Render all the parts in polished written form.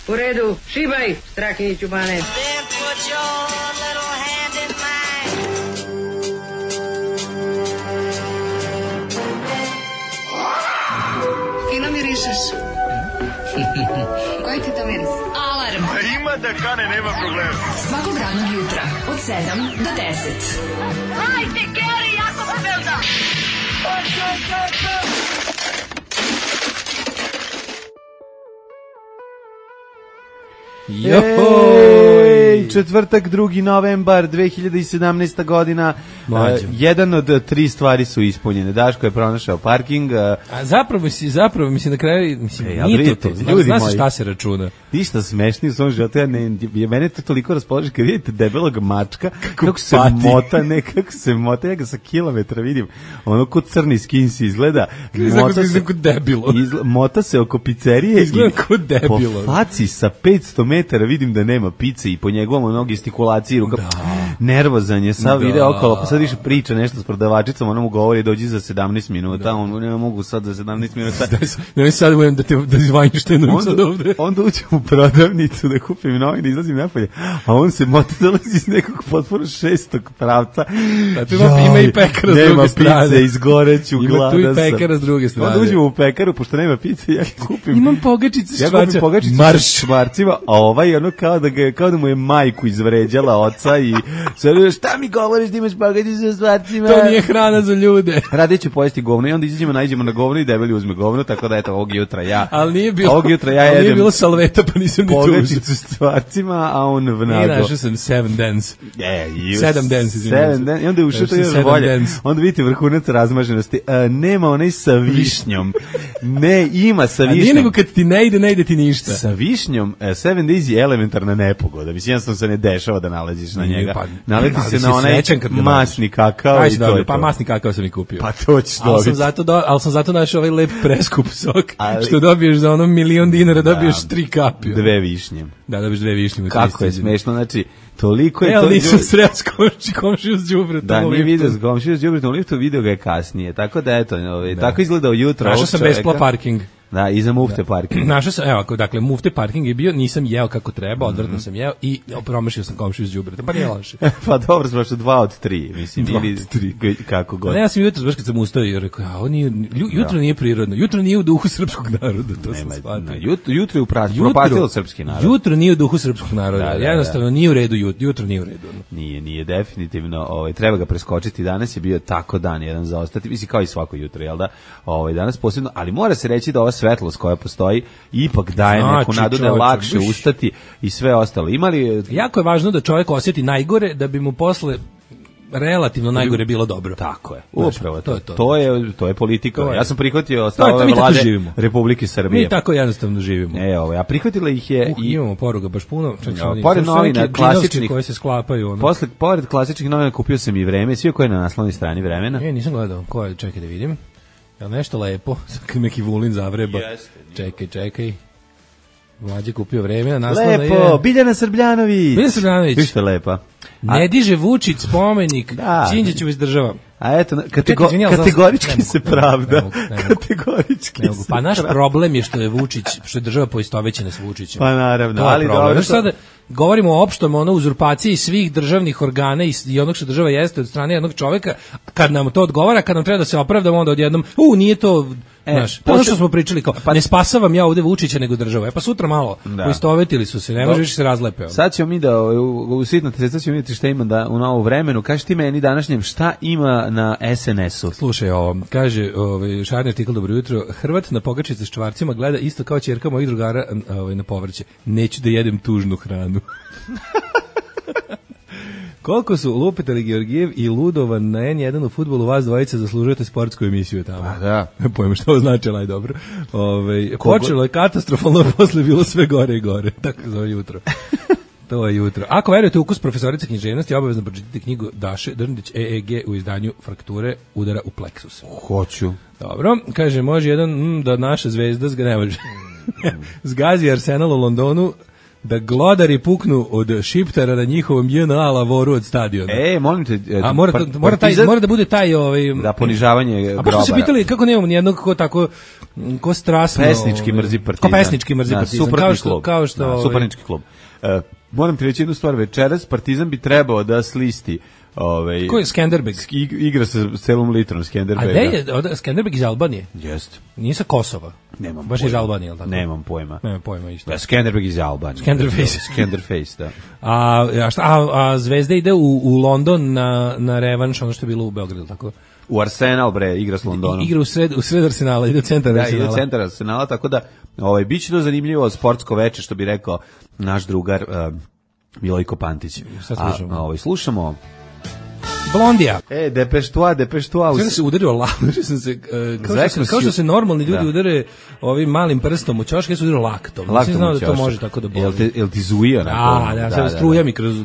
U redu, šibaj, Strahinjiću Bane. Fino mirišeš. Koji ti to miris? Alarm. Ima da kane, nema problema. Svakog radnog jutra od 7 do 10. Hajde, Geri, jako se velda! Ej, četvrtak, 2. novembar 2017. godina. Jedan od 3 stvari su ispunjene. Daško je pronašao parking. A zapravo mi se na kraju, nije to. Znaš šta se računa? Ništa smešni u svom životu. Mene to toliko raspoloži kad vidite debelog mačka, kako se mota, ja ga sa kilometra vidim. Ono ko crni skins izgleda. Mota se oko pizzerije izgleda ko debilo. Po faci sa 500 metara vidim da nema pice i po njegovom onog gestikulaciji ruka. Nervozan je, sad ide okolo, pa sad više priča nešto s prodavačicom, ona mu govori dođi za 17 minuta, on ne mogu sad za 17 minuta. Ne sad budem da izvanjštenujem sad ovde. Onda uđem u prodavnicu da kupim novine, izlazim napolje, a on se mota dolazi iz nekog potpuno 6. pravca. Ima i pekara s druge strane. Nema pice, izgoreću, gladan sam. Ima tu i pekara s druge strane. Onda uđemo u pekaru, pošto nema pice, ja kupim. Imam pogačice ja kupim pogačice s švarcima, a ovaj ono kao da mu je majku izvređala oca i sve, šta mi govoriš da imaš pogačice sa švarcima? To nije hrana za ljude. Radije ću pojesti govno i onda nađemo na govno i debeli uzme govno, tako da eto ovog jutra ja. Ali nije bilo salveta, pa nisam ni tu. Pogačicu s stvarcima, a on vnago. I našao sam 7 dance. 7 dance, izvinite. I onda je ušao to još bolje. Onda vidite vrhunac razmaženosti. Nema onaj sa višnjom. Ne, ima sa višnjom. A nije nego kad ti ne ide ti ništa. Sa višnjom, 7 days je elementarna nepogoda. Mislim, jednostavno se ne dešava da nalaziš na njega. Naleti se na onaj masni kakao i to je to. Pa masni kakao sam i kupio. Pa to ćeš dobiti. Ali sam zato našao ovaj lep preskup sok, što dobiješ za ono $1.000.000, dobiješ 3 kapi. 2 višnje. Da, dobiješ 2 višnje. Kako je smešno, znači, toliko je to... Ali nisam sreo s komšiju s đubretom. Da, nije vidio s komšiju s đubretom u liftu, video ga je kasnije. Tako da, eto, tako izgledao jutro. Našao sam bespla parking. Da, iza mufte parking. Našao sam, evo, dakle, mufte parking je bio, nisam jeo kako treba, odvratno sam jeo i promašio sam komšiju s đubretom, pa nije loše. Pa dobro, smo što 2 od 3, mislim, ili 3, kako god. Ne, ja sam jutro, baš kad sam ustao i rekao, jutro nije prirodno, jutro nije u duhu srpskog naroda, to sam shvatio. Jutro je propatilo srpski narod. Jutro nije u duhu srpskog naroda, jednostavno nije u redu jutro nije u redu. Nije definitivno, treba ga preskočiti, danas je bio tako dan jedan za ostati, mislim kao i svako jutro, jel da, danas posebno, ali mora se reći da ova svetlost koja postoji ipak daje neku nadu da je lakše ustati i sve ostalo. Jako je važno da čovjek osjeti najgore da bi mu posle relativno najgore bilo dobro. Tako je. Upravo to je politika. Ja sam prihvatio stavove vlade Republike Srbije. Mi tako jednostavno živimo. A prihvatila ih je i imamo poruga baš puno. Pored novina klasičnih koje se sklapaju. Pored klasičnih novina kupio sam i Vreme, sve koje je na naslovnoj strani Vremena. Nisam gledao. Koje, čekaj da vidim. Jel nešto lepo? Neki Vulin zavreba. Čekaj. Mlađe kupio Vreme, na naslovna je... Lepo, Biljana Srbljanović. Vište lepa. Ne diže Vučić spomenik, Đinđiću izdržava. A eto, kategorički se pravda. Kategorički se Pa naš problem je što je Vučić, što je država poistovećena s Vučićem. Pa naravno, ali dobro. Sada govorimo o opštom uzurpaciji svih državnih organa i onog što država jeste od strane jednog čoveka. Kad nam to odgovara, kad nam treba da se opravdamo, onda odjednom, nije to... ono što smo pričali, kao, ne spasavam ja ovde Vučića nego država. Pa sutra malo, poistovetili su se, ne može više se razlepe. Sad ćemo mi da, u sitno sad ćemo vidjeti šta ima da u novom vremenu. Kaži ti meni današnjem šta ima na SNS-u. Slušaj, kaže šarni artikl, dobro jutro, Hrvat na pogačice s čvarcima gleda isto kao ćerka mojih drugara na povrće. Neću da jedem tužnu hranu. Koliko su Lupetali Georgijev i Ludovan na N1 u fudbalu, vas dvojica zaslužujete sportsku emisiju tamo. Da. Pojma što ovo znači, ali dobro. Počelo je katastrofalno, posle bilo sve gore i gore. Tako zove jutro. To je jutro. Ako verujete ukus profesorice književnosti, obavezno pročitati knjigu Daše Drndić EEG u izdanju Frakture udara u pleksus. Hoću. Dobro, kaže, može jedan da naša zvezda ne može. Zgazi Arsenal u Londonu da glodari puknu od šiptara na njihovom JNA lavoru od stadiona. Molim te, a mora da bude taj da ponižavanje grobara. A baš se pitali kako nemamo nijednog ko strasno pesnički mrzi Partizan. Ko pesnički mrzi Partizan, kao što suparnički klub. Moram ti reći jednu stvar, večeras Partizan bi trebao da slisti ko je Skenderbeg? Igra sa celom litrom Skenderbega. A gde je Skenderbeg iz Albanije? Jeste. Nije sa Kosova? Nemam baš pojma. iz Albanije, ili tako? Nemam pojma. Nemam pojma isto. Da, Skenderbeg iz Albanije. Skenderface, da. A Zvezda ide u London na revanš, ono što je bilo u Beogradu, tako? U Arsenal, bre, igra s Londonom. Igra u sred Arsenala, ide centar Arsenala. Da, ide centar Arsenala, tako da biće to zanimljivo sportsko veče, što bi rekao naš drugar Milojko Pantić. Šta slušamo? Slušamo Blondija. Depeche Toi. Sve se udario lakom, kao što se normalni ljudi udare ovim malim prstom u ćošak, ja se udario laktom. Nisam znao da to može tako da boli. Jel ti zuija? Da, struja mi kroz...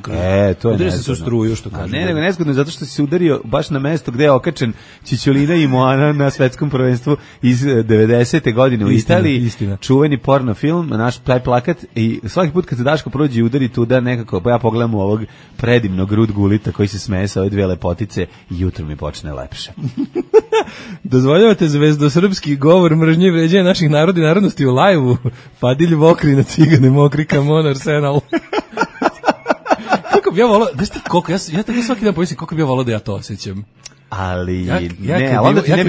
to je udario sam se u struju, što kažem. Ne, nego nezgodno, zato što si se udario baš na mesto gde je okačen Čičolina i Moana na svetskom prvenstvu iz 90. godine u Italiji. Čuveni porno film, naš taj plakat, i svaki put kad se Daško prođe i udari tuda nekako, ja pogledam u ovog predivnog Rud Gulita koji se smeje sa ove dve lepotice i jutro mi počne lepše. Dozvoljavate zvezdosrpski govor mržnje i vređanja naših naroda i narodnosti u lajvu? Fadilj Vokri na cigane mokri kamon Arsenal. Kako bi ja volao, znaš ti koliko, ja tako svaki dan pomislim koliko bi ja volao da ja to osjećam. Ali kad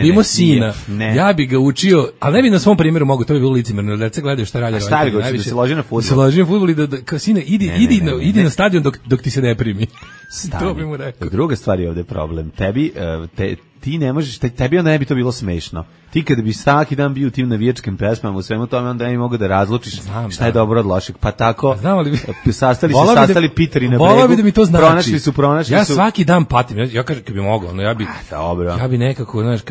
bi imao sina, ja bi ga učio, ali ne bi na svom primjeru mogu, to bi bilo licimerno, da se gledaju šta radi. Šta bi ga učio, da se loži na fudbal? Da se loži na fudbal i da kao sine, idi na stadion dok ti se ne primi. To bi mu rekao. Druga stvar je ovde problem. Ti ne možeš, tebi onda ne bi to bilo smešno. Ti kada bi svaki dan bio u tim navijačkim pesmama, u svemu tome, onda ne bi mogu da razlučiš šta je dobro od lošeg. Pa tako, sastali Piteri na bregu, da mi to znači. pronašli ja su. Svaki dan patim, ja kažem kad bi mogao, ja bi nekako, znaš,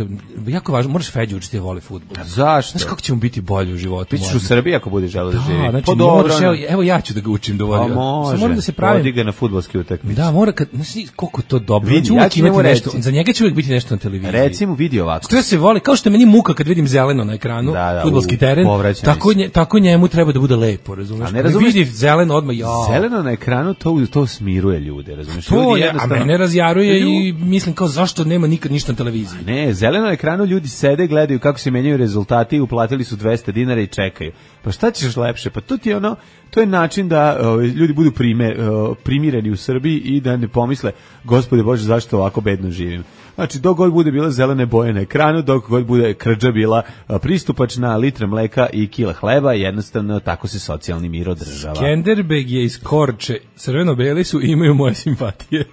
jako važno, moraš Feđu učiti da voli fudbal. Zašto? Znaš kako će mu biti bolje u životu? Ti ćeš u Srbiji ako budeš želeo da živi. Znači, evo ja ću da ga učim da voli. Moram da se pravim. Vodi ga na fudbalski utakmice. Da, mora, znači, koliko to dobro. Za njega će uvijek biti nešto na televiziji. Recimo vidi ovako. Što se voli, kao što meni muka kad vidim zeleno na ekranu, fudbalski teren, tako njemu treba da bude lepo, razumeš? Ne vidi zeleno odmah, zeleno na ekranu to smiruje ljude, razumeš? A mene razjaruje i mislim kao zašto nema nikad ništa na televiziji. Ne, zeleno na ekranu ljudi sede, gledaju kako se menjaju rezultati, uplatili su 200 dinara i čekaju. Pa šta ćeš lepše? Pa to je način da ljudi budu primireni u Srbiji i da ne pomisle, Gospode Bože, zašto ovako bedno živim. Znači, dok god bude bila zelene boje na ekranu, dok god bude krđa bila pristupačna, litra mleka i kila hleba, jednostavno tako se socijalni mir održava. Skenderbeg je iz Korče, crveno-beli su, imaju moje simpatije.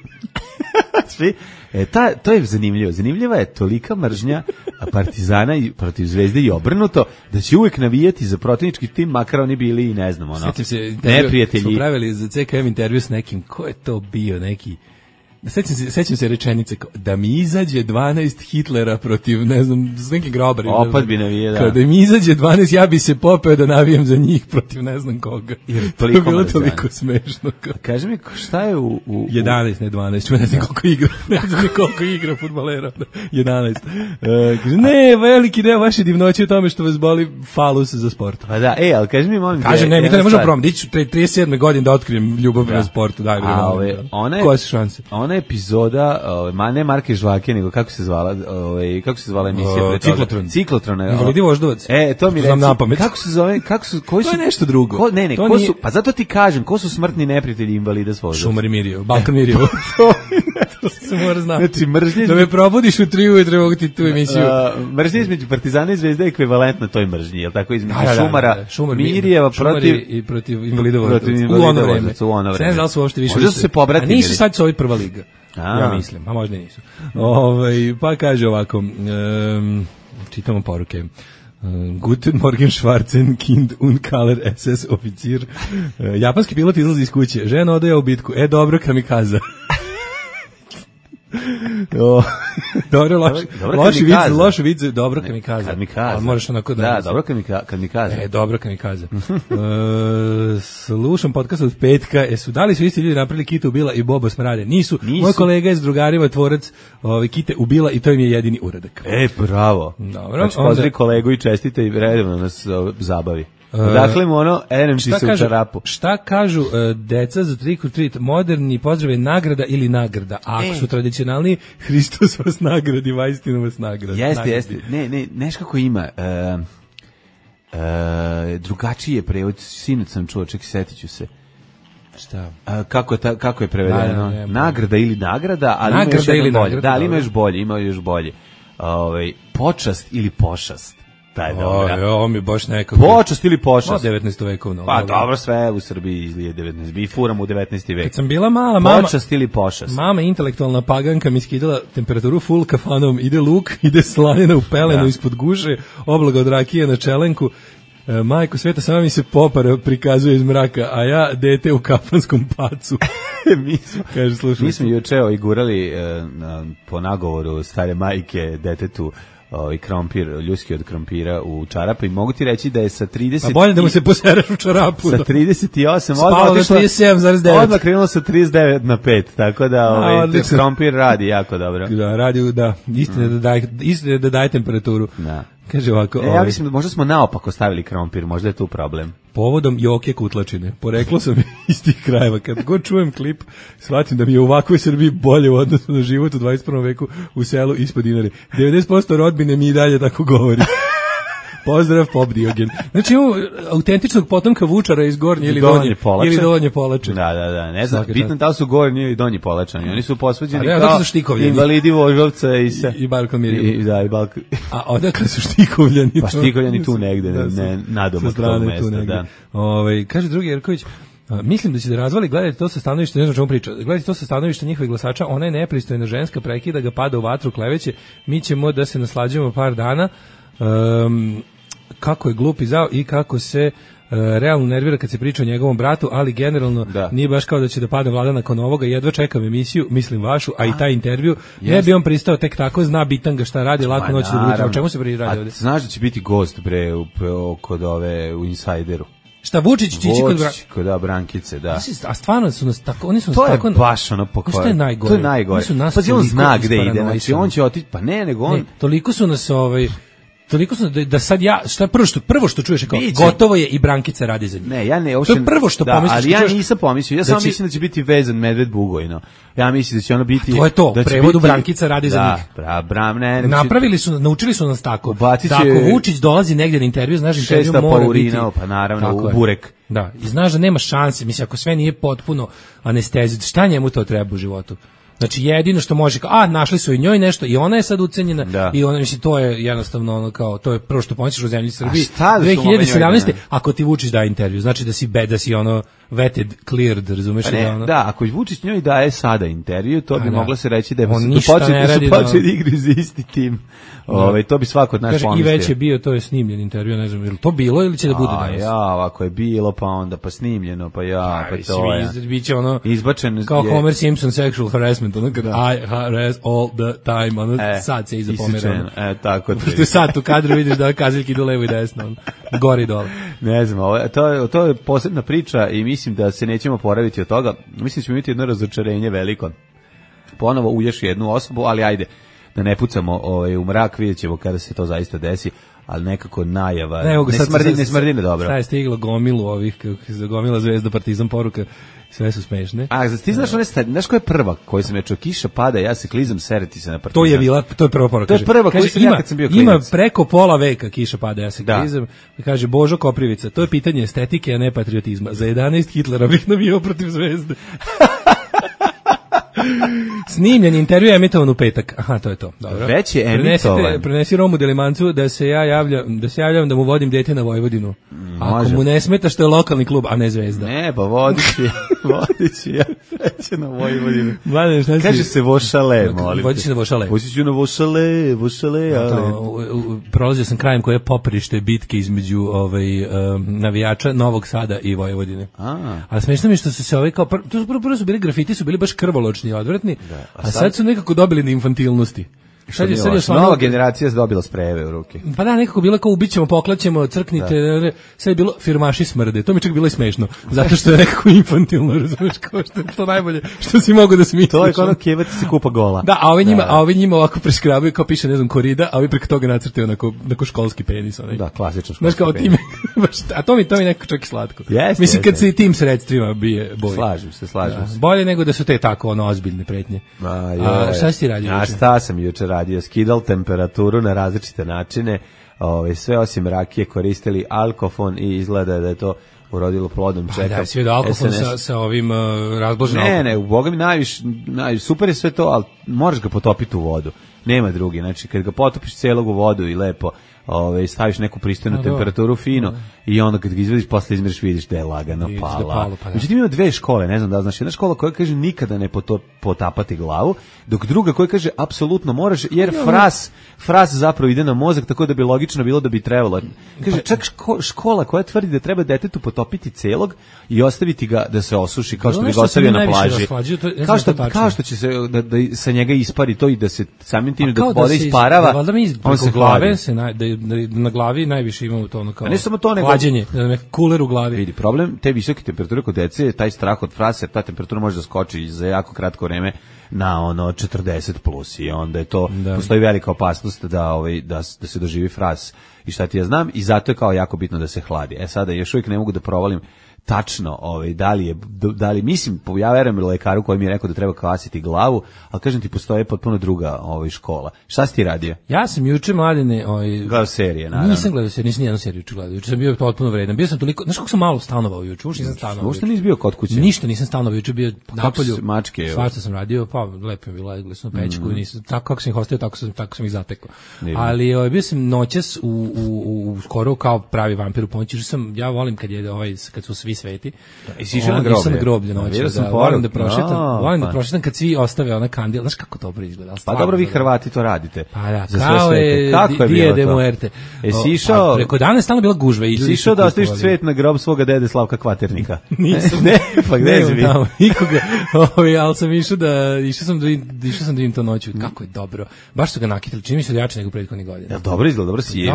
To je zanimljivo. Zanimljiva je tolika mržnja Partizana i protiv Zvezde i obrnuto, da će uvek navijati za protivnički tim, makar oni bili i ne znam, neprijatelji. Smo pravili za CKM intervju s nekim, ko je to bio, neki... Sećam se rečenice da mi izađe 12 Hitlera protiv, ne znam, s nekim grobarima. Opet bi navijao, da. Kada mi izađe 12, ja bi se popeo da navijem za njih protiv ne znam koga. To je bilo toliko smešno. Kaži mi, šta je u... 11, ne 12, ne znam koliko igra. Ne znam koliko igra fudbalera. 11. Kaže, ne, veliki deo vaše divnoće u tome što vas boli falus za sport. Pa da, ali kaži mi, molim... Kaže, ne, mi to ne možemo promeniti. Diću 37. godine da otkrijem ljubav na sportu. Daj, koje su šanse? Ona epizoda, ne Marke Žvake, nego kako se zvala emisija? Ciklotron. Invalidi voždovac. To mi reći. Kako se zove? Koji su? To je nešto drugo. Ne, ko su? Pa zato ti kažem, ko su smrtni neprijatelji invalida s voždovca? Šumar i Mirjevo, Balkan Mirjevo. To se mora znati. Znači, mržnje... Da me probudiš u 3 ujutro mogu ti tu emisiju. Mržnje između Partizana i Zvezde je ekvivalentna toj mržnji, je li tako? Između Šumara, Mirjeva protiv invalida voždovca. U ono vreme. Ne znam da su uopšte više... Možda su se pobratili. Nisu sad su ovi prva liga. Ja mislim, a možda nisu. Pa kaže ovako, čitamo poruke. Guten Morgen Schwarzen Kind und Kaler SS oficir. Japanski pilot izlazi iz kuće. Žena odaje u bitku. Dobro, kamikaza. Dobro, loši vic, dobro kamikaza. Ali moraš onako da... Da, dobro kamikaza. Dobro kamikaza. Slušam podcast od petka. Da li su isti ljudi napravili Kite ubila i Bobo smrade? Nisu. Moj kolega je s drugarima tvorac Kite ubila i to im je jedini uradak. Bravo. Dobro. Znači, pozdravi kolegu i čestite i redovno nas zabavi. Dakle mu ono, ti se u čarapu. Šta kažu deca za trick or treat? Moderni pozdrav je nagrada ili nagrada. A ako su tradicionalni, Hristos vas nagradi, vajstinu vas nagradi. Jeste. Ne, neš kako ima. Drugačiji je prevod, sinoć sam čuo, setit ću se. Šta? Kako je prevedeno? Nagrada ili nagrada, ali nagrada ili nagrada. Da, ali ima još bolje. Počast ili pošast. Taj dobro. Ovo mi baš nekako. Počast ili pošast? 19. vekovno. Pa dobro, sve u Srbiji izlije 19. Mi furamo u 19. vek. Kad sam bila mala, mama... Počast ili pošast? Mama, intelektualna paganka, mi skidala temperaturu full kafanom. Ide luk, ide slanina u pelenu ispod guše, oblaga od rakije na čelenku. Majko sveta, sama mi se popara prikazuje iz mraka, a ja dete u kafanskom pacu. Mi smo juče gurali po nagovoru stare majke detetu krompir, ljuski od krompira u čarapu i mogu ti reći da je sa 30... Pa bolje da mu se posereš u čarapu. Sa 38 spalo do 37,9. Odmah krenulo sa 39 na 5, tako da krompir radi jako dobro. Da, radi, da, istina da daje temperaturu. Da. Kaže ovako... Ja mislim da možda smo naopako stavili krompir, možda je tu problem. Povodom Joke Kutlačine. Poreklo sam iz tih krajeva. Kad god čujem klip, shvatim da mi je u ovakvoj Srbiji bolje u odnosu na život u 21. veku u selu ispod Dinare. 90% rodbine mi i dalje tako govori. Pozdrav, Pop Diogen. Znači imamo autentičnog potomka Vučara iz Gornje ili Donje Polače. Da. Ne znam, bitno da li su Gornji ili Donji Polačani. Oni su posvađeni kao invalidi Voždovca i Balkan Mirjeva. Da, i Balkan. A odakle su Štikovljani? Pa Štikovljani tu negde, ne nadomak tog mesta. Da. Kaže drugi Jerković, mislim da će da razvali, gledajte to sa stanovišta, ne znam čemu priča, gledajte to sa stanovišta njihovih glasača, ona je nepristojna ženska, prekida ga, pada u vatru, kleveće, mi ćemo da se naslađujemo par dana. Kako je glup i zao i kako se realno nervira kad se priča o njegovom bratu, ali generalno nije baš kao da će da padne vlada nakon ovoga, jedva čekam emisiju, mislim vašu, a i taj intervju, ne bi on pristao tek tako, zna bitanga šta radi, lako noć da budu, o čemu se radi ovdje? Znaš da će biti gost kod ove u Insajderu? Šta, Vučić će ići kod Brankice, da. A stvarno su nas tako, oni su nas to tako... To je baš ono pokvarno. To je najgore. To je najgore. Pa on zna gde ide, znači on će otići, pa ne, nego on... Toliko su nas toliko su da sad ja šta prvo što čuješ kao gotovo je i Brankica radi za njih. Ne, ja ne, to je prvo što pomisliš. Ali ja nisam pomislio. Ja samo mislim da će biti vezan medved Bugojno. Ja mislim da će ono biti to je to, da prevodu Brankica radi za njih. Ne. Napravili su, naučili su nas tako. Da ako Vučić dolazi negdje na intervju, znaš intervju mora biti. Pa naravno u burek. Da, i znaš da nema šanse, mislim ako sve nije potpuno anestezija, šta njemu to treba u životu? Znači jedino što može našli su i njoj nešto i ona je sad ucenjena i ona mislim to je jednostavno ono kao to je prvo što pomisliš o zemlji Srbiji 2017. Ako ti Vučić daje intervju, znači da si ono vetted, cleared, razumeš da ono. Da, ako Vučić njoj daje sada intervju, to bi moglo se reći da je počeli igri za isti tim. To bi svako od nas pomislio. I već je bio, to je snimljen intervju, ne znam, je li to bilo ili će da bude danas? Ako je bilo, pa onda pa snimljeno, pa to je. Biće ono izbačen kao Homer Simpson sexual harassment, ono kad I harass all the time, ono sad se iza pomera. Tako to je sad u kadru vidiš da kazaljki idu levo i desno, gori dole. Ne znam, to je posebna priča i mislim da se nećemo poraviti od toga. Mislim da ćemo imati jedno razočarenje veliko. Ponovo u još jednu osobu, ali ajde, da ne pucamo u mrak, vidjet ćemo kada se to zaista desi, ali nekako najava, ne smrdi ne dobro. Sad je stiglo gomilu gomila Zvezda, Partizan, poruka, sve su smešne. A ti znaš koja je prva koju sam ja čuo, kiša pada, ja se klizam, sereti se na Partizan. To je prva poruka. To je prva koju sam ja kad sam bio klinac. Ima preko pola veka kiša pada, ja se klizam. I kaže Božo Koprivica, to je pitanje estetike, a ne patriotizma. Za 11 Hitlerovih navijao protiv Zvezde. Snimljen intervju je emitovan u petak. Aha, to je to. Dobro. Već je emitovan. Prenesi Romu Delimancu da se javljam da mu vodim dete na Vojvodinu. Ako mu ne smeta što je lokalni klub, a ne Zvezda. Ne, pa vodit će ja peće na Vojvodinu. Mladen, šta si? Kaže se Vošale, molim te. Vodit će na Vošale. Vodit ću na Vošale, ali... Prolazio sam krajem koje je poprište bitke između navijača Novog Sada i Vojvodine. Ali smešno mi što su se kao... Prvo su bili grafiti, su bili baš krvoločni i odvratni, a sad su nekako dobili na infantilnosti. Sad je nova generacija je dobila sprejeve u ruke. Pa da, nekako bilo kao ubićemo, poklaćemo, crknite, sad je bilo firmaši smrde. To mi čak bilo i smešno, zato što je nekako infantilno, razumeš, kao što je to najbolje što si mogu da smisliš. To je kao kevati se kupa gola. Da, a ovi njima ovako preskrabaju, kao piše, ne znam, korida, a ovi preko toga nacrtaju onako školski penis. Onaj. Da, klasično školski penis. Time, a to mi nekako čak i slatko. Mislim, kad se i tim sredstvima bije bolje. Slažem se. Bolje nego da su te tako ozbiljne pretnje. Šta si ti radio? A šta sam juče radio? Skidal temperaturu na različite načine, sve osim rakije koristili alkofon i izgleda da je to urodilo plodom. Čekam. Da, sve do alkofon sa ovim razblaženim alkoholom. Ne, u Boga mi najviše, super je sve to, ali moraš ga potopiti u vodu. Nema drugi, znači kad ga potopiš celog u vodu i lepo staviš neku pristojnu temperaturu fino i onda kad ga izvadiš posle izmeriš vidiš da je lagano pala. Međutim ima dve škole, ne znam da znaš, jedna škola koja kaže nikada ne potapati glavu, dok druga koja kaže apsolutno moraš, jer fras zapravo ide na mozak, tako da bi logično bilo da bi trebalo. Kaže čak škola koja tvrdi da treba detetu potopiti celog i ostaviti ga da se osuši kao što bi ga ostavio na plaži. Kao što će se da sa njega ispari to i da se samim tim dok voda isparava, on se glave na glavi najviše imamo to ono kao ne samo to, nego hlađenje, kuler u glavi. Vidi, problem te visoke temperature kod dece je taj strah od frase, ta temperatura može da skoči za jako kratko vreme na 40+ i onda je to, postoji velika opasnost da se doživi fras i šta ti ja znam i zato je kao jako bitno da se hladi. Sada još uvijek ne mogu da provalim tačno, da li mislim, ja verujem lekaru koji mi je rekao da treba kvasiti glavu, ali kažem ti postoje potpuno druga škola. Šta si ti radio? Ja sam juče mladine, gledao serije, naravno. Nisam gledao serije, nisam nijednu seriju gledao. Juče sam bio potpuno vredan. Bio sam toliko, znaš kako sam malo stanovao juče, uopšte nisam stanovao. Uopšte nisi bio kod kuće? Ništa nisam stanovao juče, bio napolju. Mačke, svašta sam radio, pa lepo je bilo, legli smo na pećku i nisam, tako kako sam ih ostavio, tako sam ih zatekao. Ali bio sam noćas u skoro kao pravi vampir u ponoći, ja volim kad su svi sveti. Isišao na groblje noći. Volim da prošetam kad svi ostave ona kandila. Znaš kako dobro izgleda. Pa dobro, vi Hrvati to radite. Pa da, kao je Dia de Muerte. Isišao... Preko dana je stalno bila gužva. Isišao da ostaviš cvet na grob svoga dede Slavka Kvaternika. Nisam. Ne, pa gde si vi? Nikoga. Ali sam išao sam da vidim to noću. Kako je dobro. Baš su ga nakitili. Čini mi se da jače nego prethodnih godina. Ja, dobro izgleda, dobro si je.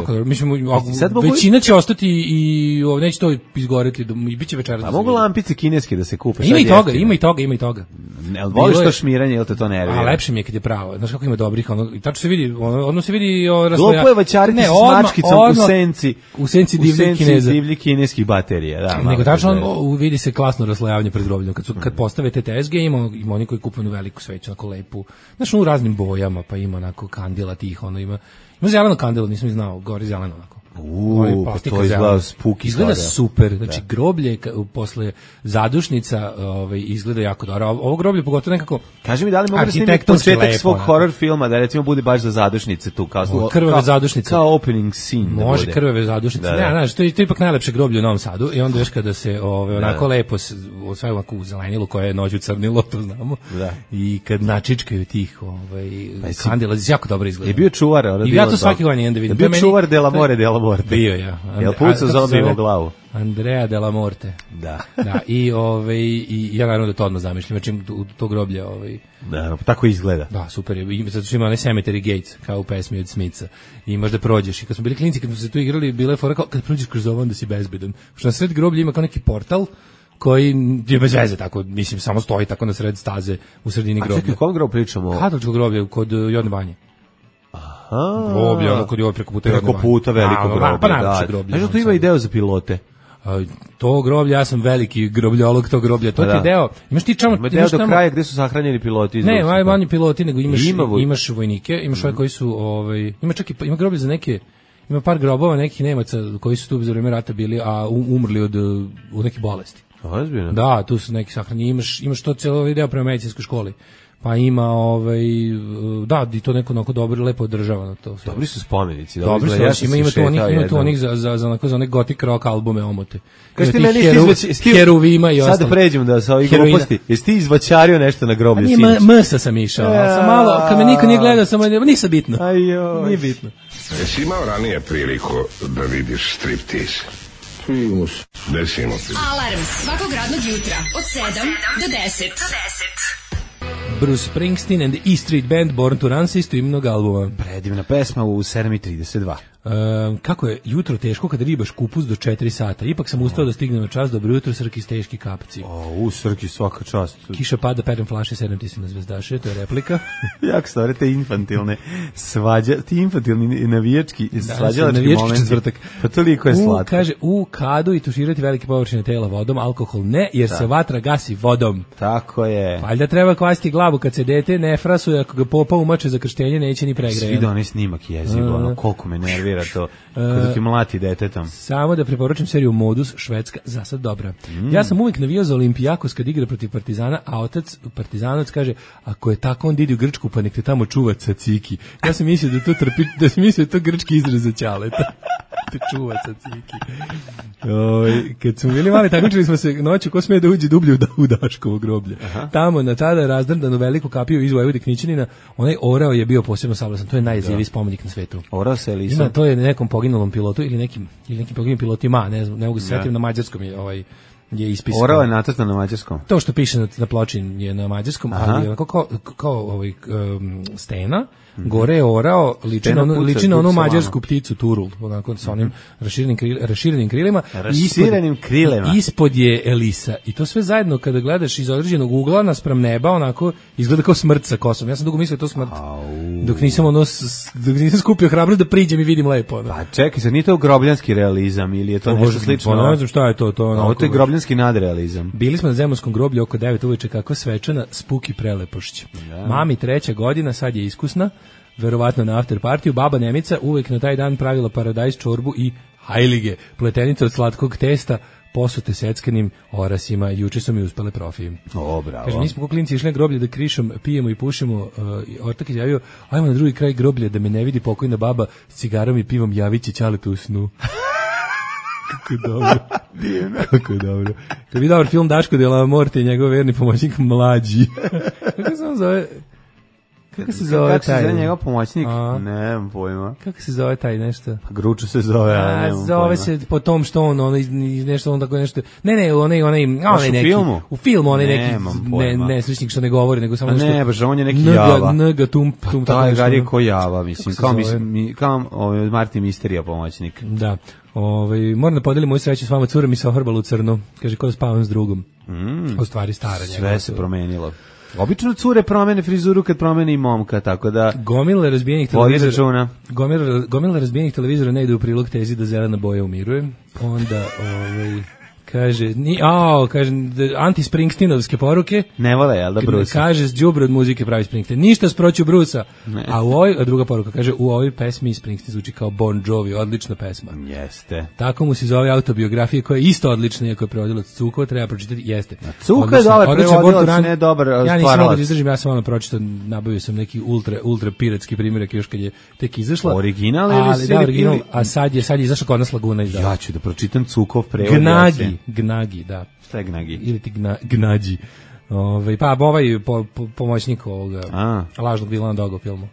Većina će ostati i neće to izgoreti i bit će večeras. A mogu lampice kineske da se kupe? Ima i toga. Ne, voliš to šmiranje, ili te to nervira? A lepše mi je kad je pravo. Znaš kako ima dobrih, i tačno se vidi, odmah se vidi glupo je vaćariti s mačkicom u senci divljih kineskih baterija. Nego tačno vidi se klasno raslojavanje pred grobljem. Kad postave te TSG, ima oni koji kupuju veliku sveću, onako lepu, znaš, u raznim bojama, pa ima onako kandila tih, ima zeleno kandilo, nisam znao, gori zeleno onako. To izgleda spooky. Izgleda super, znači groblje posle zadušnica izgleda jako dobro. Ovo groblje pogotovo nekako. Kaži mi da li mogu da snimiti početak svog horror filma da recimo bude baš za zadušnice tu kao krvave zadušnice. Kao opening scene. Može krvave zadušnice. Ne, znaš, to je ipak najlepše groblje u Novom Sadu i onda još kada se onako lepo sve ovako u zelenilu koje je noću crnilo, to znamo. I kad načičkaju tih kandila, jako dobro izgleda. Je bio čuvar, ja to svaki godin idem vidim. Bio čuvar de la Morte. Bio, ja. Jel pucao zombije u glavu? Andrea de la Morte. Da. I ja naravno da to odmah zamišljam, znači to groblje. Da, tako izgleda. Da, super je. Zato što ima onaj Cemetery Gates, kao u pesmi od Smitha. I možda prođeš. I kad smo bili klinici, kad smo se tu igrali, bila je fora kao, kad prođeš kroz ovo, onda si bezbedan. Što na sred groblja ima kao neki portal, koji je bez veze, tako, mislim, samo stoji tako na sred staze u sredini groblja. A čekaj, kom grob pričamo? Katoličko groblje kod Jodne banje. Groblje, ono kod je ovo preko puta veliko groblje. Pa najlepše groblje. Znaš da tu ima i deo za pilote? To groblje, ja sam veliki grobljeolog tog groblja. To je deo. Imaš ti čamo, ima deo do kraja gde su sahranjeni piloti. Ne, manje piloti, nego imaš vojnike, imaš ove koji su, ima groblje za neke, ima par grobova nekih Nemaca koji su tu za vreme rata bili, a umrli od neke bolesti. Ozbiljno? Da, tu su neki sahranjeni. Imaš to cijelo deo prema medicinskoj školi. Pa ima da, i to neko onako dobro, lepo održavano to. Dobri su spomenici. Dobri su, ima tu onih za one gothic rock albume omote. Kaži ti meni, Heruvima i ostalo. Sad da pređemo da sa ovih gluposti. Jesi ti izvaćario nešto na groblju sinoć? Msa sam išao, sam malo, kad me niko nije gledao, nisam bitno. Nije bitno. Jesi imao ranije priliku da vidiš striptease? Desimo ti. Alarm svakog radnog jutra od 7 do 10. Bruce Springsteen and the E Street Band, Born to Run sa isto imenog albuma. Predivna pesma u 7:32. Kako je jutro teško kada ribaš kupus do 4 sata. Ipak sam ustao da stignem na čas. Dobro jutro, Srki s teški kapci. Srki, svaka čast. Kiša pada, perem flaše, sedem ti se na zvezdaše, to je replika. Jak stvari, te infantilne ti infantilni navijački svađalački momenti. Pa toliko je slatko. Kaže, u kadu i tuširati velike površine tela vodom, alkohol ne, jer se vatra gasi vodom. Tako je. Valjda treba kvasiti glavu kad se dete ne frasuje, ako ga popa umače za krštenje, neće ni pregrejati. Svi da onaj snimak jezivo, koliko me nervira to, kada ti mlati detetom. Samo da preporučim seriju Modus, Švedska, za sad dobra. Ja sam uvijek navijao za Olimpijakos kad igra protiv Partizana, a otac Partizanac kaže, ako je tako, on ide u Grčku, pa nek te tamo čuva caciki. Ja sam mislio da to trpi, da sam mislio da to grčki izraz za ćaleta. Te čuva caciki. Kad smo bili mali, takmičili smo se noću ko smije da uđe dublje u Daškovo groblje. Aha. Tamo na tada razdrdanu veliku kapiju iz Vojvode Knićanina, onaj orao je bio posebno sablasan. To je najjeziviji spomenik na svetu. Orao se Elisa. To je nekom poginulom pilotu ili nekim poginulim pilotima, ne znam, ne mogu se setiti, na mađarskom je ispisano. Orao je nacrtan na mađarskom. To što piše na ploči je na mađarskom, ali je kao stena. Gore je orao, liči na onu mađarsku pticu turul, onako sa onim raširenim krilima. Ispod je Elisa. I to sve zajedno kada gledaš iz određenog ugla naspram neba, onako izgleda kao smrt sa kosom. Ja sam dugo mislio to smrt. Dok nisam skupio hrabrost da priđem i vidim lepo. Pa čekaj, sad nije to grobljanski realizam ili je to nešto slično? Ne znam šta je to. Ovo je grobljanski nadrealizam. Bili smo na Zemunskom groblju oko 9 uveče, kako svečana, spuki prelepošć. Mami 3. godina, sad je iskusna, verovatno na after partiju. Baba Nemica uvek na taj dan pravila paradajz čorbu i hajlige, pletenice od slatkog testa, posute seckanim orasima. Juče su mi uspele profije. Bravo. Kaže, mi smo ko klinci išli na groblje da krišom pijemo i pušimo. Ortak je javio, ajmo na drugi kraj groblja da me ne vidi pokojna baba s cigarom i pivom, javit će ćaletu u snu. Kako dobro. Kako je dobro. Kad bi dobar film Daško de la Morte i njegov verni pomoćnik Mlađi. Kako se on zove? Kako se zove taj? Kako se zove njegov pomoćnik? Nemam pojma. Kako se zove taj nešto? Gruču se zove, ali nemam pojma. Zove se po tom što on nešto, on tako nešto. Ne, onaj neki. Filmu? U filmu onaj neki. Ne, sličnik što ne govori, nego samo nešto. Ne, baš on je neki Java. Nga tum. Taj gar je ko Java, mislim. Kao Martin Misterija pomoćnik. Da. Moram da podelim moju sreću s vama, cura mi se ohrbala u crno. Kaže, ko da spavam s drugom. U stvari stara njega. Sve se promenilo. Obično cure promene frizuru kad promene i momka, tako da... Gomila razbijenih televizora ne ide u prilog tezi da zelena boja umiruje. Onda, kaže, anti-Springsteenovske poruke. Ne vole, jel da, Brusa? Kaže, đubre od muzike pravi Springsteen. Ništa sproću Brusa. A druga poruka kaže, u ovoj pesmi Springsteen zvuči kao Bon Jovi, odlična pesma. Jeste. Tako mu se zove autobiografija koja je isto odlična, iako je prevodilac Cukova, treba pročitati, jeste. Cuka je dobar prevodilac, ne dobar stvaralac. Ja nisam mogao da izdržim, ja sam ono pročitao, nabavio sam neki ultra piratski primjerak još kad je tek izašla. Original ili da, original, a sad je izašao kod nas Laguna izdala. Ja ću da pročitam Cukov prevod. Gnagi, da. Šta je Gnagi? Ili ti Gnađi. Pa pomoćnik ovoga lažnog Dilana Doga u filmu.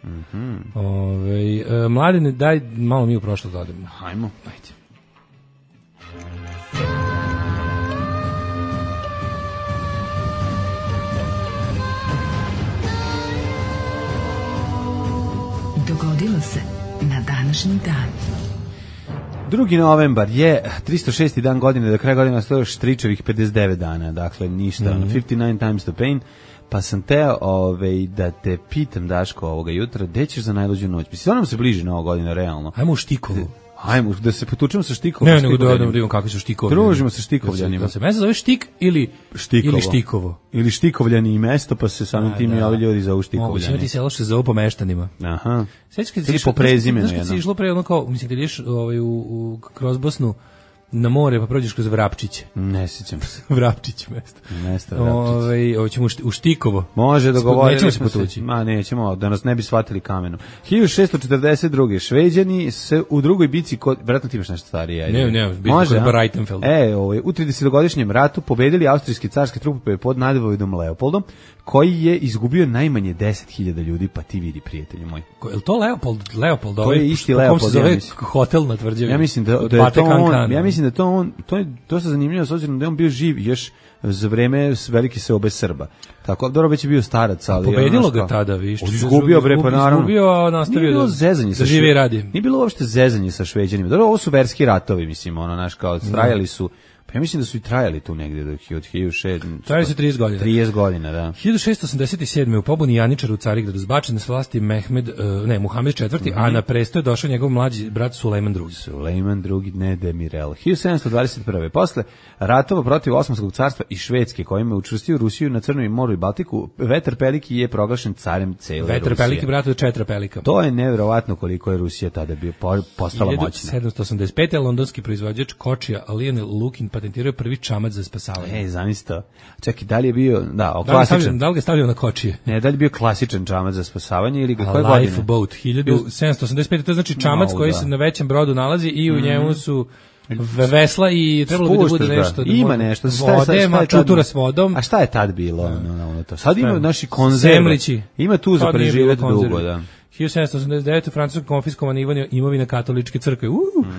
Mladine, daj malo mi u prošlost dodemo. Hajmo. Ajde. Dogodilo se na današnji dan. 2. novembar je 306. dan godine, do kraja godine stoje štričevih 59 dana, dakle ništa, 59 times the pain, pa sam teo da te pitam, Daško, ovoga jutra, gde ćeš za najluđu noć? Mislim, stvarno se bliži Nova godina, realno. Ajmo u Štikovu. Ajmo, da se potučemo sa Štikovljanima. Ne, nego da vidimo kakvi su Štikovljani. Družimo sa Štikovljanima. Da se mesto zove Štik ili Štikovo. Ili Štikovljani i mesto, pa se samim tim i ovi ljudi zovu Štikovljani. Moguće imati selo što se zove po meštanima. Aha. Ili po prezimenu. Znaš kad si išlo pre ono kao, mislim, kad ideš kroz Bosnu na more, pa prođeš kroz Vrapčiće. Ne sjećam se. Vrapčić mesto. Mesto Vrapčić. Hoćemo u Štikovo. Može, dogovorili smo se potući. Nećemo, da nas ne bi shvatili kamenom. 1642. Šveđani se u drugoj bici, vjerojatno ti imaš nešto starije. Ne, bici kod Breitenfeld. U 30-godišnjem ratu pobedili austrijske carske trupe pod Nadvojdom Leopoldom, koji je izgubio najmanje 10.000 ljudi, pa ti vidi, prijatelju moj. Je li to Leopold? To je isti Leopold, ja mislim. Hotel na Tvrđavi. Ja mislim da je to on. Ja mislim da to on. To je dosta zanimljivo, s obzirom da je on bio živ još za vreme velike seobe Srba. Tako dobro, već je bio starac, ali pobedilo ga tada, viš. Izgubio bre, pa naravno. Izgubio, a nastavio da zezanje sa živi i radi. Nije bilo uopšte zezanje sa Šveđanima. Dobro, ovo su verski ratovi, mislim, naš kao trajali su. Pa ja mislim da su i trajali tu negdje od 1600. Trajali su 30 godina. 30 godina, da. 1687. u pobuni Janičara u Carigradu zbačen s vlasti Muhamed IV, a na presto je došao njegov mlađi brat Sulejman II. Sulejman II, ne Demirel. 1721. Posle ratova protiv Osmanskog carstva i Švedske, kojima je učvrstio Rusiju na Crnom moru i Baltiku, Vetar Peliki je proglašen carem cele Rusije. Vetar Peliki, brat od Četra Pelika. To je nevjerovatno koliko je Rusija tada postala moćna. 1785. londonski proizvođač kočija Lionel Lukin patentirao prvi čamac za spasavanje. Zamislite. Čekaj, da li je bio, klasičan? Da li ga stavljao na kočije? Ne, da li je bio klasičan čamac za spasavanje ili koje godine? Lifeboat, 1785. To je znači čamac koji se na većem brodu nalazi i u njemu su vesla i trebalo bi da bude nešto. Ima nešto. Vode, čutura s vodom. A šta je tad bilo? Sad ima naši konzerve. Ima tu za preživjeti dugo, da. 1789. u Francusku konfiskovana imovina katoličke crkve.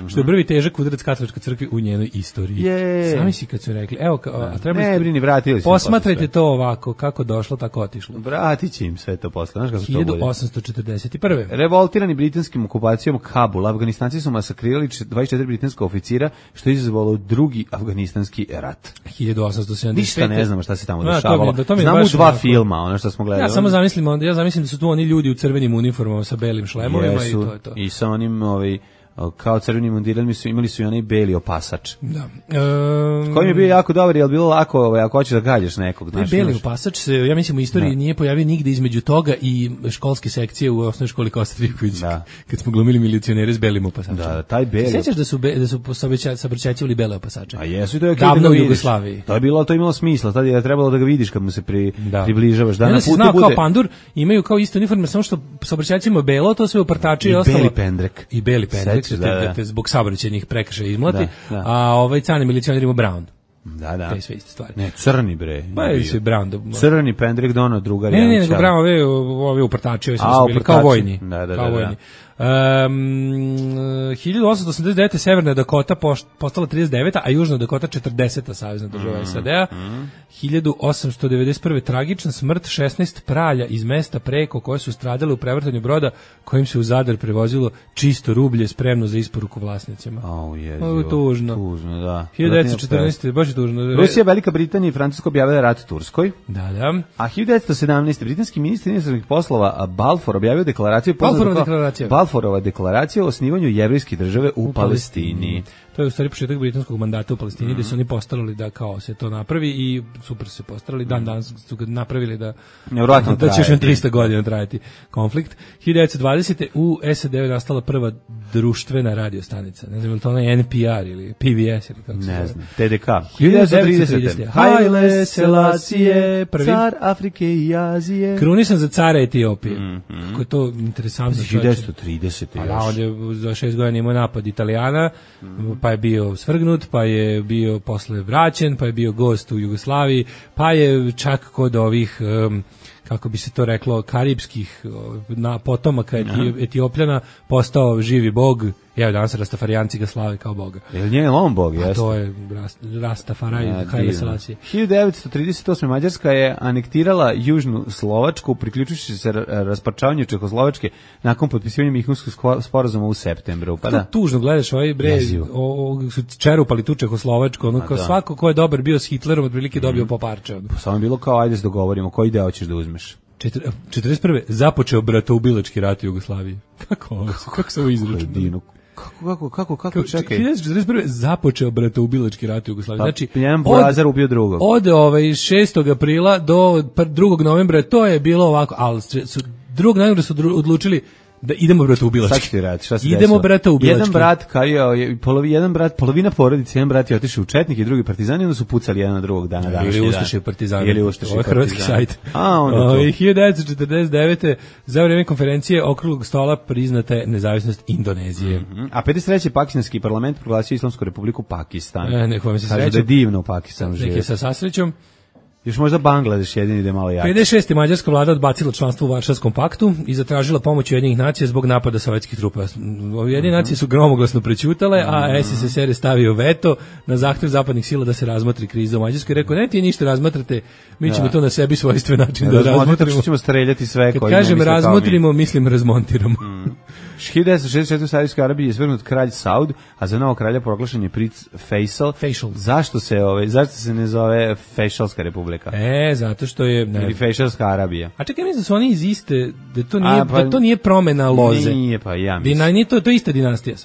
Što je prvi težak udarac katoličke crkve u njenoj istoriji. Sami si kad su rekli, evo, a treba ne brini, vratili su. Posmatrajte to ovako, kako došlo, tako otišlo. Vratit će im sve to posle. Znaš kako to bude? 1841. Revoltirani britanskim okupacijom Kabula, Afganistanci su masakrirali 24 britanska oficira, što je izazvalo drugi afganistanski rat. 1875. Ništa ne znamo šta se tamo dešavalo. Znamo dva filma, ono što smo gledali. Ja samo zamislim da su tu oni ljudi u crvenim uniformama sa belim šlemovima i to je to. I sa onim kao crveni mundirali imali su i onaj beli opasač. Da. Koji mi je bio jako dobar, je bilo lako ako hoćeš da gađaš nekog. Beli opasač se, ja mislim, u istoriji nije pojavio nigde između toga i školske sekcije u osnovnoj školi Kosta Trivković, kad smo glumili milicionere s belim opasačem. Da, taj beli. Sećaš da su saobraćajcivali bele opasače? A jesu, to je davno u Jugoslaviji. To je imalo smisla, tad je trebalo da ga vidiš kad mu se približavaš. Da na putu bude. Kao pandur, imaju kao isto uniforme, samo što saobraćajcima belo, to sve upartači i ostalo. I beli pendrek. Zbog saobraćajnih prekršaja izmlati, a crni milicioner ima brown. Da. To je sve iste stvari. Ne, crni bre. Pa je sve brown. Crni pendrek dono drugar. Ne, nego brown, ovi upartači, su bili kao vojni. Kao vojni. 1889. Severna Dakota postala 39. a Južna Dakota 40. savezna država SAD-a. 1891. tragična smrt 16 pralja iz mesta preko koje su stradale u prevrtanju broda kojim se u Zadar prevozilo čisto rublje spremno za isporuku vlasnicima. Ovo je tužno. Tužno, da. 1914. baš je tužno. Rusija, Velika Britanija i Francuska objavila rat Turskoj. Da. A 1917. britanski ministar inostranih poslova Balfour objavio deklaraciju Balfourova deklaracija o osnivanju jevrejske države u Palestini. To je u stvari početak britanskog mandata u Palestini, gde su oni postarali da kao se to napravi i super su se postarali. Dan su ga napravili da će još 300 godina trajati konflikt. 1920. u SAD je nastala prva društvena radiostanica. Ne znam je li to ona NPR ili PBS ili kako se zove. Ne znam, TDK. 1930. Haile Selassie, car Afrike i Azije. Krunisan za cara Etiopije. Kako je to interesantno. 1930. A on je za 6 godina imao napad Italijana, pa je bio svrgnut, pa je bio posle vraćen, pa je bio gost u Jugoslaviji, pa je čak kod ovih, kako bi se to reklo, karibskih potomaka Etiopljana postao živi bog. Evo danas Rastafarijanci ga slave kao boga. Je li on bog, jeste? To je Rastafaraj, Haile Selassie. 1938. Mađarska je anektirala Južnu Slovačku, priključujući se rasparčavanju Čehoslovačke nakon potpisivanja Minhenskog sporazuma u septembru. Pa da. Tužno gledaš ovaj bre, su čerupali tu Čehoslovačku, ono kao svako ko je dobar bio s Hitlerom, otprilike dobio po parče. Samo je bilo kao, ajde se dogovorimo, koji deo ćeš da uzmeš? 41. započeo bratoubilački rat u Jugoslaviji. Kako se ovo izračunalo? Kako, čekaj. 1941. započeo bratoubilački rat u Jugoslaviji. Znači, jedan burazar ubio drugog. Od 6. aprila do 2. novembra to je bilo ovako, ali 2. novembra su odlučili da idemo bratoubilački. Sad ću ti raditi, šta se idemo bratoubilački. Jedan brat, polovina porodice, jedan brat je otišao u četnike i drugi partizani, onda su pucali jedan na drugog dana današnji dan. Ili ustaše partizani. Ovo je hrvatski sajt. A, onda to. 1949. za vrijeme konferencije okruglog stola priznata je nezavisnost Indonezije. A 53. pakistanski parlament proglasio Islamsku republiku Pakistan. Neko vam se srećom. Kaže da je divno u Pakistanu živjeti. Neki sa sasrećom. Još možda Bangladeš jedini da je malo jači. 56. mađarska vlada odbacila članstvo u Varšavskom paktu i zatražila pomoć Ujedinjenih nacija zbog napada sovjetskih trupa. Ujedinjene nacije su gromoglasno prećutale, a SSSR je stavio veto na zahtev zapadnih sila da se razmotri kriza u Mađarskoj. Rekao, ne ti ništa razmatrate, mi ćemo to na sebi svojstven način da razmotrimo. Što ćemo streljati sve Kad koji kažem razmotrimo, mislim razmontiramo. 1964. u Saudijskoj Arabiji je svrgnut kralj Saud, a za novog kralja proglašen je princ Faisal. Zašto se ne zove Faisalska republika? Zato što je ili Faisalska Arabija. A čekaj, mislim da su oni iz iste, da to nije promena loze. Nije, pa ja mislim. Nije to je ista dinastija.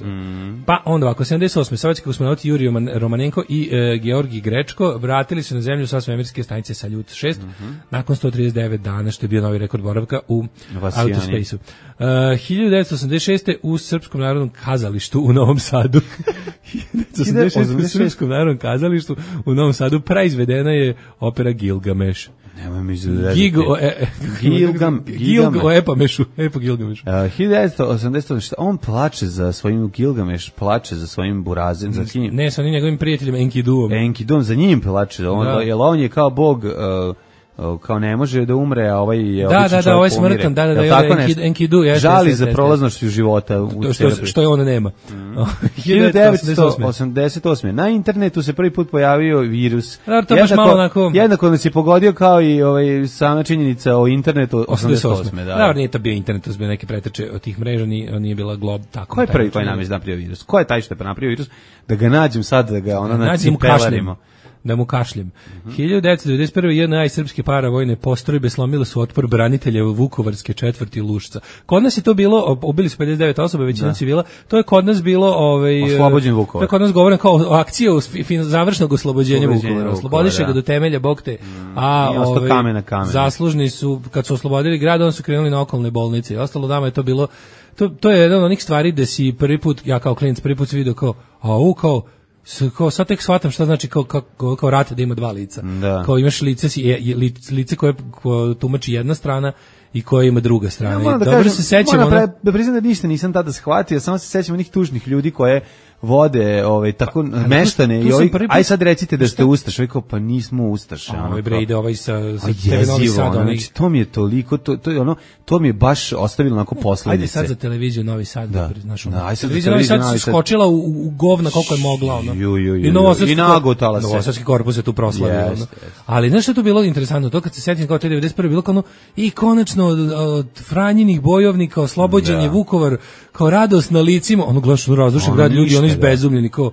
Pa onda ovako, 78. sovjetski kosmonauti Jurij Romanenko i Georgij Grečko vratili se na zemlju sa svemirske stanice Saljut 6 nakon 139 dana, što je bio novi rekord boravka u outer spaceu. 1986. u Srpskom narodnom kazalištu u Novom Sadu. 1986. u Srpskom narodnom kazalištu u Novom Sadu praizvedena je opera Gilgameš. Nemoj mi izvedeti. Epamešu. 1988. On plače za svojim Gilgameš, plače za svojim Burazem, za kim? Ne, sa onim njegovim prijateljem Enkiduom. Za njim plače. Jer on je kao bog... kao ne može da umre, a ovaj je običan čovjek ovaj smrtan, Enkidu, žali za prolaznošću života što je on nema. 1988. Na internetu se prvi put pojavio virus. Jednako nas je pogodio kao i sama činjenica o internetu 88. Da, nije to bio internet, to su bio neke preteče od tih mreža, nije bila glob tako. Ko je prvi koji nam je napravio virus? Ko je taj što je napravio virus? Da ga nađem sad, da ga nacipelarimo. Da mu kašljem. 1991. JNA i srpske paravojne postrojbe slomile su otpor branitelja u Vukovarske četvrti Lušca. Kod nas je to bilo, ubili su 59 osoba, većina civila, to je kod nas bilo... oslobođen Vukovar. To je kod nas govoreno kao akcija završnog oslobođenja Vukovara. Oslobodiše ga do temelja, Bog te. A zaslužni su, kad su oslobodili grad, onda su krenuli na okolne bolnice. I ostalo dama je to bilo... To je jedan od onih stvari da si prvi put, ja kao klinac prvi put se vidio kao sad tek shvatam šta znači kao rat da ima dva lica. Da. Kao imaš lice koje tumači jedna strana i koje ima druga strana. Ja, dobro se sećam. Da priznam da ništa nisam tada shvatio, samo se sećam onih tužnih ljudi koje vode tako meštane i ovi, aj sad recite da ste ustaše, kao pa nismo ustaše. Ovaj bre ide ovaj sa Novi Sad, znači to mi je toliko, to je ono, to mi je baš ostavilo onako posledice. Ajde sad za televiziju Novi Sad, znaš ono. Aj sad televizija Novi Sad skočila u govna koliko je mogla, ono. I nagotala se. Novosadski korpus je tu proslavio, ono. Ali znaš što je to bilo interesantno, to kad se setim kao te 91. bilo kao ono, i konačno od Franjinih bojovnika oslobođen je Vukovar, kao radost na licima, ono gledaš razrušen grad, ljudi oni izbezumljeni kao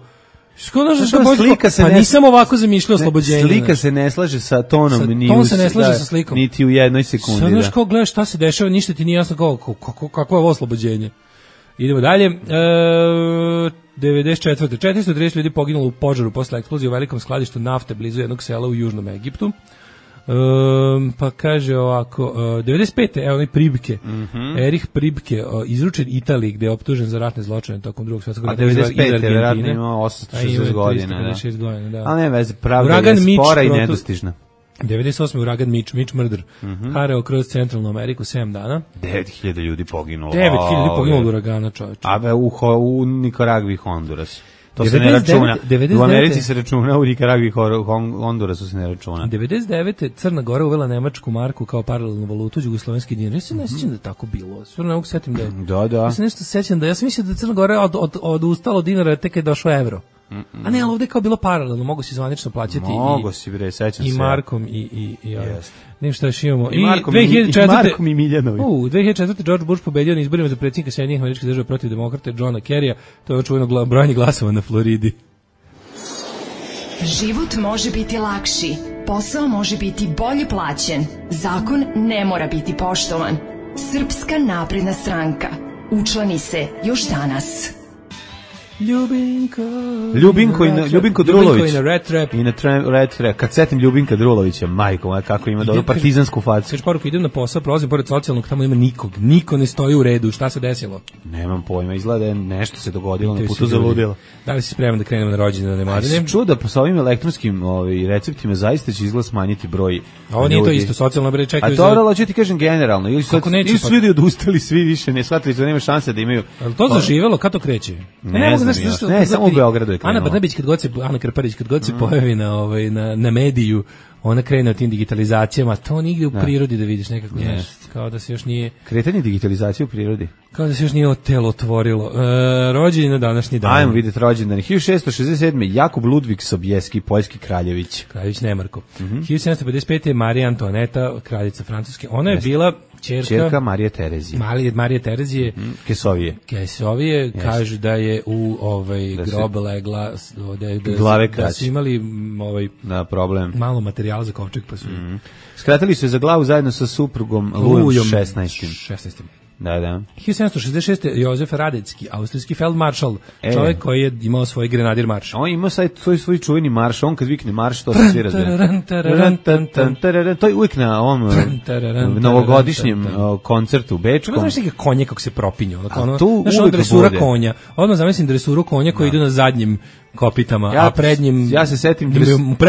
pa nisam ovako zamišljao oslobođenje. Slika se ne slaže sa tonom, ton se ne slaže sa slikom. Niti u jednoj sekundi. Sad znaš kao gledaš šta se dešava, ništa ti nije jasno kako je ovo oslobođenje. Idemo dalje. 94. 430 ljudi poginulo u požaru posle eksplozije u velikom skladištu nafte blizu jednog sela u Južnom Egiptu. Pa kaže ovako 95. evo onaj Pribke Erich Pribke izručen Italiji gde je optužen za ratne zločine tokom drugog svjetskog rata. A 95. verovatno ima 860 godina, da. Ali ne veze, pravda je spora i nedostižna. 98. uragan Mitch Murder harao kroz centralnu Ameriku 7 dana. 9000 ljudi poginulo. 9000 ljudi poginulo od uragana, čoveče. A u Nikaragvi i Hondurasu. To se ne računa. U Americi se računa, u Nikaragvi i Hondurasu se ne računa. 99. Crna Gora uvela nemačku marku kao paralelnu valutu, jugoslovenski dinar. Ja se ne sjećam da je tako bilo. Stvarno ne mogu setim da je. Da. Ja se nešto sećam da ja sam mislio da Crna Gora odustala od dinara tek kad je došao evro. A ne, ali ovdje je kao bilo paralelno, mogu si zvanično plaćati i markom i ne šta još imamo. I markom i Miljanovi. 2004. George Bush pobedio na izborima za predsjednika Sjedinjenih Američkih Država protiv demokrata Johna Kerrya. To je očuveno brojanje glasova na Floridi. Život može biti lakši, posao može biti bolje plaćen, zakon ne mora biti poštovan. Srpska napredna stranka. Učlani se još danas. Ljubinko Drulović. I na Red Trap. Kad setim Ljubinka Drulovića, majko moja, kako ima dobro partizansku facu. Sveč poruku, idem na posao, prolazim pored socijalnog, tamo ima nikog. Niko ne stoji u redu. Šta se desilo? Nemam pojma, izgleda je nešto se dogodilo, na putu zaludilo. Da li si spreman da krenemo na rođendane mladine? Čuo da sa ovim elektronskim receptima zaista će izgled smanjiti broj. Ovo nije to isto, socijalno bre čekaju. A to hoću ti kažem generalno, ili su ljudi odustali, svi više ne shvatili da nema šanse da imaju. Ali to zaživelo, kad to kreće? Ne Ne, samo u Beogradu je krenulo. Ana Brnabić Ana Krparić kad god se pojavi na mediju, ona krene od tim digitalizacijama, to nigde u prirodi da vidiš nekako, kao da se još nije... Kretanje digitalizacije u prirodi. Kao da se još nije telo otvorilo. Rođenje na današnji dan. Ajmo vidjeti rođendan. 1667. Jakub Ludvig Sobieski, poljski kraljević. Kraljević Nemarko. 1755. Marija Antoaneta, kraljica Francuske. Ona je bila ćerka Marije Terezije. Marije Terezije. Kesovije. Kažu da je u grob legla da su imali problem. Malo materijala za kovčeg, pa su... Skratili su je za glavu zajedno sa suprugom Lujom 16. Da. 1766. Jozef Radecki, austrijski feldmaršal, čovjek koji je imao svoj grenadir marš. On imao svoj čuveni marš, on kad vikne marš, to se svi razbije. To je uvijek na ovom novogodišnjem koncertu u Bečkom. Znaš neke konje kako se propinju? Znaš on dresura konja. Odmah zamislim dresuru konja koji idu na zadnjim kopitama, a pred njim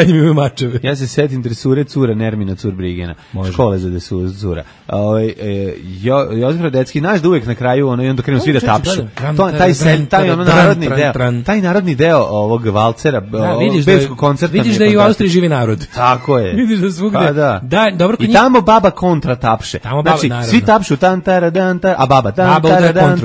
imaju mačeve. Ja se setim dresure cura Nermina Curbrigena, škole za dresuru cura. Jozef Radecki, znaš da uvijek na kraju i onda krenu svi da tapšu. Taj narodni deo ovog valcera, bečkog koncerta. Vidiš da i u Austriji živi narod. Tako je. Vidiš da svugde. I tamo baba kontra tapše. Znači, svi tapšu tan taradan, a baba tan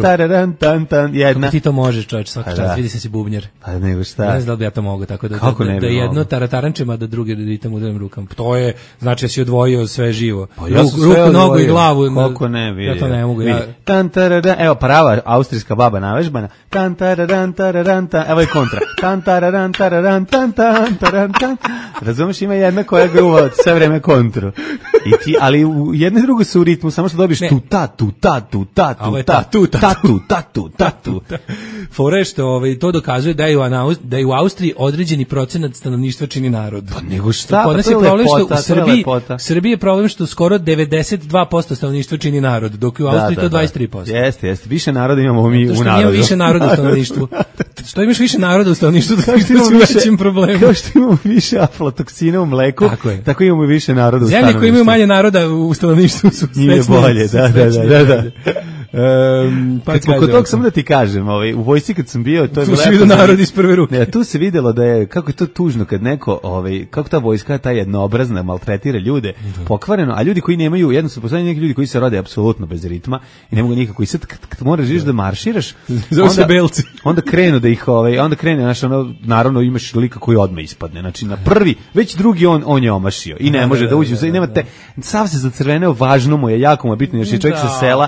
taradan tan tan jedna. Kako ti to možeš, čovječ, svaki čas, vidi se si bubnjer. Pa nego šta? Ne znam da li bi ja to mogu, tako da jedno taratarančima, da druge ritam udarim rukama. To je, znači, ja si odvojio sve živo. Ruku, nogu i glavu. Koliko ne vidio. Ja to ne mogu. Evo, prava austrijska baba navežbana. Tan taradan taradan tan. Evo je kontra. Tan taradan taradan tan tan taradan tan. Razumeš, ima jedna koja gruva sve vreme kontru. Ali u jedno i drugo su u ritmu, samo što dobiš tu. Fore što to dokazuje da je u Austriji određeni procenat stanovništva čini narod. Pa nego šta? Kod nas je problem što u Srbiji je problem što skoro 92% stanovništva čini narod, dok u Austriji to 23%. Jeste. Više naroda imamo mi u narodu. Što imamo više naroda u stanovništvu. Što imaš više naroda u stanovništvu, tako što imamo većim problemom. Kao što imamo više aflatoksina u mleku, tako imamo više naroda u stanovništvu. Zemlje koje imaju manje naroda u stanovništvu su nije bolje, da. Kad smo kod tog, samo da ti kažem, u vojsci kad sam bio, to je tu se vidio narod iz prve ruke. Ne, tu se videlo da je, kako je to tužno kad neko, kako ta vojska, ta jednoobrazna, maltretira ljude, pokvareno, a ljudi koji nemaju, jednostavno postoje neki ljudi koji se rode apsolutno bez ritma i ne mogu nikako, i sad kad moraš da marširaš, onda krenu da ih, onda krene, znaš, naravno imaš lika koji odmah ispadne, znači na prvi, već drugi on je omašio i ne može da uđe, i nema te, sav se zacrveneo, važno mu je, jako mu je bitno, jer je čovjek sa sela,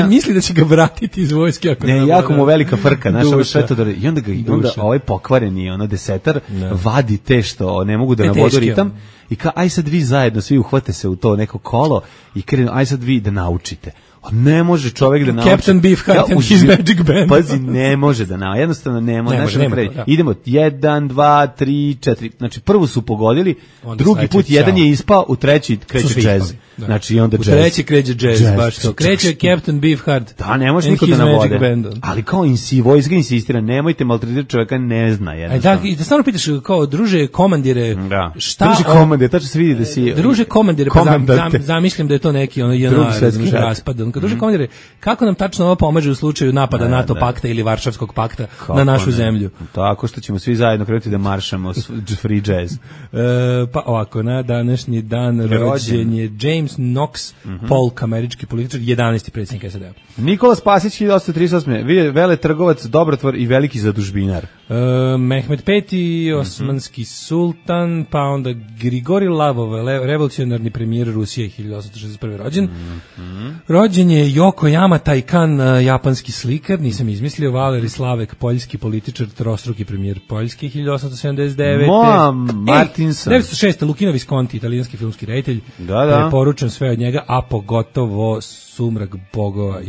misli da će ga vratiti iz vojske. Ne, jako mu velika frka, znaš, ovo sve to da... I onda ovaj pokvareni, desetar, vadi te što ne mogu da navodu ritam i kao, aj sad vi zajedno, svi uhvate se u to neko kolo i krenu, aj sad vi da naučite. Ne može čovjek da nauči. Captain Beefheart and his magic band. Pazi, ne može da nauči. Jednostavno ne može. Idemo 1, 2, 3, 4. Znači prvo su pogodili, drugi put jedan je ispao, u treći kreće džez. Znači onda džez. U treći kreće džez, baš to. Kreće Captain Beefheart. Da, ne može niko da navode. Ali kao vojska insistira, nemojte maltretirati čovjeka, ne zna jednostavno. I da stvarno pitaš kao, druže komandire, šta... Druže komandire, tačno se vidi da si... Druže komandire, pa zamišljam da je to neki raspad. Kad duže komandire, kako nam tačno ovo pomaže u slučaju napada NATO pakta ili Varšavskog pakta na našu zemlju? Tako što ćemo svi zajedno krenuti da maršamo free jazz. Pa ovako, na današnji dan rođen je James Knox Polk, američki političar, 11. predsjednik SAD-a. Nikola Spasić, 1838. Veletrgovac, dobrotvor i veliki zadužbinar. Mehmed V, osmanski sultan, pa onda Grigori Lavov, revolucionarni premijer Rusije, 1861. rođen. Rođen je Yokoyama Taikan, japanski slikar, nisam izmislio. Valeri Slavek, poljski političar, trostruki premijer Poljske, 1879. Martinson. 1906. Luchino Visconti, italijanski filmski reditelj. Preporučam sve od njega, a pogotovo Sumrak bogova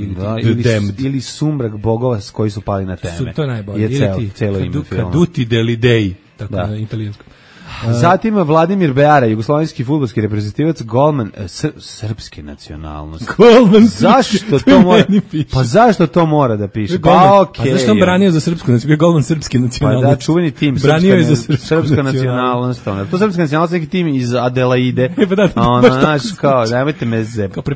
ili Sumrak bogova s koji su pali na teme. To je najbolje. Celo ime filma. Caduti degli dei, tako na italijanskom. Zatim Vladimir Beara, jugoslovenski fudbalski reprezentativac, golman srpske nacionalnosti. Golman zašto to mora? Pa zašto to mora da piše? Pa okej. Pa zašto on branio za srpsku nacionalnost? Bio golman srpske nacionalnosti. Pa da, čuveni tim srpska nacionalnost. To srpska nacionalnost, neki tim iz Adelaide. Znaš, kao, nemojte me zebati.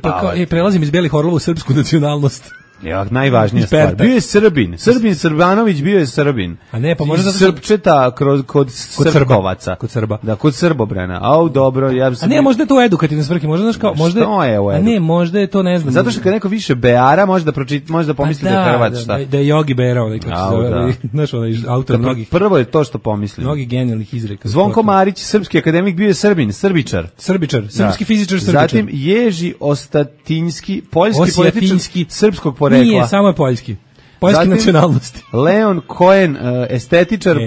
Prelazim iz Belih Orlova u srpsku nacionalnost. Ja, najvažnija stvar. Bio je Srbin. Srbanović bio je Srbin. A ne, pa možda Srpčeta kod Srbovaca. Kod Srba. Da, kod Srbobrana. Au, dobro, ja sam... A ne, možda je to edukativne svrhe, možda znaš kao, možda je u a ne, možda je to, ne znam. Zato što kad neko više Beara, može da pomisli da je Hrvat, šta? Da je Jogi Bera, onaj kako se zove, znaš, onaj autor mnogih. Prvo je to što pomislim. Mnogih genijalnih izreka. Zvonko Marić, srpski akademik, bio je Srbin, Srbičar, srpski fizičar, Srbičar. Zatim Ježi Ostatinski, poljski političar srpskog porekla. Nije, samo je poljski. Poljske nacionalnosti. Leon Cohen, estetičar,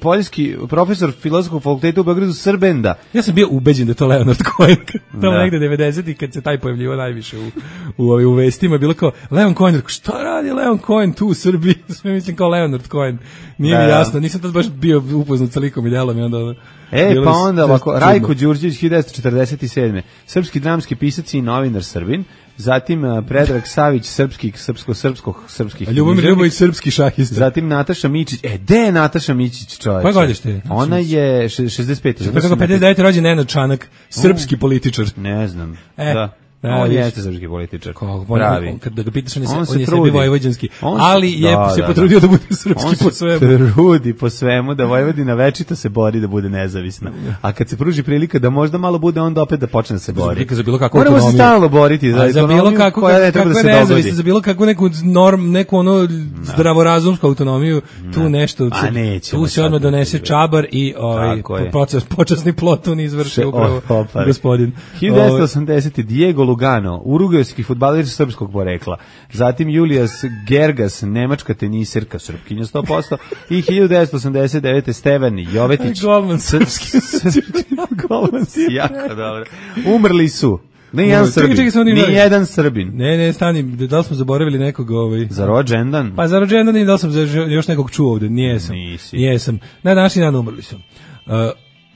poljski profesor filozofskog fakulteta u Beogradu, Srbenda. Ja sam bio ubeđen da je to Leonard Cohen. Tamo negde 90-ih kad se taj pojavljivo najviše u vestima, bilo kao Leon Cohen, šta radi Leon Cohen tu u Srbiji? Sve mislim kao Leonard Cohen. Nije mi jasno, nisam tad baš bio upoznat sa likom i djelom i onda... pa onda ovako, Rajko Đurđević, 1947. Srpski dramski pisac i novinar Srbin. Zatim Predrag Savić, srpski Ljubomir Ljubović, srpski šahista. Zatim Nataša Mićić. Gde je Nataša Mićić, čoveče? Koje godište? Ona je 65. Kako 59. rođen Nenad Čanak, srpski političar. Ne znam. On jeste srpski političar. Pravi. Kad ga pitaš, on je sebi vojvođanski. Ali je se potrudio da bude srpski po svemu. On se trudi po svemu, da Vojvodina večito se bori da bude nezavisna. A kad se pruži prilika da možda malo bude, onda opet da počne da se bori. Moramo se stalno boriti za autonomiju koja ne treba da se dogodi. Za bilo kakvu neku ono zdravorazumsku autonomiju, tu nešto, tu se odmah donese čabar i počasni plotun izvrše upravo gospodin. 1980. Diego Lugano, urugvajski fudbaler srpskog porekla. Zatim Julijas Gergas, nemačka tenisirka, srpkinja 100%. I 1989. Stevan Jovetić. Golman srpski. Golman si jako dobro. Umrli su. Nijedan Srbin. Ne, stani, da li smo zaboravili nekog za rođendan? Pa za rođendan i da li sam još nekog čuo ovde? Nijesam. Na današnji dan umrli su.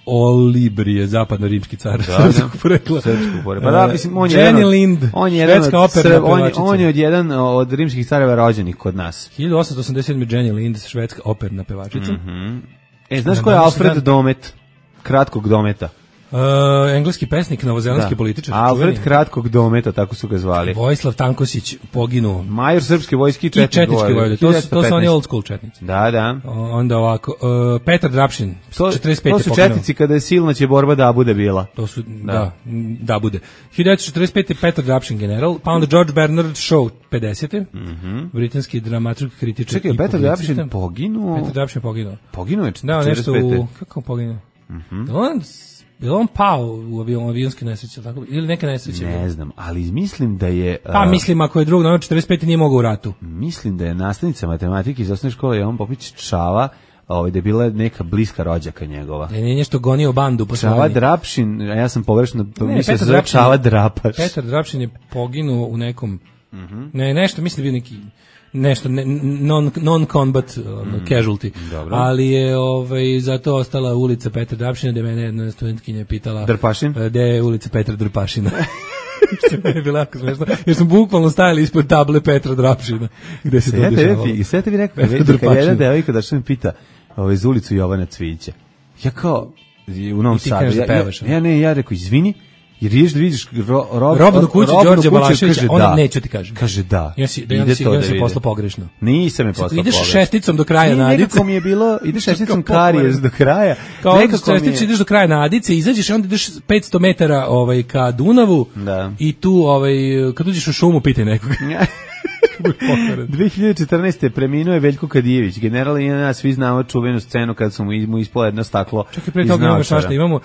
Olibrije, zapadno-rimski car srpskog porekla. Pa da, mislim, Jenny Lind, švedska operna pevačica. On je jedan od rimskih careva rođenih kod nas. 1887. Jenny Lind, švedska operna pevačica. Znaš ko je Alfred Domet? Kratkog dometa. Engleski pesnik, novozelandski političar. Alfred Kratkog dometa, tako su ga zvali. Vojislav Tankosić, poginuo. Major srpske vojske i četnički vojvode. To su oni old school četnici. Da. Onda ovako, Petar Drapšin, 45. To su četnici kada je silna će borba da bude bila. To su, da bude. 1945. Petar Drapšin general, pa onda George Bernard Shaw, 50. Britanski dramaturg, kritičar. Čekaj, Petar Drapšin poginuo? Petar Drapšin poginuo. Poginuo je 45. Da, nešto kako poginuo? Je on pao u avionske nesreće, tako? Ili neke nesreće? Ne znam, ali mislim da je... Pa mislim, ako je drug, 45. nije mogao u ratu. Mislim da je nastavnica matematike iz osnovne škole Jovan Popić Čava, da je bila neka bliska rođaka njegova. Nije nešto gonio bandu. Čava Drapšin, a ja sam pogrešno mislio da se zove Čava Drapaš. Petar Drapšin je poginuo u nekom... Ne, nešto, mislim da bio neki... nešto non-combat casualty. Dobro. Ali je zato ostala ulica Petra Drapšina, gde mene jedna studentkinja pitala Drpašin? Gde je ulica Petra Drpašina. Što je bilo jako smešno, jer smo bukvalno stajali ispod table Petra Drapšina, gde se to dešavalo. Sve te bi rekao, kad jedna devojka da što mi pita za ulicu Jovana Cvijića. Ja kao, u Novom Sadu, ja rekao, izvini, jer ješ da vidiš Robnu kuću Đorđa Balaševića, ona neće ti kaže. Kaže da. Ide to da vidi. Posla pogrešno. Nisam je posla pogrešno. Ideš šesticom do kraja na Adice. Nekako mi je bilo, ideš šesticom karijes do kraja. Nekako šesticom ideš do kraja na Adice, izađeš i onda ideš 500 metara ka Dunavu i tu kad uđeš u šumu pitaj nekoga. 2014. preminuo je Veljko Kadijević, general i nas svi znamo čuvenu scenu kad su mu ispalo jedno staklo. Čekaj, pre toga imamo šašta, imamo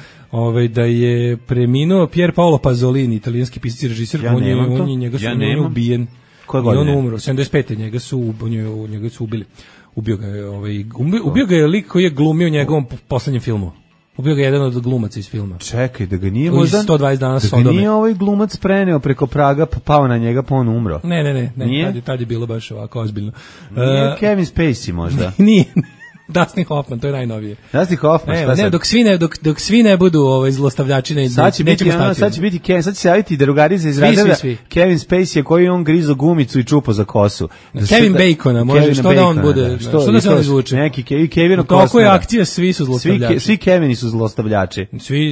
da je preminuo Pier Paolo Pasolini, italijanski pisac i režiser, njega su ubijen. Koje godine? I on umro, 75. njega su ubili. Ubio ga je lik koji je glumio njegovom poslednjem filmu. Ubio ga jedan od glumaca iz filma. Čekaj, da ga nije možda... 120 dana Sodome. Da ga nije ovaj glumac preneo preko praga, pao na njega, pa on umro. Ne. Tad je bilo baš ovako ozbiljno. Nije Kevin Spacey možda? Nije. Dustin Hoffman, to je najnovije. Dustin Hoffman, šta sad? Dok svi ne budu zlostavljači, sad će biti Kevin, sad će se javiti drugarica iz razreda Kevin Spacey koji on grizo gumicu i čupo za kosu. Kevin Bacona, može što da on bude, što da se on izvuče. Neki Kevin Costner. Toliko je akcija, svi su zlostavljači. Svi Kevini su zlostavljači.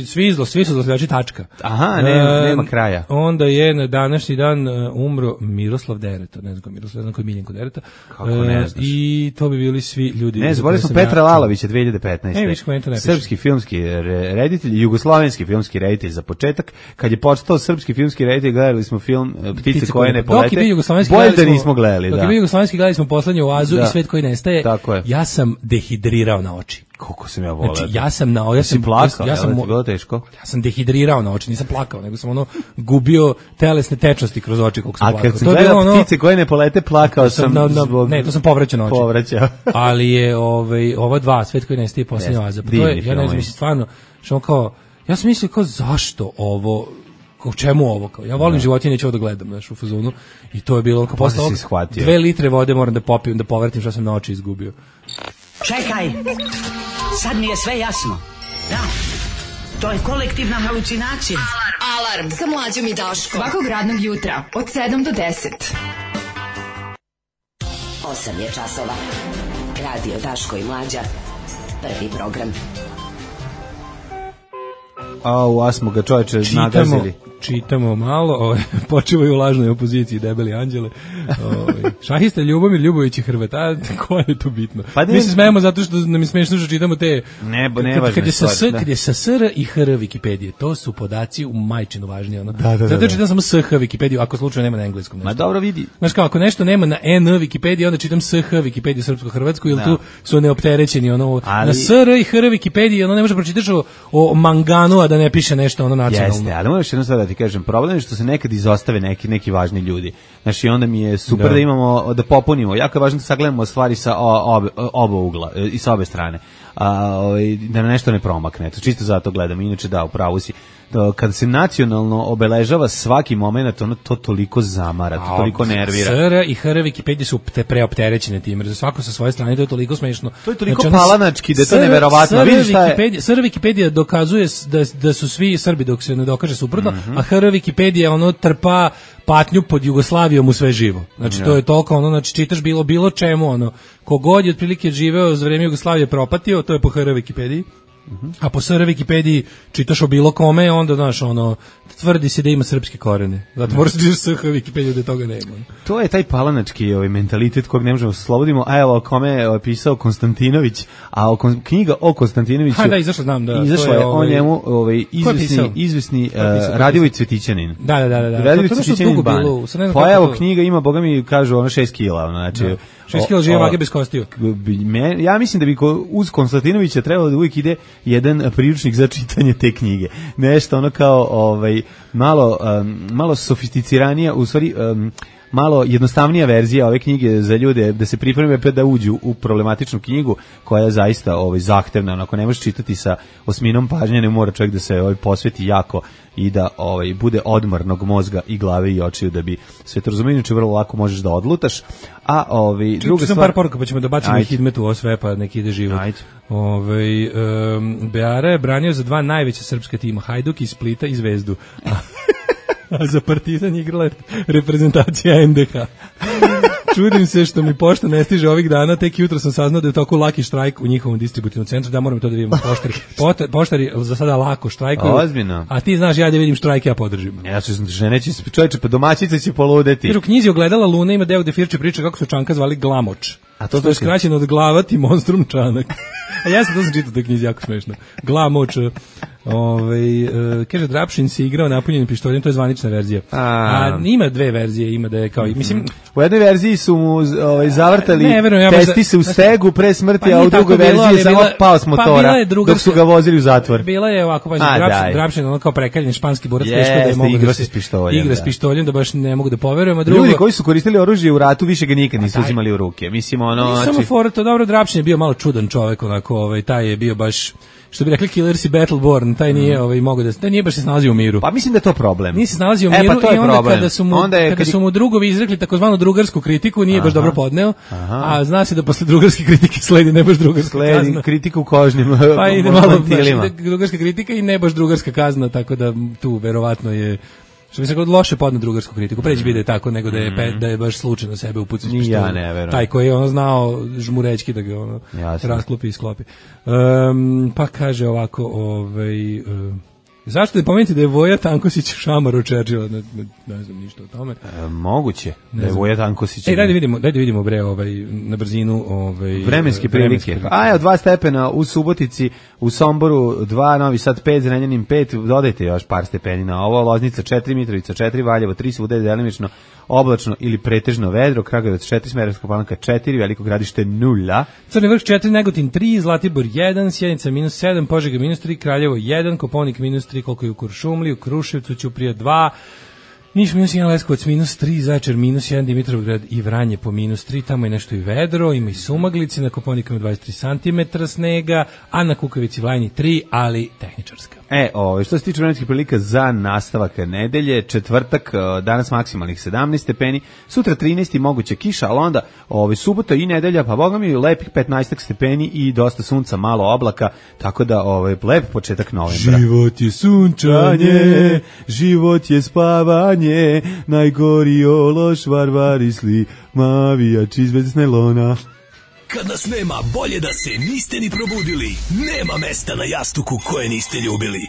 Svi su zlostavljači, tačka. Aha, nema kraja. Onda je na današnji dan umro Miroslav Dereta, ne znam koji je Miljenko Dereta. Kako ne znaš? I to bi bili svi ljudi. Ne, zaboravili smo Petra Lalovića 2015. Više komentar ne piše. Srpski filmski reditelj, jugoslovenski filmski reditelj za početak. Kad je počeo srpski filmski reditelj, gledali smo film Ptice koje ne polete. Bolje da nismo gledali, da. Dok je bio jugoslovenski, gledali smo Poslednju oazu i Svet koji nestaje. Tako je. Ja sam dehidrirao na oči. Koliko sam ja voleo. Znači, ja sam plakao, ja sam bilo teško. Ja sam dehidrirao na oči, nisam plakao, nego sam gubio telesne tečnosti kroz oči koliko sam plakao. A kad sam gledao Ptice koje ne polete, plakao sam zbog... Ne, to sam povraćao na oči. Povraćao. Ali je ova dva, Svet koji nestaje i Poslednja oaza. To je, ja ne znam, stvarno, što kao, ja sam mislio kao zašto ovo, u čemu ovo, kao, ja volim životinje, neću ovo da gledam, znaš, u fazonu, i to je bilo, kao posle 2 litre vode moram da popijem, da povratim što sam na oči izgubio. Čekaj, sad mi je sve jasno. Da, to je kolektivna halucinacija. Alarm sa Mlađom i Daškom. Svakog radnog jutra od 7 do 10. 8 je časova. Radio Daško i Mlađa. Prvi program. A smo ga čovječe nagazili. Čitamo malo, počivaju u lažnoj opoziciji debeli anđele. Šahista Ljubomir Ljubović i Hrvat, a koje je to bitno? Pa mi se smejemo zato što nam je smešno što čitamo te... Kad je sa SR i HR Wikipedije, to su podaci u majčinu važnije. Ono. Zato čitam samo SH Wikipediju, ako slučajno nema na engleskom nešto. Ma dobro vidi. Znaš kao, ako nešto nema na N Wikipediji, onda čitam SH Wikipediju srpsko-hrvatsku, jer tu su neopterećeni. Ono, na SR i HR Wikipediji ono ne može pročitaš o manganu, a da ne piše nešto ono nacionalno. Jeste, ali možeš jedno sad da ti kažem, problem je što se nekad izostave neki važni ljudi. Znači, onda mi je super da imamo, da popunimo. Jako je važno da sagledamo stvari sa oba ugla i sa obe strane. Da nešto ne promakne. Čisto zato gledam. Inače da, upravo si. Kada se nacionalno obeležava svaki moment, ono to toliko zamara, to toliko nervira. SR i HR Wikipedije su preopterećene time, za svako sa svoje strane, to je toliko smešno. To je toliko palanački, da je to neverovatno. SR Wikipedija dokazuje da su svi Srbi dok se ne dokaže suprotno, a HR Wikipedija ono trpa patnju pod Jugoslavijom u sve živo. Znači to je toliko ono, znači čitaš bilo čemu ono, kogod je otprilike živeo za vreme Jugoslavije propatio, to je po HR Wikipediji. A po SR Wikipediji čitaš o bilo kome, onda znaš ono, tvrdi se da ima srpske korene. Zato moraš da ideš SH Wikipediju da toga nema. To je taj palanački mentalitet kojeg ne možemo da se slobodimo. A evo, o kome je pisao Konstantinović, a knjiga o Konstantinoviću... Da, izašla, znam, da. Izašla je o njemu izvesni Radivoj Cvetićanin. Da. Radivoj Cvetićanin ban. Pa evo, knjiga ima, boga mi kažu, 6 kila, znači... 6 kila žive vage bez kostiju. Ja mislim da bi uz Konstantinovića trebalo da uvijek ide jedan priručnik za čitanje te knjige. Nešto ono kao malo sofisticiranija, u stvari malo jednostavnija verzija ove knjige za ljude da se pripreme da uđu u problematičnu knjigu koja je zaista zahtevna. Ako ne možeš čitati sa osminom pažnje, ne mora čovjek da se posveti jako i da bude odmornog mozga i glave i očiju da bi sve to razumio, inače vrlo lako možeš da odlutaš. A druga stvar, par poruka pa ćemo da bacimo i Hidmetu ovo sve pa neki ide život. Beara je branio za 2 najveća srpska tima, Hajduk iz Splita i Zvezdu. A za Partizan igrala reprezentacija NDH. Čudim se što mi pošta ne stiže ovih dana, tek jutro sam saznao da je toliko laki štrajk u njihovom distributivnom centru, da moram to da vidimo. Poštari za sada lako štrajkuju. Ozbiljno. A ti znaš, ja da vidim štrajk, ja podržim. Ja ću žene će čovječe, pa domaćica će poludeti. Jer u knjizi Ogledala Lune ima deo gde Firče priča kako su Čanka zvali Glamoč. A to je skraćeno od glavati monstrum Čanak. A ja sam čitao u toj knjizi, jako smešno. Glamoč. Kaže, Drapšin se igrao napunjenim pištoljem, to je zvanična verzija. A ima 2 verzije, ima da je kao... Mislim, u jednoj verziji su mu zavrtali testise u stegu pre smrti, a u drugoj verziji je samo pao s motora dok su ga vozili u zatvor. Bila je ovako, Drapšin ono kao prekaljen španski borac, teško da je mogu da se igra s pištoljem, da baš ne mogu da poverujem. Ljudi koji su koristili oružje u ratu više ga nikad nisu uzimali u ruke. Mislim, ono... Samo fora, to dobro, Drapšin je bio malo čudan čovek, onako, taj je bio baš... što bi rekli Killers i Battleborn, taj nije mogao da, taj nije baš se nalazio u miru. Pa mislim da je to problem. Nije se nalazio u miru pa i onda kada su mu drugovi izrekli takozvanu drugarsku kritiku, nije baš dobro podneo. A zna se da posle drugarske kritike sledi ne baš drugarska kazna. Sledi kritika u kožnim pa ide malo drugarska kritika i ne baš drugarska kazna, tako da tu verovatno je što bi se god loše podne drugarsku kritiku. Preći bi da je tako nego da je baš slučajno sebe upucao s pištoljem. Ja ne verujem. Taj koji je znao žmurećki da ga rasklopi i sklopi. Pa kaže ovako, zašto da pomenite da je Voja Tankosić šamar od Churchilla? Ne znam ništa o tome. Moguće da je Voja Tankosić. Dajde vidimo bre na brzinu vremenske prilike. Evo 2 stepena u Subotici, u Somboru 2, Novi Sad 5, Zrenjanin 5, dodajte još par stepeni na ovo, Loznica 4, Mitrovica 4, Valjevo 3, svuda je delimično oblačno ili pretežno vedro, Kragujevac 4, Smederevska Palanka 4, Veliko Gradište 0, Crni Vrh 4, Negotin 3, Zlatibor 1, Sjenica -7, Požega -3, Kraljevo 1, Koponik -3, koliko je u Kuršumliji, u Kruševcu, Ćuprija 2, Niš -1, Leskovac -3, Zaječar -1, Dimitrovgrad i Vranje po -3, tamo je nešto i vedro, ima i sumaglice, na Koponikama 23 cm snega, a na Kukavici Vlajni 3, ali tehničarska. Što se tiče vremenskih prilika za nastavak nedelje, četvrtak, danas maksimalnih 17 stepeni, sutra 13 i moguća kiša, ali onda subota i nedelja, pa boga mi lepih 15 stepeni i dosta sunca, malo oblaka, tako da lep početak novembra. Život je sunčanje, život je spavanje, najgori ološ varvarisli, mavijači iz najlona. Kad nas nema, bolje da se niste ni probudili. Nema mesta na jastuku koje niste ljubili.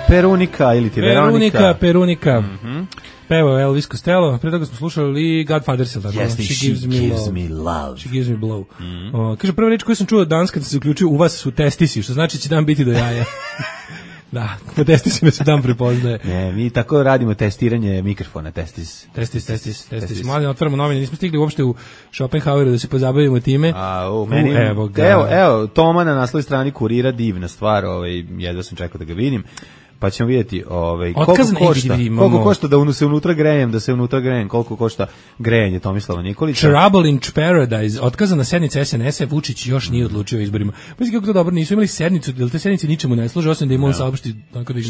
Perunika ili ti Veronika. Perunika. Pevao Elvis Costello, pre toga smo slušali Godfathers. She gives me love. She gives me blow. Kaže, prva reč koju sam čuo danas kad se uključio u vas su testisi, što znači će dan biti do jaja. Da, po testisima se dan prepoznaje. Ne, mi tako radimo testiranje mikrofona, testis. Mladi, otvaramo novine, nismo stigli uopšte u Schopenhaueru da se pozabavimo time. Evo, Toma na naslovnoj strani Kurira, divna stvar, jedva sam čekao da ga vidim. Pa ćemo vidjeti koliko košta da se unutra grejem, koliko košta grejanje Tomislava Nikolića. Trouble in Paradise, otkazana sednica SNS-a, Vučić još nije odlučio o izborima. Mislim kako to dobro, nisu imali sednicu, jer te sednice ničemu ne služe, osim da im on saopšti, tako da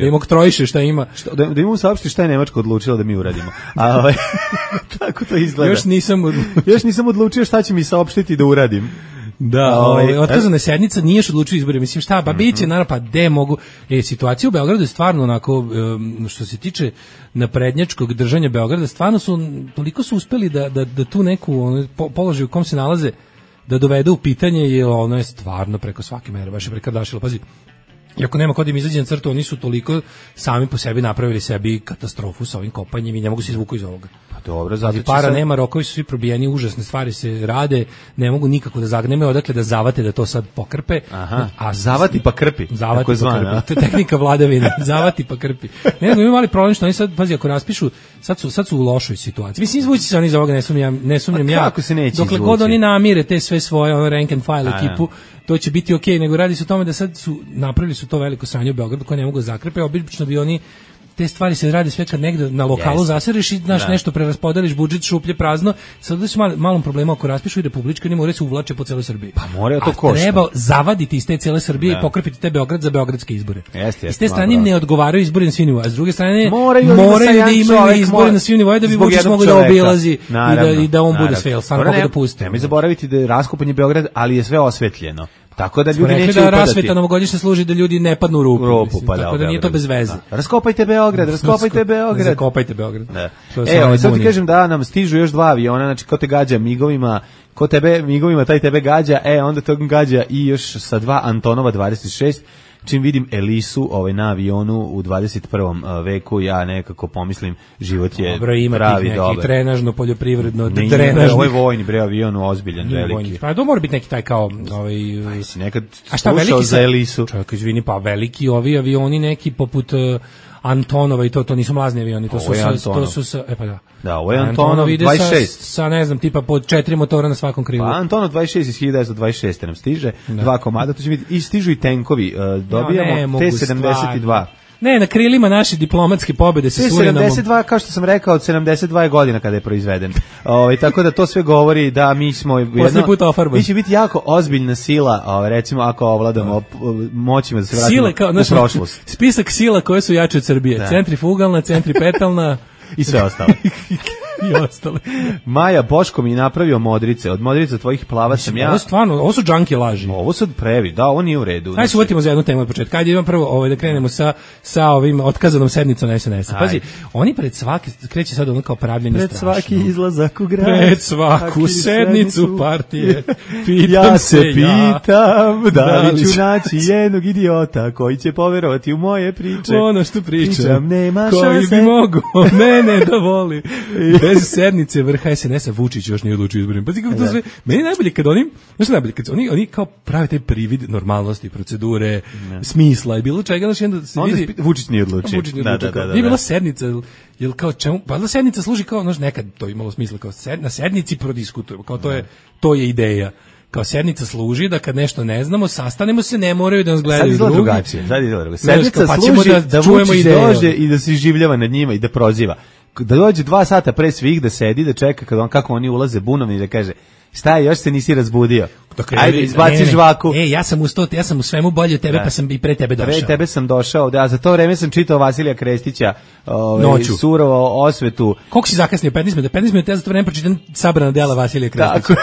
im oktrojiše šta ima. Da im on saopšti šta je Nemačka odlučila da mi uradimo. Tako to izgleda. Još nisam odlučio šta će mi saopštiti da uradim. Da, otkazana sednica, nije još odlučio izbore, mislim šta, pa biće, naravno, pa gde mogu, situacija u Beogradu je stvarno onako, što se tiče naprednjačkog držanja Beograda, stvarno toliko su uspeli da tu neku položaj u kom se nalaze, da dovedu u pitanje, jer ono je stvarno preko svake mere, baš je prekardašilo, pazi. Iako nema kod im izađe na crtu, oni su toliko sami po sebi napravili sebi katastrofu sa ovim kopanjem i ne mogu se izvuku iz ovoga. Pa dobro, zato para nema, rokovi su svi probijeni, užasne stvari se rade, ne mogu nikako da zagne, nemaju odakle da zavate da to sad pokrpe. A zavati pa krpi. Zavati pa krpi. To je tehnika vladavine. Zavati pa krpi. Ne znam, imaju mali problem što oni sad, pazi, ako raspišu, sad su u lošoj situaciji. Mislim, izvući se oni iz ovoga, ne sumnjam ja. Kako se neće izvući? Dokle god oni namire te sve svoje rank and file ekipu, to će biti okej, nego radi se o tome da sad napravili su to veliko sranje u Beogradu koje ne mogu zakrepe, obično bi oni te stvari se radi sve kad negde na lokalu zasereš i nešto preraspodeliš, budžet šuplje prazno, sad da su malom problema ako raspišu i republički, oni moraju se uvlače po celoj Srbiji. Pa moraju to košta. Treba zavaditi iz te cele Srbije i pokrpiti te Beograd za beogradske izbore. S te strane im ne odgovaraju izbori na svim nivoima, a s druge strane moraju da imaju izbore na svim nivoima da bi Vučić mogao da obilazi i da on bude sve, samo kako da pusti. Nemoj zaboraviti da je raskopan je Beograd, ali je sve osvetljeno. Tako da ljudi neće upadati. Da rasveta novogodišnja služi da ljudi ne padnu u rupu, tako da nije to bez veze. Raskopajte Beograd. Zakopajte Beograd. Evo, sad ti kažem da nam stižu još 2 aviona, znači ko te gađa migovima, ko tebe migovima, taj tebe gađa, onda to gađa i još sa 2 Antonova 26, čim vidim Elisu na avionu u 21. veku, ja nekako pomislim, život je dobro, ima pravi, dobar. Neki trenažno, poljoprivredno, drenažni. Ovo je vojni, avion ozbiljan, veliki. Pa to mora biti neki taj kao... si nekad slušao za Elisu. Čovjek, izvini, pa veliki ovi avioni neki poput... Antonova i to nisu mlazni avioni, to su Da, ovo je Antonov 26. Sa ne znam, tipa pod 4 motora na svakom krilu. Pa Antonov 26 iz 1926 nam stiže, 2 komada, to će biti, i stižu i tenkovi, dobijamo T-72. Ne, na krilima naše diplomatske pobede sa Surinamom. 72, kao što sam rekao, od 72 godina kada je proizveden. Tako da to sve govori da mi smo mi će biti jako ozbiljna sila, recimo ako ovladamo moćima da se vratimo u prošlost. Spisak sila koje su jače od Srbije. Da. Centrifugalna, centripetalna i sve ostalo. I ostale. Maja Boško mi je napravio modrice. Od modrica tvojih plava sam ja. Ovo su džanki laži. Ovo su previ, da, ovo nije u redu. Ajde se uvatimo za jednu temu od početka. Ajde idemo prvo da krenemo sa ovim otkazanom sednicom na SNS. Pazi, oni pred svaki, kreće sad ono kao pravljenje strašno. Pred svaki izlazak u grad. Pred svaku sednicu partije. Ja se pitam da li ću naći jednog idiota koji će poverovati u moje priče. Ono što pričam, nema koji bi mogu mene da voli. Bez sednice vrha SNS-a Vučić još nije odlučio izborima. Pa kako to sve, meni najbolje kad oni kao prave taj privid normalnosti, procedure, smisla i bilo čega, znači onda se vidi Vučić nije odlučio. Da. Nije bila sednica, jel kao čemu? Pa sednica služi kao, znači nekad to imalo smisla kao na sednici prodiskutujemo, kao to je ideja. Kao sednica služi da kad nešto ne znamo, sastanemo se, ne moraju da nas gledaju drugi. Sad izgleda drugačije. Sednica služi da Vučić dođe i da se iživljava nad njima i da proziva. Da dođe 2 sata pre svih da sedi, da čeka kako oni ulaze bunovni i da kaže šta je, još se nisi razbudio. Ajde, izbaci žvaku. Ja sam u svemu bolje od tebe, pa sam i pre tebe došao. Pre tebe sam došao, a za to vreme sam čitao Vasilija Krestića, Surovo osvetu. Koliko si zakasnio? 15 minuta, ja za to vreme pročitam sabrana dela Vasilija Krestića.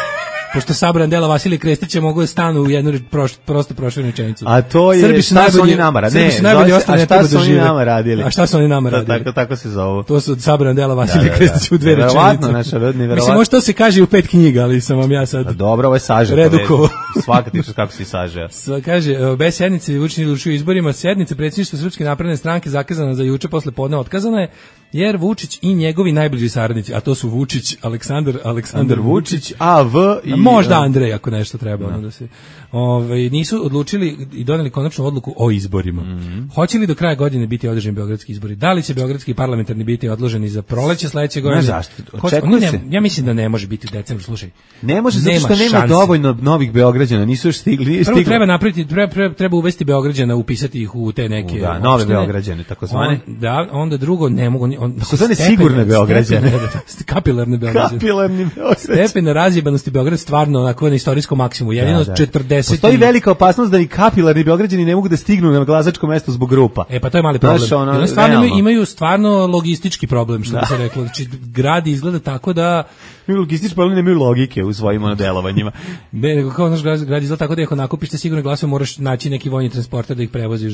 Pošto sabran dela Vasilija Krestića mogu da stanu u jednu prosto proširenu rečenicu. A to je šta su oni nama radili? A šta su oni nama radili? A šta su oni nama radili? Tako se zovu. To su sabran dela Vasilija Krestića u 2 rečenice. Verovatno, naša neverovatno. Mislim, možda to se kaže u 5 knjiga, ali sam vam ja sad... Dobro, ovo je sažet. Redukovo. Svaka ti kako si sažeo. Kaže, bez sednice Vučić nije odlučio izborima, sednica predsjedništva Srpske napredne stranke zakazana za juče posle podne otkazana je, jer Vučić i njegovi najbliži saradnici, a to su Vučić, Aleksandar Vučić, AV i možda Andrej ako nešto treba da se nisu odlučili i doneli konačnu odluku o izborima. Hoće li do kraja godine biti održani beogradski izbori? Da li će beogradski parlamentarni biti odloženi za proleće sledeće godine? Zašto? Ja mislim da ne može biti u decembru, slušaj. Ne može zato što nema dovoljno novih Beograđana, nisu još stigli. Prvo treba napraviti, treba uvesti Beograđana, upisati ih u te neke nove Beograđane, takozvane. Da, onda drugo ne mogu takozvane sigurne Beograđane. Kapilarne Beograđane. Kapilarni Beograđane. Stepen razjebanosti Beograda stvarno onako na istorijskom maksimumu. Jedino 40. Postoji velika opasnost da i kapilarni Beograđani ne mogu da stignu na glasačko mesto zbog grupa. Pa to je mali problem. Oni stvarno imaju stvarno logistički problem, što bi se reklo. Znači, grad izgleda tako da... Imaju logistički problem, nemaju logike u svojim delovanjima. Ne, nego kao naš grad izgleda tako da ako nakupiš te sigurne glasove, moraš naći neki vojni transporter da ih prevoziš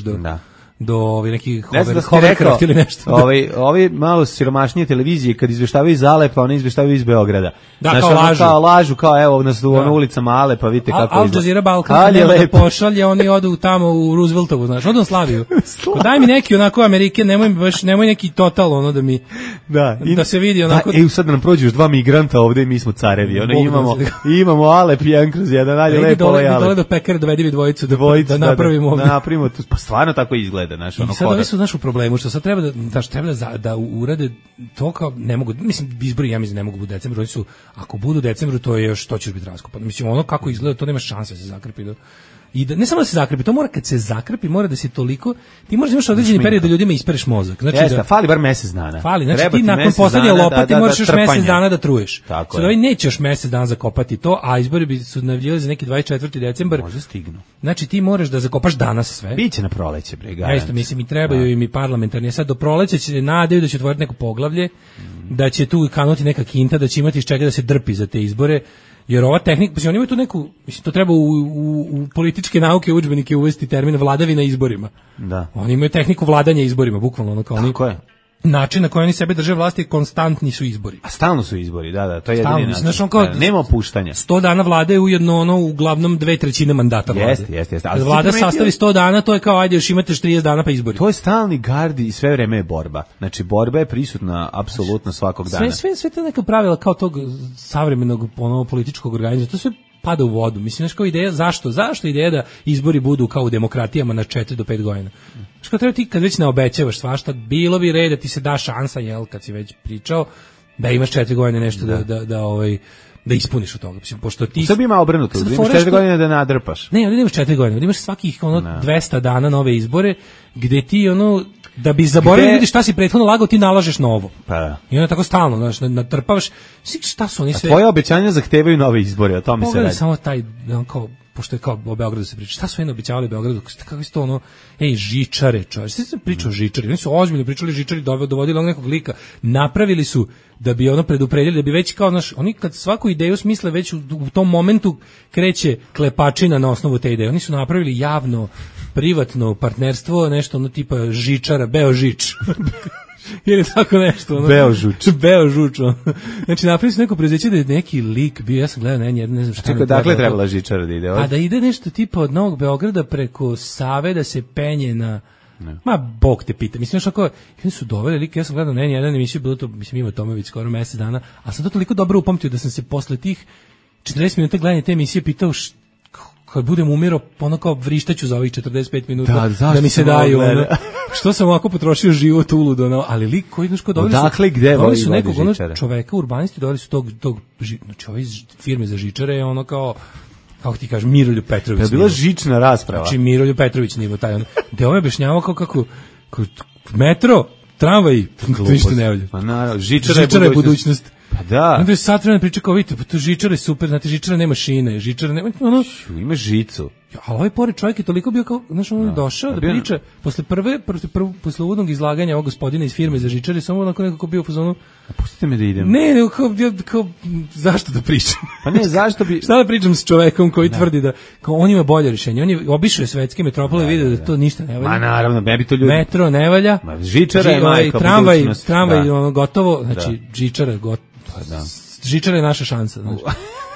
do nekih hovercraft ili nešto. Ovi malo siromašnije televizije kad izveštavaju iz Alepa, one izveštavaju iz Beograda. Da, kao lažu, kao evo nas u ulicama Alepa, vidite kako Al Jazeera Balkan nema da pošalje, oni odu tamo u Rooseveltovu, znaš, odu na Slaviju. Daj mi neki onako Amerike, nemoj neki total da mi da se vidi onako. Sad nam prođu još 2 migranta ovde i mi smo carevi. Imamo Alep 1/1, dalje lepo ovaj Alep. Dole do pekare dovedi mi dvojicu da napravimo. Da napravimo, pa stvarno tako izgleda. I sad oni su u problemu, što sad treba da urade to kao ne mogu, mislim, izbori ja mislim ne mogu u decembru, oni su, ako budu u decembru, to je još, to će biti raskopano. Mislim, ono kako izgleda, to nema šanse da se zakrpi. I da, ne samo da se zakrpi, to mora kad se zakrpi, mora da se toliko, ti možeš imaš određeni period da ljudima ispereš mozak. Znači fali bar mesec dana. Znači ti nakon poslednje lopate moraš još mesec dana da truješ. Sad ovaj neće još mesec dana zakopati to, a izbori bi su najavljivali za neki 24. decembar. Možda stignu. Znači ti moraš da zakopaš danas sve. Biće na proleće, bre. Ja isto mislim i trebaju im i parlamentarni. Sad do proleća će nadaju da će otvoriti neko poglavlje, da će tu kanuti neka kinta, da će imati iz čega da se drpi za te izbore. Jer ova tehnika, pa oni imaju tu neku, mislim, to treba u političke nauke, udžbenike uvesti termin vladavina izborima. Da. Oni imaju tehniku vladanja izborima, bukvalno ono kao oni. Tako je. Način na koji oni sebe drže vlasti, konstantni su izbori. A stalno su izbori, da, to je jedini način. Znači, kao, nema opuštanja. 100 dana vlade je ujedno uglavnom 2/3 mandata vlade. Jeste. Kad vlada sastavi 100 dana, to je kao, ajde, još imate 30 dana pa izbori. To je stalni gardi i sve vreme je borba. Znači, borba je prisutna apsolutno svakog dana. Sve to neka pravila kao tog savremenog političkog organizma, to sve pada u vodu. Mislim, znaš kao ideja, zašto ideja da izbori budu kao u demokratijama na 4 do 5 godina? Znaš kao treba ti kad već ne obećavaš svašta, bilo bi red da ti se da šansa, kad si već pričao, da imaš 4 godine nešto da ispuniš od toga. Mislim, pošto ti... Sad ima obrnuto, da imaš 4 godine da nadrpaš. Ne, ali imaš 4 godine, da imaš svakih 200 dana nove izbore, gde ti Da bi zaboravili ljudi šta si prethodno lagao, ti nalažeš novo. Pa. I onda tako stalno, znaš, natrpavaš. Šta su oni sve? A tvoje obećanja zahtevaju nove izbore, o tome se radi. Samo taj, kao, pošto je kao o Beogradu se priča. Šta su oni obećavali Beogradu? Kako je to ono, žičare, čovječ. Sve se priča o žičari. Oni su ozbiljno pričali o žičari, dovodili onog nekog lika. Napravili su da bi ono predupredili, da bi već kao, znaš, oni kad svaku ideju smisle već u tom momentu kreće klepačina na osnovu te ideje. Oni su napravili javno, privatno partnerstvo, nešto ono tipa žičara, Beožič. Ili tako nešto. Ono. Beožuč. Znači, napravili su neko preduzeće da je neki lik bio, ja sam gledao ne znam šta. Čekaj, dakle trebala žičara da ide? A da ide nešto tipa od Novog Beograda preko Save da se penje na... Ne. Ma, Bog te pita. Mislim, što oni su doveli lik, ja sam gledao na jedan emisiju, bilo to, mislim, Ivo Tomović skoro mesec dana, a sam to toliko dobro upamtio da sam se posle tih 40 minuta gledanja te emisije pitao kad budem umirao, ono kao vrištaću za ovih 45 minuta da mi se daju, ono, što sam ovako potrošio život uludo, ono, ali lik koji, znaš, ko doveli su nekog čoveka, urbanisti, doveli su tog znači, ove firme za žičare je ono kao, kako ti kažeš, Miroljub Petrović. Je bila žična rasprava. Znači, Miroljub Petrović nivo taj, ono, gde on je objašnjavao kako metro, tramvaj, to ništa ne valja. Pa naravno, žičara je budućnost. Pa da. Onda je sad vremena priča kao, vidite, pa to žičara je super, znate, žičara nema šine, žičara nema, ono... Ima žicu. Ali ovaj pored čovjek je toliko bio kao, znaš, on je došao da priča, posle uvodnog izlaganja ovog gospodina iz firme za žičare, samo onako nekako bio u fazonu... Pustite me da idem. Ne, kao, zašto da pričam? Pa ne, zašto bi... Šta da pričam s čovekom koji tvrdi da, kao, on ima bolje rješenje, on je obišao svetske metropole i vidio da to ništa ne valja. Ma naravno, ne bi to ljudi... Metro ne valja. Žičara je majka budućnost. Tramvaj, ono, gotovo, znači, žičara je gotovo. Da. Žičara je naša šansa, znači.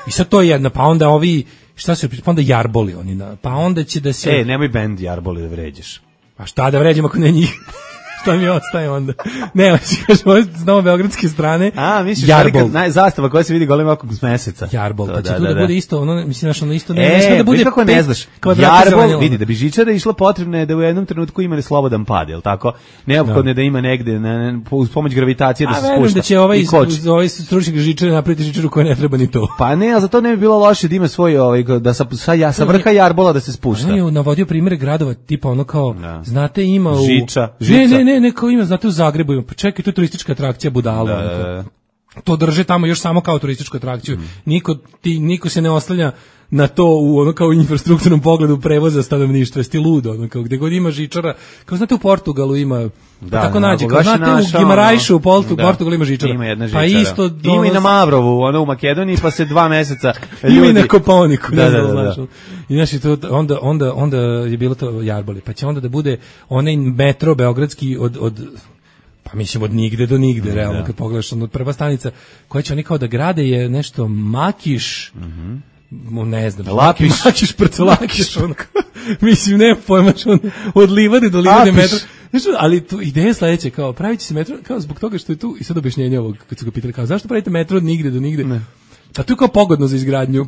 I sad to je jedna, pa onda ovi, šta se, pa onda jarboli oni, pa onda će da se... nemoj bend jarboli da vređaš. Pa šta da vređam ako ne njih? Šta mi ostaje onda? Ne, hoće kažem, znamo beogradske strane. Misliš, jarbol. Zastava koja se vidi golim okom s meseca. Jarbol, pa će tu da bude isto, ono, mislim, ono isto, ne sme da bude... kako ne znaš, jarbol, vidi, da bi žičara išla potrebno je da u jednom trenutku ima slobodan pad, je li tako? Neophodno je da ima negde, uz pomoć gravitacije da se spušta. A verujem da će ovaj stručnik žičare napraviti žičaru koja ne treba ni to. Pa ne, ali za to ne bi bilo loše da ima svoj, da sa vrha jarbola da se spušta. On je navodio primjere gradova, tipa ono kao, znate, ima u... Žiča. Ne, kao ima, znate, u Zagrebu ima, pa čekaj, to je turistička atrakcija budala. To drže tamo još samo kao turističku atrakciju. Niko se ne oslanja na to u ono kao infrastrukturnom pogledu prevoza stanovništva, jeste ludo, ono kao gde god ima žičara, kao znate u Portugalu ima, tako nađe, kao znate u Gimarajšu u Portugalu ima žičara. Ima jedna žičara. Pa isto ima i na Mavrovu, ono u Makedoniji, pa se 2 meseca ljudi... Ima i na Kopaoniku, ne znam. I znači, onda je bilo to jarboli, pa će onda da bude onaj metro beogradski pa mislim od nigde do nigde, realno, kad pogledaš, ono, prva stanica koja će oni kao da grade je nešto Makiš, ne znam, Makiš, Prcelakiš, mislim, ne pojmaš, od livade do livade metro, ali tu ideja je sledeća, kao, pravit će se metro, kao zbog toga što je tu, i sad objašnjenje ovog, kad su ga pitali, kao, zašto pravite metro od nigde do nigde? Ne. A tu je kao pogodno za izgradnju.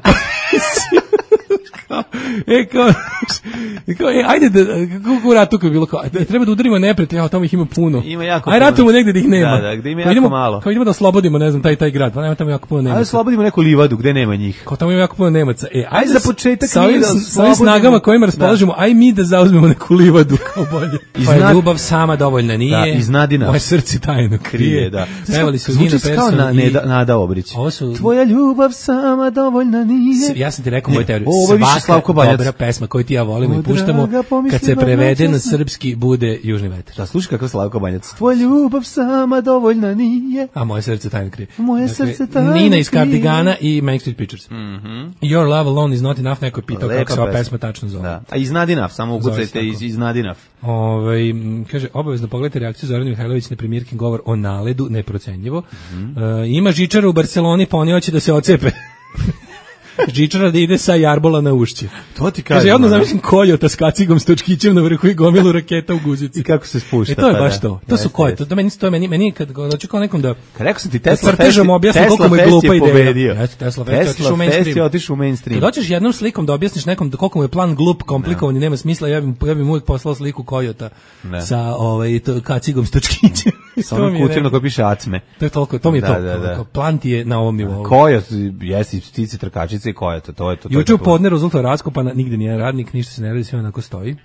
Ajde da, kako u ratu kao je bilo, treba da udarimo neprijatelja, tamo ih ima puno. Ajde ratujemo negde da ih nema. Da, gde ima jako malo. Kao idemo da oslobodimo, ne znam, taj grad, pa nema tamo jako puno Nemaca. Ajde oslobodimo neku livadu gde nema njih. Kao tamo ima jako puno Nemaca. Ajde za početak sa ovim snagama kojima raspolažemo, aj mi da zauzmemo neku livadu kao bolje. Pa ljubav sama dovoljna nije. Iznadina. Moje srce tajno krije. Pevali su Nina Persson i Nada Obrić. Tvoja ljubav sama dovoljna nije. Ja sam ti rekao moju teoriju. Svaka dobra pesma koju ti ja volimo i puštamo, kad se prevede na srpski, bude Južni vetar. Da, slušaj kako Slavko Banjac. Tvoja ljubav sama dovoljna nije. A moje srce tajno krije. Moje srce tajno krije. Nina iz Cardigana i Manic Street Preachers. Your love alone is not enough, neko je pitao kako se ova pesma tačno zove. A Iznad enough, samo ukucajte Iznad enough. Kaže, obavezno pogledajte reakciju Zorane Mihajlović na premijerkin govor o naledu, neprocenjivo. Ima žičara u Barceloni, pa oni hoće da se ocepe. Žičara da ide sa jarbola na ušće. To ti kažem. Kaže, odmah zamišljam Kojota s kacigom, s točkićem na vrhu i gomilu raketa u guzici. I kako se spušta. To je baš to. To su Kojota. To meni kad hoću kao nekom da... Rekao sam ti, Tesla Fest je otišao u mainstream. Kad hoćeš jednom slikom da objasniš nekom koliko mu je plan glup, komplikovan i nema smisla, ja bih uvijek poslao sliku Kojota sa kacigom s točkićem. Sa onom kutijom na kojoj piše acme. To je toliko, to mi je to. Plan ti je na ovom nivou. Kojot, jesi ptice trkačice i Kojota, to je to. Juče u podne rezultat raskopana, nigde nije radnik, ništa se ne radi, sve onako stoji.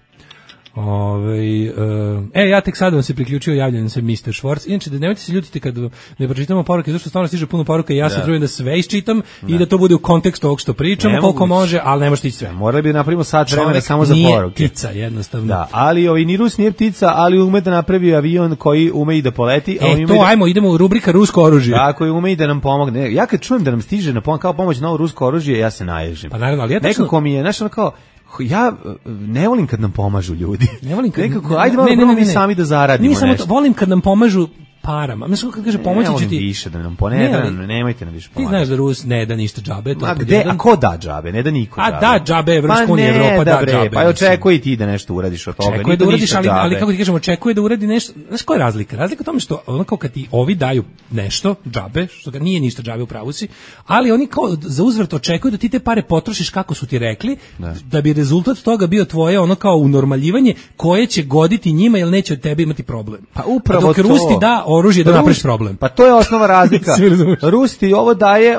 Ja tek sad vam se priključio, javljam se Mr. Schwartz. Inače, da nemojte se ljutiti kad ne pročitamo poruke, zašto stvarno stiže puno poruka i ja se trudim da sve iščitam i da to bude u kontekstu ovog što pričamo, koliko može, ali ne može stići sve. Morali bi napravimo sat vremena samo za poruke. Nije ptica, jednostavno. Da, ali ni Rus nije ptica, ali ume da napravi avion koji ume i da poleti. Idemo u rubrika rusko oružje. Tako je, ume i da nam pomogne. Ja kad čujem da nam stiže kao pomoć novo rusko oružje, ja se naježim. Pa naravno, ali nekako mi je, znaš, ono kao, ja ne volim kad nam pomažu ljudi. Ne volim kad... Nekako, ajde malo mi sami da zaradimo nešto. Nije samo to, volim kad nam pomažu parama. Mislim, kad kaže pomoći će ti... više da nam nemojte nam više pomagati. Ti znaš da Rus ne da ništa džabe. A ko da džabe? Ne da niko džabe. A da džabe, Evropska unija, Evropa da džabe. Pa očekuje i ti da nešto uradiš od toga. Očekuje da uradiš, ali kako ti kažemo, očekuje da uradi nešto. Znaš koja je razlika? Razlika u tome što ono kao kad ti ovi daju nešto, džabe, što ga nije ništa džabe u pravu si, ali oni kao za uzvrat očekuju da ti te pare potrošiš kako su ti rekli, da bi rezultat toga bio tvoje ono kao unormaljivanje koje će goditi njima jer neće od tebe imati problem. Pa upravo to. Dok Rus ti da oružje da napraviš problem. Pa to je osnova razlika. Rus ti ovo daje,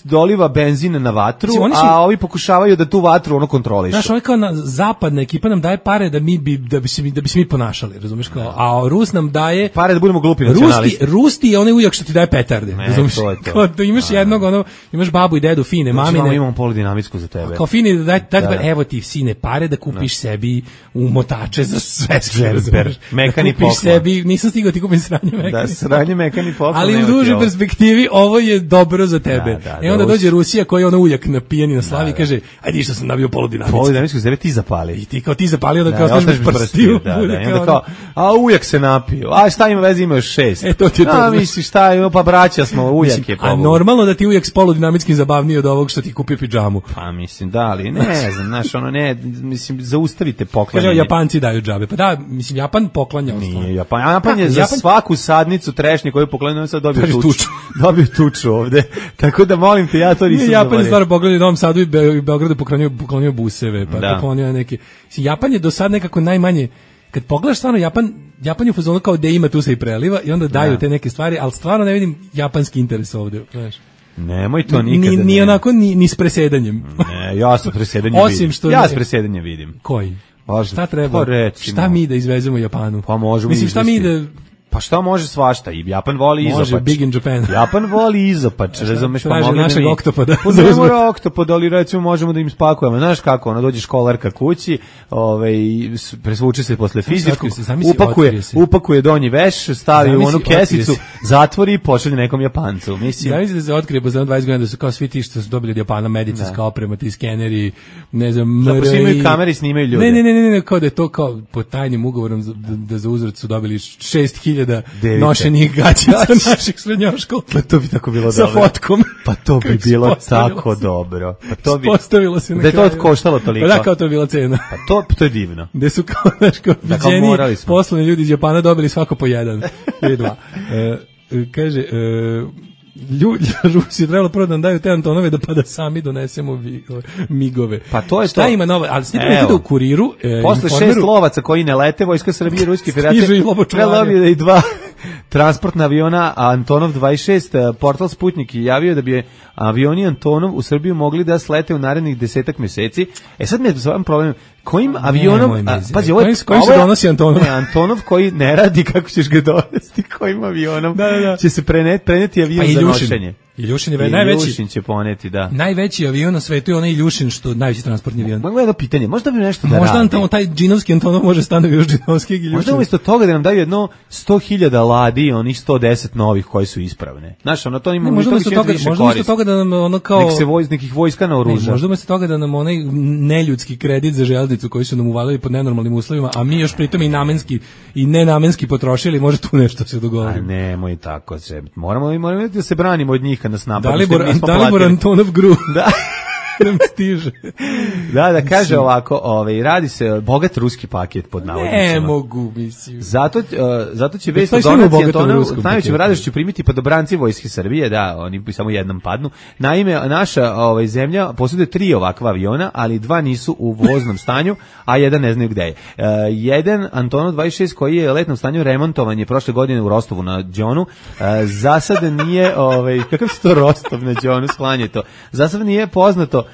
doliva benzin na vatru, a ovi pokušavaju da tu vatru kontrolišu. Znaš, ovo kao zapadna ekipa nam daje pare da bi se mi ponašali, razumiješ kao, a Rus nam daje pare da budemo glupi nacionalisti. Rus ti je onaj ujak što ti daje petarde, razumiješ? Kao da imaš jednog, imaš babu i dedu fine, mamine. Imamo poludinamitsku za tebe. Kao fini da evo ti sine pare da kupiš sebi umotače za sve. Mekani poklon. Kupiš sebi, nisam stigao ti kupim sranje mekani. Da, sranje mekani poklon. Ali u dužoj perspektivi ovo je dobro za tebe. I onda dođe Rusija koji je uljak napijen i na slavi i kaže, ajde što sam nabio poludinamitsku. Poludinamitsku za tebe ti zapali. I ti kao ti zapali, onda kao ostaviš prstiju. Onda kao, a ujak se napio. A šta ima veze, ima još 6. To ti je to. A misliš šta ima, pa braća smo, ujak je. A normalno da ti ujak s poludinamitskim zabavniji od ovog što ti kupi pidžamu. Pa mislim, da, ali ne znam, znaš, mislim, zaustavite poklanjanje. Kaže, Japanci daju džabe. Pa da, mislim, Japan poklanja. Nije Japan je za svaku sadnicu trešnje koju poklanja, sad dobio tuču ovde. Tako da molim te, ja to nisam zaboravio. Japan je stvarno pogledao u Novom Sadu i Beogradu poklonio buseve, pa poklonio neke. Japan je do sad nekako najmanje, kad pogledaš stvarno Japan je u fazonu kao da ima tu se i preliva i onda daju te neke stvari, ali stvarno ne vidim japanski interes ovde, znaš. Nemoj to nikada. Ni onako ni s presedanjem. Ne, ja sa presedanjem vidim. Ja s presedanjem vidim. Koji? Šta treba? Šta mi da izvezemo Japanu? Pa možemo. Mislim, šta mi da... Pa šta može svašta? I Japan voli izopač. Može, big in Japan. Japan voli izopač, razumeš, pa mogli našeg oktopoda. Ne mora oktopod, ali recimo možemo da im spakujemo. Znaš kako, dođe školarka kući, presvuče se posle fizičkog, upakuje donji veš, stavi u onu kesicu, zatvori i pošalje nekom Japancu. Mislim da se otkrije posle 20 godina da su kao svi ti što su dobili od Japana medicinska oprema, ti skeneri, ne znam, MRI. Da snimaju kamere i snimaju ljude. Ne, kao da je to kao po tajnim ugovorom da za uzvrat su dobili 6000 nošenih gaćica naših srednjoškolca. Pa to bi tako bilo dobro. Sa fotkom. Pa to bi bilo tako dobro. Pa to bi postavilo se na kraju. Da je to koštalo toliko. Pa da, kao to je bila cena. Pa to je divno. Gde su kao viđeni poslovni ljudi iz Japana dobili svako po jedan ili dva. Kaže, Rusi je trebalo prvo da nam daju te Antonove pa da sami donesemo migove. Pa to je šta to. Ima nove, ali snimite u Kuriru. Posle 6 lovaca koji ne lete, Vojska Srbije i Ruske Federacije prelomio da i 2 transportna aviona Antonov 26. Portal Sputnik je javio da bi avioni Antonov u Srbiju mogli da slete u narednih 10 meseci. Sad mi je s ovim problem. Kojim avionom, pazi, ovo se donosi Antonov? Ne, Antonov koji ne radi, kako ćeš ga dovesti, kojim avionom će se preneti avion za nošenje. Iljušin je najveći. Iljušin će poneti, da. Najveći avion na svetu je onaj Iljušin, što najveći transportni avion. Mogu jedno pitanje, možda bi nešto da radi. Možda nam tamo taj džinovski Antonov može stane još džinovskih Iljušin. Možda umjesto toga da nam daju jedno 100.000 ladi, onih 110 novih koji su ispravne. Znaš, ono to ima možda umjesto toga da nam ono kao nekih vojska naoruža. Možda umjesto toga da nam onaj neljudski kredit za železnicu koji su nam uvalili pod nenormalnim uslovima, a mi još pritom i namenski i nenamenski potrošili, može tu nešto se dogoditi. A nemoj tako se. Moramo da se branimo od njih kad nas napadnu. Dalibor Antonov Gru. Da. Nam stiže. Da, kaže ovako, radi se bogat ruski paket pod navodnicima. Ne mogu, mislim. Zato će vest o donaciji Antonov, najvećem radošću će primiti podobranci Vojske Srbije, da, oni samo jednom padnu. Naime, naša zemlja posjeduje 3 ovakva aviona, ali 2 nisu u voznom stanju, a jedan ne znaju gde je. Jedan Antonov 26 koji je u letnom stanju remontovan je prošle godine u Rostovu na Đonu. Za sad nije, kakav se to Rostov na Đonu, sklanje to. Za sad nije poznato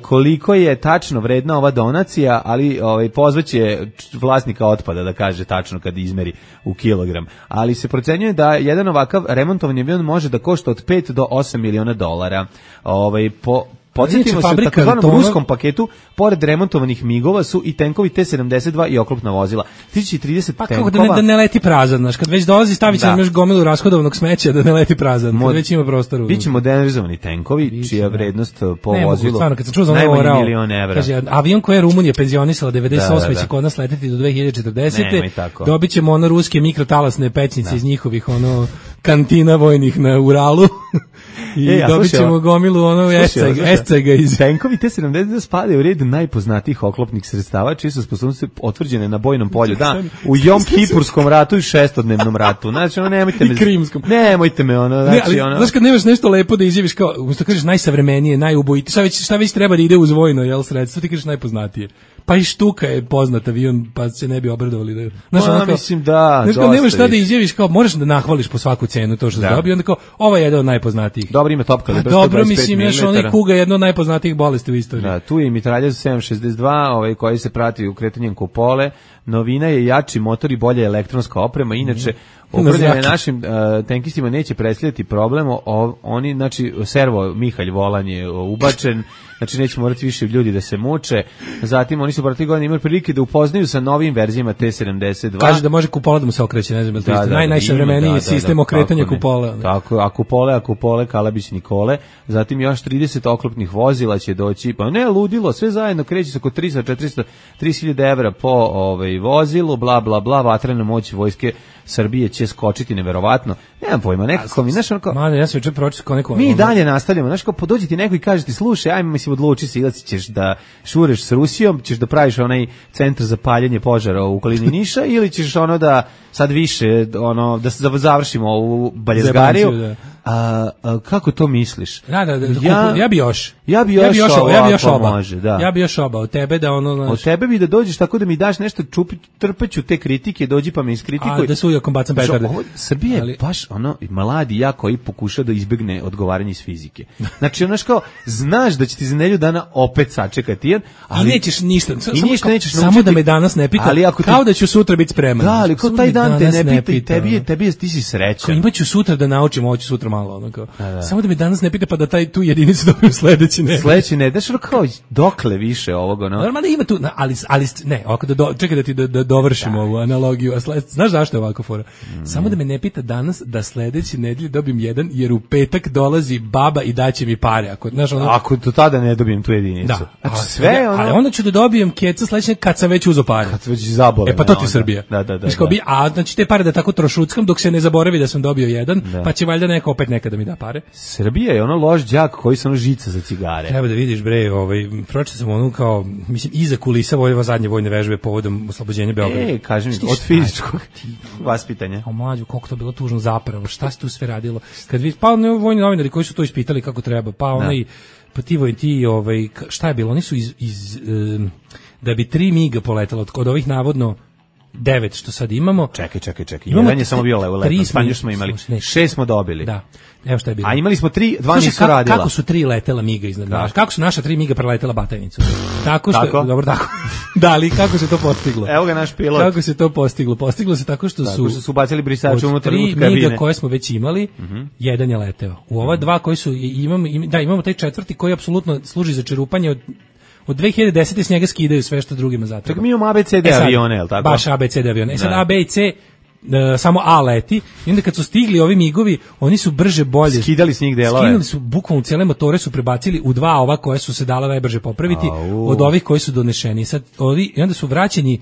koliko je tačno vredna ova donacija, ali pozvaće vlasnika otpada da kaže tačno kad izmeri u kilogram. Ali se procenjuje da jedan ovakav remontovani avion može da košta od 5 do 8 miliona dolara. Podsjetimo se, u takozvanom ruskom paketu, pored remontovanih migova su i tenkovi T-72 i oklopna vozila. 30 pa tenkova... kako da ne leti prazan, znaš, kad već dolazi stavit će nam još gomilu rashodovanog smeća da ne leti prazan, kad već ima prostora. Biće modernizovani tenkovi, čija vrednost po vozilu stvarno, kad sam čuo za najmanje $1.000.000. Kaže, avion koji je Rumunija penzionisala 98. će kod nas leteti do 2040. Dobit ćemo ono ruske mikrotalasne pećnice iz njihovih kantina vojnih na Uralu. I dobit ćemo gomilu escega iz... Tenkovi T-72 spadaju u red najpoznatijih oklopnih sredstava, čije su sposobnosti potvrđene na bojnom polju. Da, u Jom Kipurskom ratu i šestodnevnom ratu. Znači, nemojte me... I Krimskom. Nemojte me, Znaš, kad nemaš nešto lepo da izjaviš kao, umesto kažeš najsavremenije, najubojiti, šta već treba da ide uz vojno, sredstvo, ti kažeš najpoznatije. Pa i Štuka je poznat avion, pa se ne bi obradovali. Mislim da... Nemaš šta da izjaviš, kao, moraš da nahvališ po svaku cenu to što se dobio, onda kao, ovo je jedan od najpoznatijih. Dobro, ima top kalibar, 125 dobro, mislim, još onaj Kuga je jedna od najpoznatijih bolesti u istoriji. Da, tu je i mitraljez 762, koji se prati u kretanjem kupole. Novina je jači motor i bolja elektronska oprema, inače upravljanje našim tenkistima neće predstavljati problem, oni, znači, servo Mihalj volan je ubačen, znači neće morati više ljudi da se muče, zatim oni su protiv godina imali prilike da upoznaju sa novim verzijama T-72. Kaže da može kupola da mu se okreće, ne znam, najsavremeniji sistem okretanja kupola. Tako, a kupole, Kalabić Nikole, zatim još 30 oklopnih vozila će doći, pa ne, ludilo, sve zajedno kreće se oko 300-430.000 evra po vozilu, bla, bla, bla, vatrena moć vojske Srbije će skočiti neverovatno. Nemam pojma, nekako mi, znaš, onako... Ja sam juče pročitao neko... Mi dalje nastavljamo, znaš, kao podođi ti neko i kaže ti, slušaj, ajme, mislim, odluči se, ili ćeš da šureš s Rusijom, ćeš da praviš onaj centar za paljenje požara u okolini Niša, ili ćeš da sad više, da završimo ovu baljezgariju. Kako to misliš? Ja bi još obao tebe da od tebe bi da dođeš tako da mi daš nešto, trpeću te kritike, dođi pa me iskritikuj. Da sujakom bacam petarde. Srbija je baš mladi ja koji pokuša da izbegne odgovaranje iz fizike. Znači, znaš da će ti za nedelju dana opet sačekati, ali i nećeš ništa. Samo da me danas ne pita, kao da ću sutra biti spreman. Da, ali kao taj dan te ne pita i tebi ti si srećan. Imaću sutra da naučim, ovo ću sutra malo. Samo da me danas ne pita pa da tu jedinicu dobijem sledeći ne. Sledeći ne, daš kao dokle više ovoga, Normalno ima tu, ali ne, čekaj da ti dovršim ovu analogiju. Znaš zašto je ovako fora? Samo da me ne pita danas da sledeći nedelje dobijem jedan, jer u petak dolazi baba i daće mi pare. Ako do tada ne dobijem tu jedinicu. Da, ali onda ću da dobijem keca sledeće kad sam već uzeo pare. Kad sam već zabole. Pa to ti je Srbija. Da. A znači te pare da tako trošuckam dok se ne zaboravi da sam dobio jedan, pa će valjda neko opet nekada mi da pare. Srbija je loš đak koji su žica za cigare. Treba da vidiš, bre, pročitao sam kao, mislim, iza kulisa zadnje vojne vežbe povodom oslobođenja Beograda. Kažem, od fizičkog vaspitanja. Mlađo, koliko to bilo tužno zapravo, šta se tu sve radilo? Kad vidi, pa vojni novinari koji su to ispitali kako treba, šta je bilo? Oni su da bi 3 miga poletalo od ovih navodno 9 što sad imamo. Čekaj. Jedan je samo bio lepo. Spanju smo imali. 6 smo dobili. Da. Evo šta je bilo. A imali smo 3, 2 nisu radila. Kako su 3 letela miga iznad nas? Kako su naša 3 miga preletela Batajnicu? Tako što, dobro, tako. Da, ali kako se to postiglo? Evo ga naš pilot. Kako se to postiglo? Postiglo se tako što su bacili brisače unutar kabine. 3 miga koje smo već imali, jedan je leteo. U ova 2 koji su imamo taj četvrti koji apsolutno služi za čerupanje od 2010. s njega skidaju sve što drugima zatreba. Čak mi imamo ABCD avione, je li tako? Baš ABCD avione. Sad A, B i C, samo A leti. I onda kad su stigli ovi migovi, oni su brže bolje. Skidali s njih delove. Skidali su, bukvalno cijele motore su prebacili u 2 ova koje su se dala najbrže popraviti od ovih koji su donešeni. I onda su vraćeni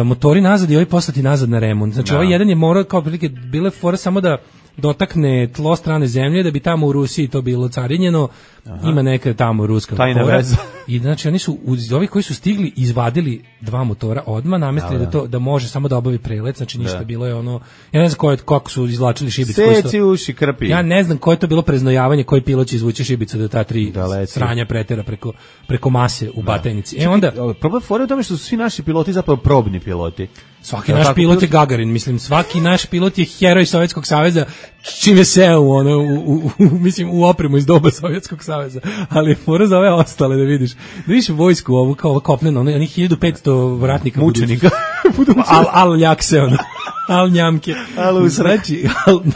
motori nazad i ovi poslati nazad na remont. Znači ovaj jedan je morao kao prilike bile fora samo da dotakne tlo strane zemlje, da bi tamo u Rusiji to bilo carinjeno. Ima neka tamo ruska fora. I znači oni su uz ovih koji su stigli izvadili 2 motora odmah, namestili da može samo da obavi prelet, znači ništa, bilo je ja ne znam kako su izvlačili šibicu. Seci uši krpi. Ja ne znam koje je to bilo preznojavanje, koji pilot će izvući šibicu da ta 3 sranja pretera preko mase u Batajnici. Onda problem fora je u tome što su svi naši piloti zapravo probni piloti. Svaki naš pilot je Gagarin, mislim, svaki naš pilot je heroj Sovjetskog saveza, čim je seo mislim, u opremu iz doba Sovjetskog saveza, ali mora za ove ostale da vidiš vojsku ovu kao kopneno, oni 1500 vratnika mučenika, al ljakse, al njamke,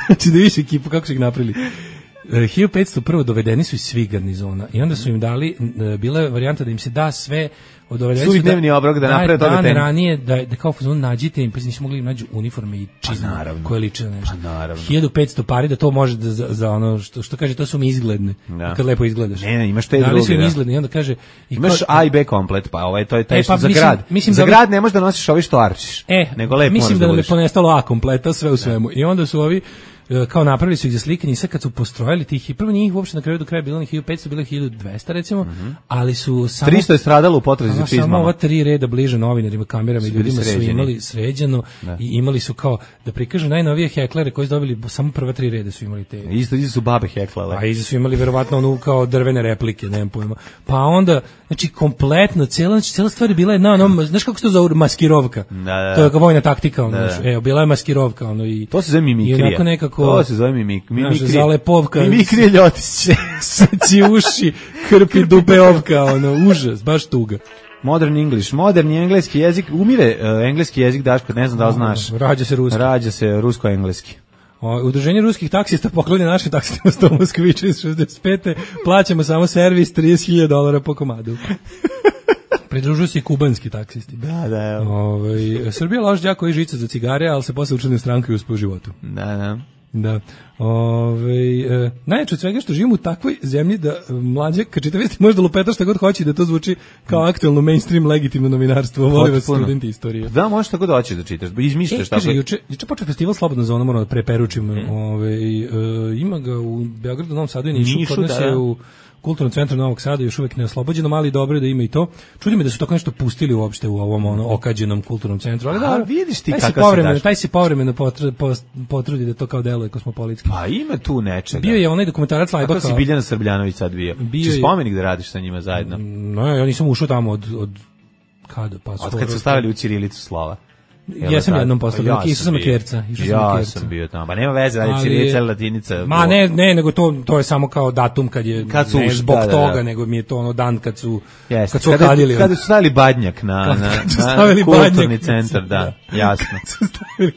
znači da vidiš ekipu kako su ih napravili. 1500 prvo dovedeni su iz svih garnizona i onda su im dali, bila je varijanta da im se da sve od dovedeni dnevni obrok da naprave to dan ranije da kao fazon nađite im, pa nisu mogli im nađu uniforme i čizme koje liče na nešto. 1500 pari da to može za ono što kaže, to su mi izgledne. Kad lepo izgledaš. Ne, imaš te druge. Da li su im izgledne i onda kaže imaš A i B komplet, pa ovaj to je taj što za grad. Za grad ne možeš da nosiš ovi što arčiš. Nego lepo mislim da nam je ponestalo A kompleta sve u svemu. I onda su ovi kao napravili su ih za slikanje i sve kad su postrojili tih, prvo njih uopšte na kraju do kraja bilo 1500, bilo 1200 recimo, ali su samo 300 je stradalo u potrazi za čizmama. Samo ova 3 reda bliže novinarima, kamerama i ljudima su imali sređeno i imali su kao da prikažu najnovije heklere koji su dobili, samo prva 3 reda su imali te. Isto su babe heklale. A iza su imali verovatno onu kao drvene replike, nemam pojma. Pa onda, znači kompletno, cela stvar je bila jedna, znaš kako se to zove, maskirovka. To je kao vojna taktika, bila je maskirovka, i to se zove mimikrija. To se zove mimikrija. Zalepovka. Mimikrija ljotić. Seci uši, krpi dupe ovka, užas, baš tuga. Moderni engleski jezik, umire engleski jezik, Daško, ne znam da li znaš. Rađa se rusko-engleski. Udruženje ruskih taksista poklanja našim taksistima sto Moskvića iz 65. Plaćamo samo servis $30,000 po komadu. Pridružuju se i kubanski taksisti. Da. Srbija loš đako i žica za cigare, ali se posle učlani u stranku i uspe u životu. Da. Najjače od svega što živimo u takvoj zemlji da mlađe, kad čita vesti, može da lupeta šta god hoće da to zvuči kao aktualno mainstream legitimno novinarstvo. Voli vas studenti istorije. Da, možeš tako doći da čitaš, izmišljaš tako. Juče počeo festival Slobodna zona, moram da preperučim. Ima ga u Beogradu, Novom Sadu i Nišu, kod nas je u Kulturnom centru Novog Sada još uvek neoslobođeno, ali dobro je da ima i to. Čudi me da su tako nešto pustili uopšte u ovom okađenom kulturnom centru, ali da, vidiš ti kako se daš. Taj se povremeno potrudi da to kao deluje kosmopolitski. Pa ima tu nečega. Bio je onaj dokumentarac Lajbaka. Kako si Biljana Srbljanović sad bio? Či spomenik da radiš sa njima zajedno? No, ja nisam ušao tamo od kada? Pa od kad su stavili u ćirilicu slova. Ja sam jednom postavio, išao sam na Kjerca. Ja sam bio tamo, pa nema veze, ali ćirilica ili latinica. Ma ne, nego to je samo kao datum kad je, ne zbog toga, nego mi je to dan kad su okadili. Kada su stavili badnjak na kulturni centar, da, jasno.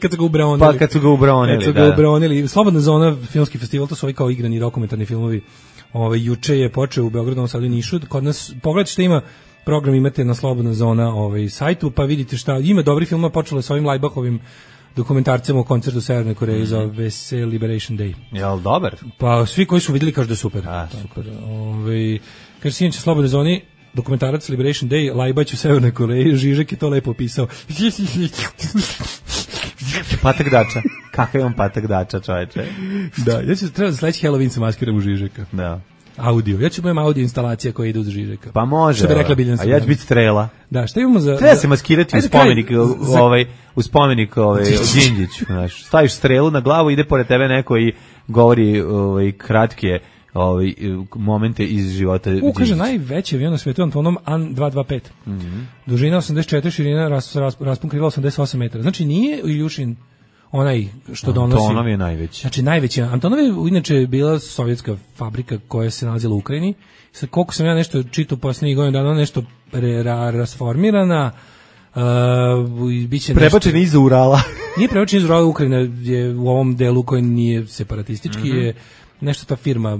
Kad su ga ubronili. Pa kad su ga ubronili, Slobodna zona, filmski festival, to su ovi kao igrani dokumentarni filmovi. Juče je počeo u Beogradu, Novom Sadu i Nišu. Kod nas, pogledajte što ima program, imate na Slobodna zona sajtu, pa vidite šta, ima dobri filma, počelo sa ovim Lajbakovim dokumentarcem o koncertu u Severnoj Koreji za Vese Liberation Day. Jel dobar? Pa svi koji su vidjeli kažu da je super. Super. Kaže se inače Slobodnoj zoni, dokumentarac Liberation Day, Lajbać u Severnoj Koreji, Žižek je to lepo opisao. Patak dača. Kakav je on patak dača, čoveče? Da, ja ću treba za sledeći Halloween se maskiram u Žižeka. Da. Audio. Ja ću imam audio instalacija koja ide uz Žižeka. Pa može. Što bi rekla Biljana. A ja ću biti Strela. Da, šta imamo za... Treba se maskirati u spomenik Đinđiću. Staviš strelu na glavu, ide pored tebe neko i govori kratke momente iz života Đinđića. Kaže, najveći avion na svetu Antonov An-225. Dužina 84, širina raspon krila 88 metara. Znači nije Iljušin onaj što donosi. Antonov je najveći. Znači najveći. Antonov je inače bila sovjetska fabrika koja se nalazila u Ukrajini. Sad koliko sam ja nešto čitao posljednjih godina dana, nešto rasformirana. Prebačena iza Urala. Nije prebačena iza Urala, Ukrajina je u ovom delu koji nije separatistički, je nešto ta firma,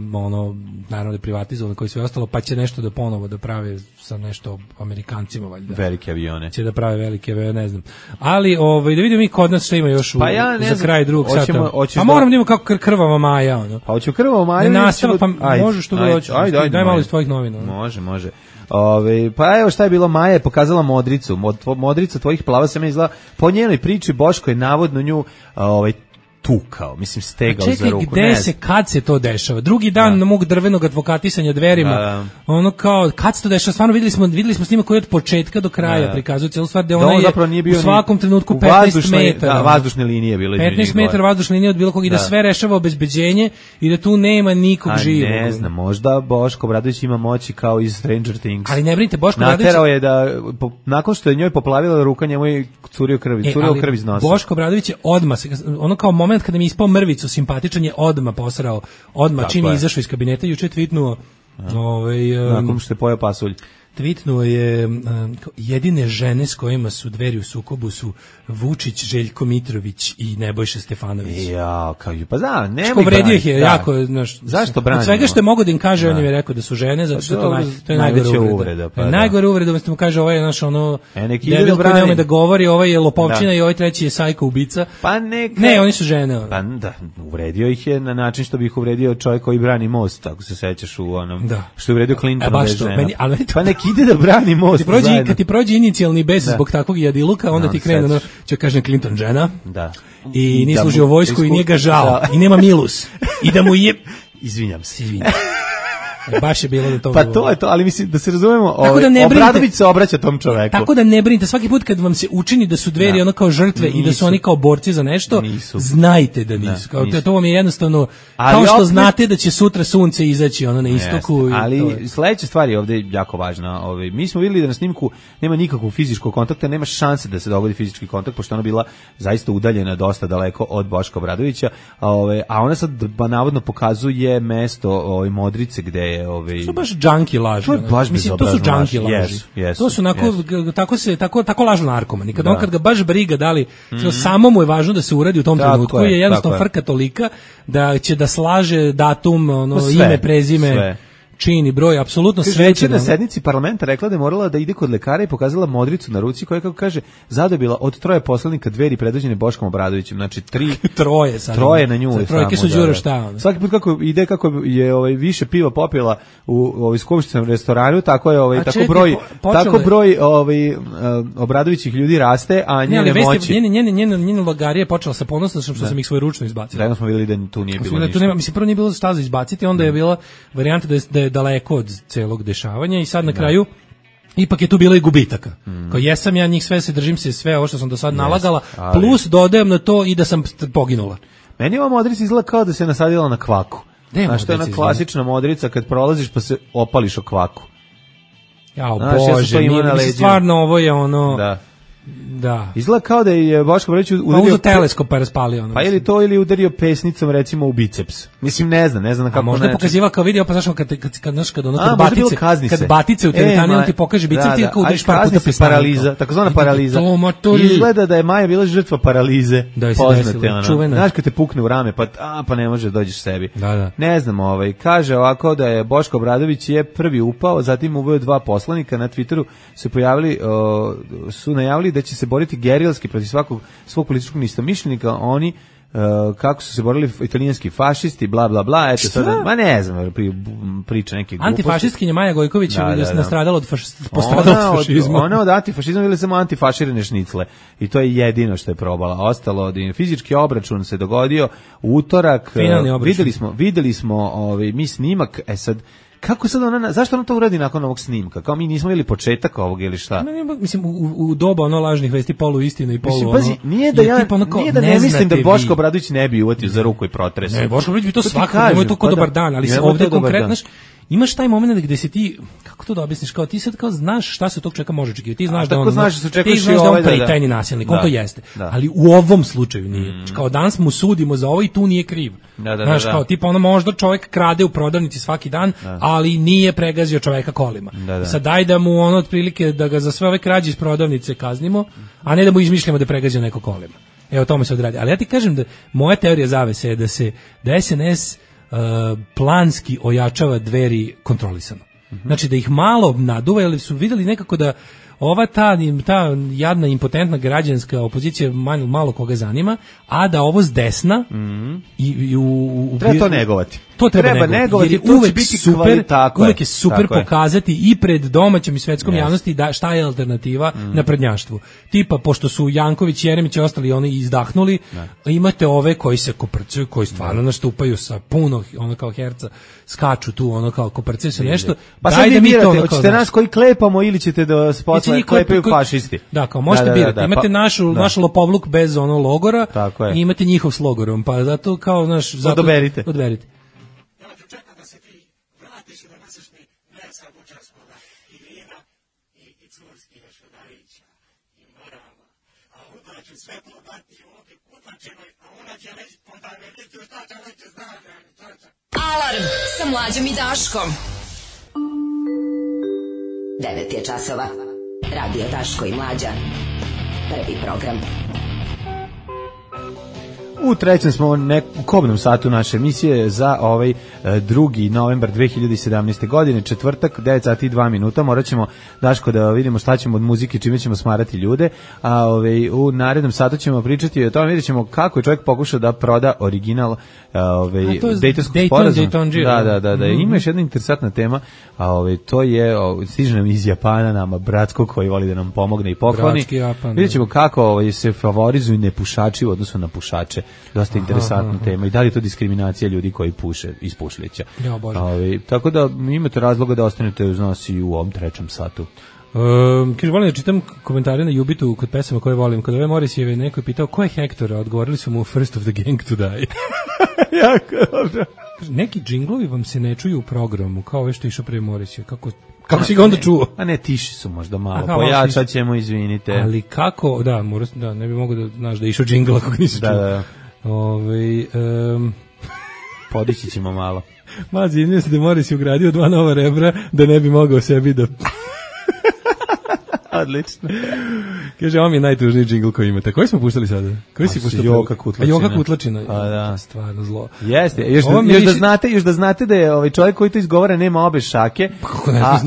naravno da je privatizovana, koji sve ostalo, pa će nešto da ponovo da prave sa nešto Amerikancima, valjda. Velike avione. Će da prave velike avione, ne znam. Ali, da vidimo mi kod nas što ima još za kraj drugog sata. Pa moram da vidimo kako krvava Maja, Pa hoćemo krvava Maja. Ne nastava, pa možeš tu da doći. Daj malo iz tvojih novina. Može. Pa evo šta je bilo, Maja je pokazala modricu. Modrica tvojih plava se me izgleda. Po njenoj priči Boško je navodno nju tukao, mislim stegao za ruku. Čekaj, gde se, kad se to dešava? Drugi dan na mog drvenog advokatisanja Dverima, ono kao, kad se to dešava? Stvarno videli smo snima koji od početka do kraja prikazuju cijelu stvar, da ona je u svakom trenutku 15 metara. Vazdušne linije bilo. 15 metara vazdušne linije od bilo kog i da sve rešava obezbeđenje i da tu nema nikog živog. Ne znam, možda Boško Obradović ima moći kao iz Stranger Things. Ali ne brinite, Boško Obradović naterao je da nakon što je njoj poplavila ruka, njemu je curio krv iz nosa. Boško Obradović je odmah, ono kao moment kada mi je ispao mrvicu simpatičan, je odmah posrao, čim je izašao iz kabineta, juče tvitnuo nakon što je pojeo pasulj. Tweetnuo je jedine žene s kojima su Dveri u sukobu su Vučić, Željko Mitrović i Nebojša Stefanović. Ja, kao pa znam, nema ih vredio ih je jako, znaš. Zašto branimo? Od svega što je mogao da im kaže, on im je rekao da su žene, zato što to je najgore uvreda. Najgore uvreda, umjesto mu kaže ovaj je naš ono debil koji nema da govori, ovaj je lopovčina i ovaj treći je sajko ubica. Pa ne, oni su žene. Pa da, uvredio ih je na način što bi ih uvredio čovjek koji brani most, ako se sećaš u onom što je uvredio Clintonove žene. Pa ide da brani most. Kad ti prođe inicijalni bes zbog takvog jadiluka, onda ti krene ono, će kažem Clinton žena. Da. I nije služio vojsku i nije ga žao. I nema milus. I da mu je... Izvinjam se. Baš je bilo da to... Pa to je to, ali mislim da se razumemo, Obradović se obraća tom čoveku. Tako da ne brinite, svaki put kad vam se učini da su Dveri ono kao žrtve i da su oni kao borci za nešto, znajte da nisu. To vam je jednostavno, kao što znate da će sutra sunce izaći ono na istoku. Ali sledeća stvar je ovde jako važna. Mi smo vidjeli da na snimku nema nikakvog fizičkog kontakta, nema šanse da se dogodi fizički kontakt, pošto ona bila zaista udaljena dosta daleko od Boška Obradovića, a ona sad navodno pokazuje mesto Modrice gde je to baš džanki laži. Mislim, to su džanki laži. To su tako lažu narkomani. Kad ga baš briga da li samo mu je važno da se uradi u tom trenutku, je jednostavno frka tolika da će da slaže datum, ime, prezime, čin i broj, apsolutno sve će. Na sednici parlamenta rekla da je morala da ide kod lekara i pokazala modricu na ruci koja, kako kaže, zadobila od 3 poslanika Dveri predvođene Boškom Obradovićem. Znači 3 na nju. Trojke su đura šta. Svaki put kako je više piva popila u skupštinskom restoranu, tako je tako broj Obradovićih ljudi raste, a njene moći. Njena logarija je počela sa ponosnošću što sam ih svojeručno izbacio. Da smo videli da tu nije bilo ništa. Mislim, prvo nije bilo šta za izbaciti, onda je bila varijanta da je daleko od celog dešavanja i sad na kraju ipak je tu bilo i gubitaka. Kao jesam ja njih sve, se držim se sve ovo što sam do sad nalagala, plus dodajem na to i da sam poginula. Meni ova modrica izgleda kao da se nasadila na kvaku. Znaš, to je ona klasična modrica kad prolaziš pa se opališ o kvaku. Jao, Bože, mislim, stvarno ovo je ono... Da. Izgleda kao da je Boško Obradović udario... Uzo teleskop pa raspalio ono. Pa ili to, ili udario pesnicom recimo u biceps. Mislim, ne znam kako... A možda je pokaziva kao video, pa znaš kad batice u teretani, on ti pokaže bicep, ti kao udariš par puta paraliza, takozvana paraliza. Izgleda da je Maja bila žrtva paralize. Poznate, ono. Znaš kad te pukne u rame, pa ne može dođeš sebi. Ne znam, kaže ovako da je Boško Obradović je prvi upao, zatim uveo 2 poslanika, na Twitteru su najavili da će se boriti gerilski protiv svog političkog istomišljenika, oni kako su se borili italijanski fašisti, bla bla bla, eto sada, ma ne znam, priča neke gluposti. Antifašistkinja Maja Gojković je nastradala od fašizma. Ona od antifašizma ili samo antifaširane šnicle i to je jedino što je probala. Ostalo, fizički obračun se dogodio u utorak, videli smo mi snimak, sad kako sad zašto ona to uradi nakon ovog snimka? Kao mi nismo vidjeli početak ovog ili šta? Mislim, u doba lažnih vesti, polu istine i polu pazi, nije da ne mislim da Boško Obradović ne bi uvatio za ruku i protresao. Ne, Boško Obradović bi to svakako, nemoj to ko dobar dan, ali ovdje konkretno, imaš taj moment gde se ti, kako to da objasniš, kao ti sad kao znaš šta se tog čovjeka može očekivati, ti znaš da on tajni nasilnik, on to jeste, ali u ovom slučaju nije. Kao danas mu sudimo za ovo i tu nije kriv. Znaš, kao tipa možda čovjek krade u prodavnici svaki dan, ali nije pregazio čovjeka kolima. Sad daj da mu otprilike da ga za sve ove krađe iz prodavnice kaznimo, a ne da mu izmišljamo da je pregazio neko kolima. Evo tome se odradi. Ali ja ti kažem da moja teorija zavese je da SNS planski ojačava Dveri kontrolisano. Znači da ih malo naduva, jer su vidjeli nekako da ova ta jadna impotentna građanska opozicija malo koga zanima, a da ovo s desna i treba to negovati. To treba negovati, jer uvek biti super, uvek je super pokazati i pred domaćom i svetskom javnosti da šta je alternativa na prednjaštvu. Tipa, pošto su Janković, Jeremić i ostali oni izdahnuli, imate ove koji se koprcaju, koji stvarno nastupaju sa puno, ono kao herca, skaču tu, ono kao koprcaju se nešto. Pa sad vi birate, hoćete nas koji klepamo ili ćete da se posle klepaju fašisti. Da, kao možete birati. Imate naš lopovluk bez ono logora i imate njihov s logorom, pa zato kao naš... Odoberite. Alarm sa Mlađom i Daškom. 9 je časova. Radio Daško i Mlađa. Prvi program. U trećem smo u kobnom satu naše emisije za 2. novembar 2017. godine, četvrtak, 9 sati i 2 minuta. Morat ćemo, Daško, da vidimo šta ćemo od muzike, čime ćemo smarati ljude, a u narednom satu ćemo pričati o tome, vidjet ćemo kako je čovjek pokušao da proda original Dejtonskog sporazuma. Da. Ima još jedna interesantna tema, a to je, stiže nam iz Japana nama, bratsko, koji voli da nam pomogne i pokloni. Vidjet ćemo kako se favorizuju nepušači u odnosu na pušače. Dosta interesantna tema i da li je to diskriminacija ljudi koji puše iz pušlića. Tako da imate razloga da ostanete uz nas i u ovom trećem satu. Kaže, volim da čitam komentare na Jubitu kod pesama koje volim. Kod ove Morisjeve neko je pitao ko je Hektor, a odgovorili su mu First of the Gang to Die. Jako dobro. Neki džinglovi vam se ne čuju u programu, kao ove što išao pre Morisjeve. Kako si ga onda čuo? A ne, tiši su možda malo. Pojačat ćemo, izvinite. Ali kako, ne bi mogo da znaš da je išao džingl ako ga nisi čuo. Da. Podići ćemo malo. Mazi, izmijem se da Moris je ugradio 2 nova rebra da ne bi mogao sebi da... Odlično. Kaže, ovo mi je najtužniji džingl koji imate. Koji smo puštali sada? Koji si puštali? Joka Kutlačina. Joka Kutlačina. Da. Stvarno zlo. Jeste. Još da znate da je čovjek koji to izgovara nema obe šake, a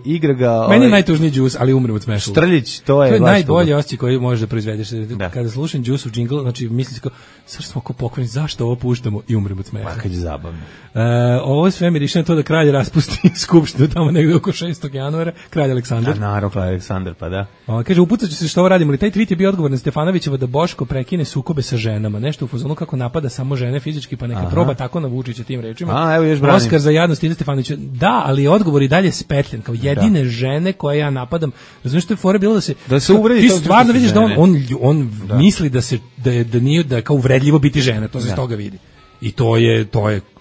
igra ga... Meni je najtužniji Džus, ali umrem od smeša. Štrljić, to je najbolji osjećaj koji možeš da proizvedeš. Kada slušam Džusov džingl, znači mislim se kao, sad smo ko pokojni, zašto ovo puštamo i umrem od smeša. Pa kad je zabavno. Ovo sve mi riše na to da kralj raspusti skupštinu tamo negde oko 6. januara, kralj Aleksandar. Naravno, kralj Aleksandar, pa da. Kaže, upucat ću se što ovo radimo, ali taj tweet je bio odgovor na Stefanovićeva da Boško prekine sukobe sa ženama, nešto u fazonu kako napada samo žene fizički, pa neka proba tako na Vučića tim rečima. Evo još branim. Oskar za jadnost ide Stefanović. Da, ali odgovor i dalje spetljen, kao jedine žene koje ja napadam. Razumiješ, što je fora bilo da se uvredi. Ti stvarno vidiš da on misli da nije da kao uvredljivo biti žena, to se iz toga vidi. I to je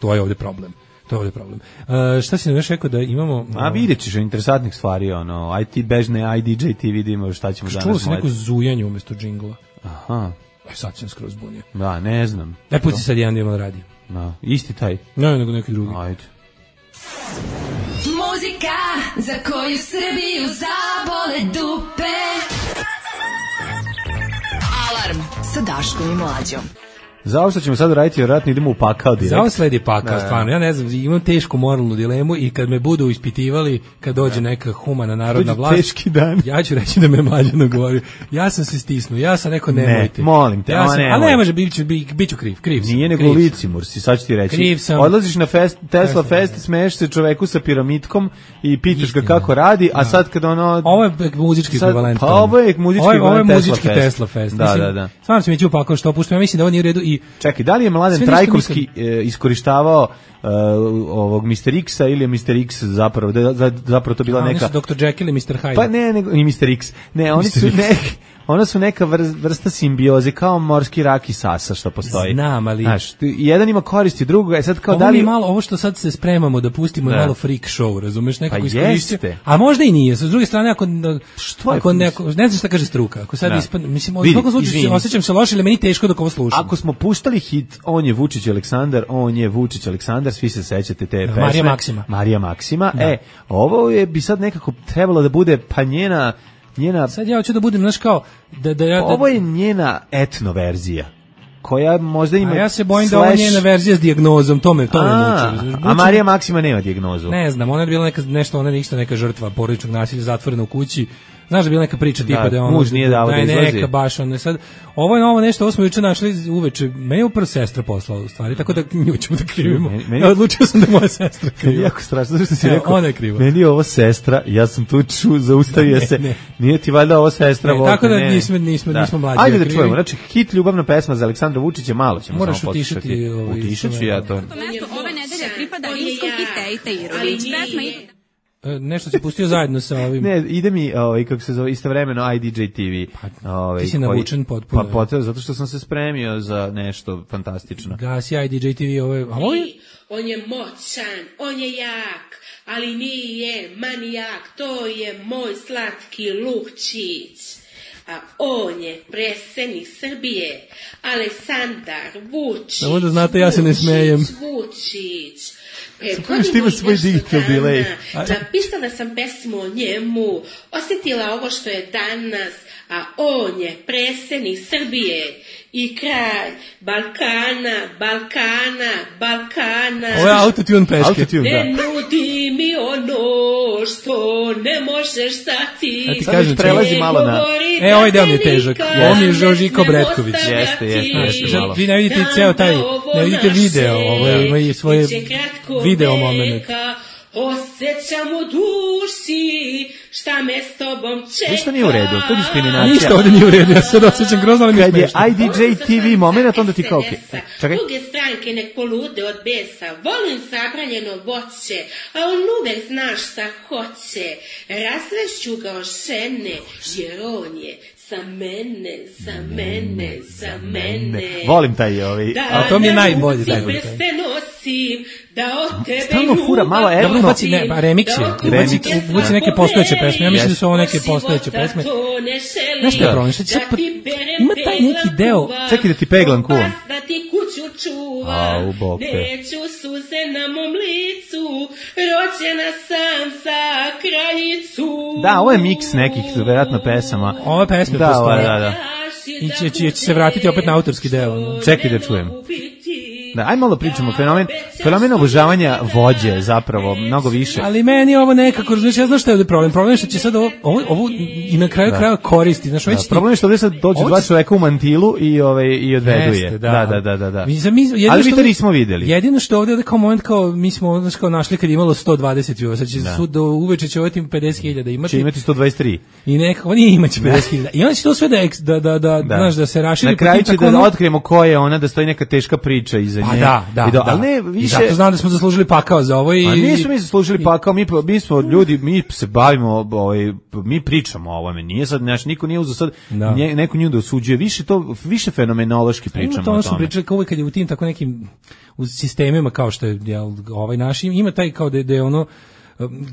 ovdje problem. To je ovdje problem. Šta si nam još rekao da imamo... vidjet ćeš interesantnih stvari, aj ti bežne, aj DJ ti vidimo šta ćemo danas. Čulo se neko zujanje umjesto džingla. Aha. Sad sam skroz bunio. Da, ne znam. Pusti sad jedan dio radi. Isti taj? Ne, nego neki drugi. Ajde. Muzika za koju Srbiju zabole dupe. Alarm sa Daškom i Mlađom. Za ovo što ćemo sad raditi, vjerojatno idemo u pakao direkt. Za ovo sledi pakao, stvarno. Ja ne znam, imam tešku moralnu dilemu i kad me budu ispitivali, kad dođe neka humana narodna vlast, teški dan. Ja ću reći da me Mlađano govori. Ja sam se stisnuo, ja sam neko nemojte. Ne, molim te, a ne može, bit ću kriv. Nije nego licimur si, sad ću ti reći. Kriv sam. Odlaziš na Tesla Fest, smeješ se čoveku sa piramidkom i pitaš ga kako radi, a sad kad ono... Ovo je muzički ekvivalent. Ovo je muzički Tesla Fest. Da. Stvarno sam ići u pakao što opuštam, ja mislim da ovo nije u redu. Čekaj, da li je Mladen Trajkovski iskorištavao ovog Mr. X-a ili je Mr. X zapravo to bila neka... Oni su Dr. Jekyll i Mr. Hyde. Pa ne, i Mr. X. Ne, oni su neka vrsta simbioze, kao morski rak i sasa što postoji. Znam, ali... Znaš, jedan ima koristi drugog, sad kao da li... Ovo što sad se spremamo da pustimo je malo freak show, razumeš, nekako iskoristio. A možda i nije, s druge strane, ako ne znam šta kaže struka, ako sad ispadne, mislim, u svakom slučaju osjećam se loše, ili meni teško dok ovo slušam. Ako smo puštali hit, on je Vučić Aleksandar, svi se sećate te pesme. Marija Maksima. Ovo bi sad nekako trebalo da bude pa njena... Sad ja hoću da budem, znaš kao... Ovo je njena etno verzija. koja možda ima... A ja se bojim da ovo njena verzija s dijagnozom, to me muči. A Marija Maksima nema dijagnozu. Ne znam, ona je bila neka žrtva porodičnog nasilja, zatvorena u kući. Znaš da je bila neka priča tipa da je ono... muž nije dao da izlazi. Neka baš, ono sad... Ovo je novo nešto, ovo smo juče našli uveče. Meni je upravo sestra poslala u stvari, tako da nju ćemo da krivimo. Ja odlučio sam da je moja sestra kriva. Jako strašno, zato što si rekao, ona je kriva. Meni je ovo sestra, ja sam tu zaustavio se. Ne. Nije ti valjda ovo sestra? Tako da nismo mlađi. Ajde da čujemo, znači hit ljubavna pesma za Aleksandra Vučića, malo ćemo moraš samo poslušati. Utišat ću ja to. Ove nedelje pripada rimskom i Tejte Irović. Pesma nešto si pustio zajedno sa ovim. Ne, ide mi, kako se zove, istovremeno IDJ TV. Ti si navučen potpuno. Pa zato što sam se spremio za nešto fantastično. Gasi IDJ TV, on je moćan, on je jak, ali nije manijak, to je moj slatki Lukčić. A on je predsjednik Srbije, Aleksandar Vučić. Samo da znate, ja se ne smejem. Vučić. Što ima svoj digital delay. Napisala sam pesmu o njemu, osjetila ovo što je danas, a on je predsjednik Srbije i kralj Balkana. Ovo je autotune peške. Ne nudi mi ono što ne možeš dati. Ja ti kažem, prelazi malo na... Ovaj deo mi je težak. Ovo mi je Žožiko Bretković. Jeste. Vi ne vidite ceo taj, ne vidite video, ovo ima i svoje video moment. Osjećam u duši šta me s tobom čeka. Ništa nije u redu, to je diskriminacija. Ništa ovdje nije u redu, ja se osjećam grozno, ali mi je smešno. Kad je IDJ TV moment, onda ti kao čekaj. Druge stranke nek polude od besa, volim zabranjeno voće, a on uvek znaš šta hoće. Razvešću ga o žene, jer on je za mene. Volim taj a to mi je najbolji. Da ne se nosim, da od tebe stalno fura malo Dobro, ubaci remix je. Ubaci neke postojeće pesme. Ja mislim da su ovo neke postojeće pesme. Znaš što je problem? Ima taj neki deo. Čekaj da ti peglam kuvam. Da ti kuću čuvam. Neću suze na mom licu. Rođena sam za kraljicu. Da, ovo je miks nekih vjerojatno pesama. Ove pesme postoje. Da. I će se vratiti opet na autorski deo. Čekaj da čujem. Da, aj malo pričamo, fenomen obožavanja vođe zapravo, mnogo više. Ali meni ovo nekako, znači, ja znam šta je problem. Problem je što će sad ovo i na kraju kraja koristi. Znaš, problem je što ovdje sad dođu dva čoveka u mantilu i odvedu je. Da. Ali vi to nismo vidjeli. Jedino što ovdje kao moment, kao mi smo našli kad je imalo 120 view, sad će sud do uveče će ovdje 50.000 imati. Će imati 123. I nekako, nije imati 50.000. I onda će to sve da se raširi. Na kraju će da otkrijemo ko je ona, da stoji neka teška priča iza nje. Ali ne, više... I zato znam da smo zaslužili pakao za ovo. A nismo mi zaslužili pakao, mi smo ljudi, mi se bavimo, mi pričamo o ovome, nije sad, niko nije uzeo sad neko nju da osuđuje, više fenomenološki pričamo o tome. Ono što pričali kao uvijek kad je u tim tako nekim sistemima kao što je ovaj naš, ima taj kao da je ono,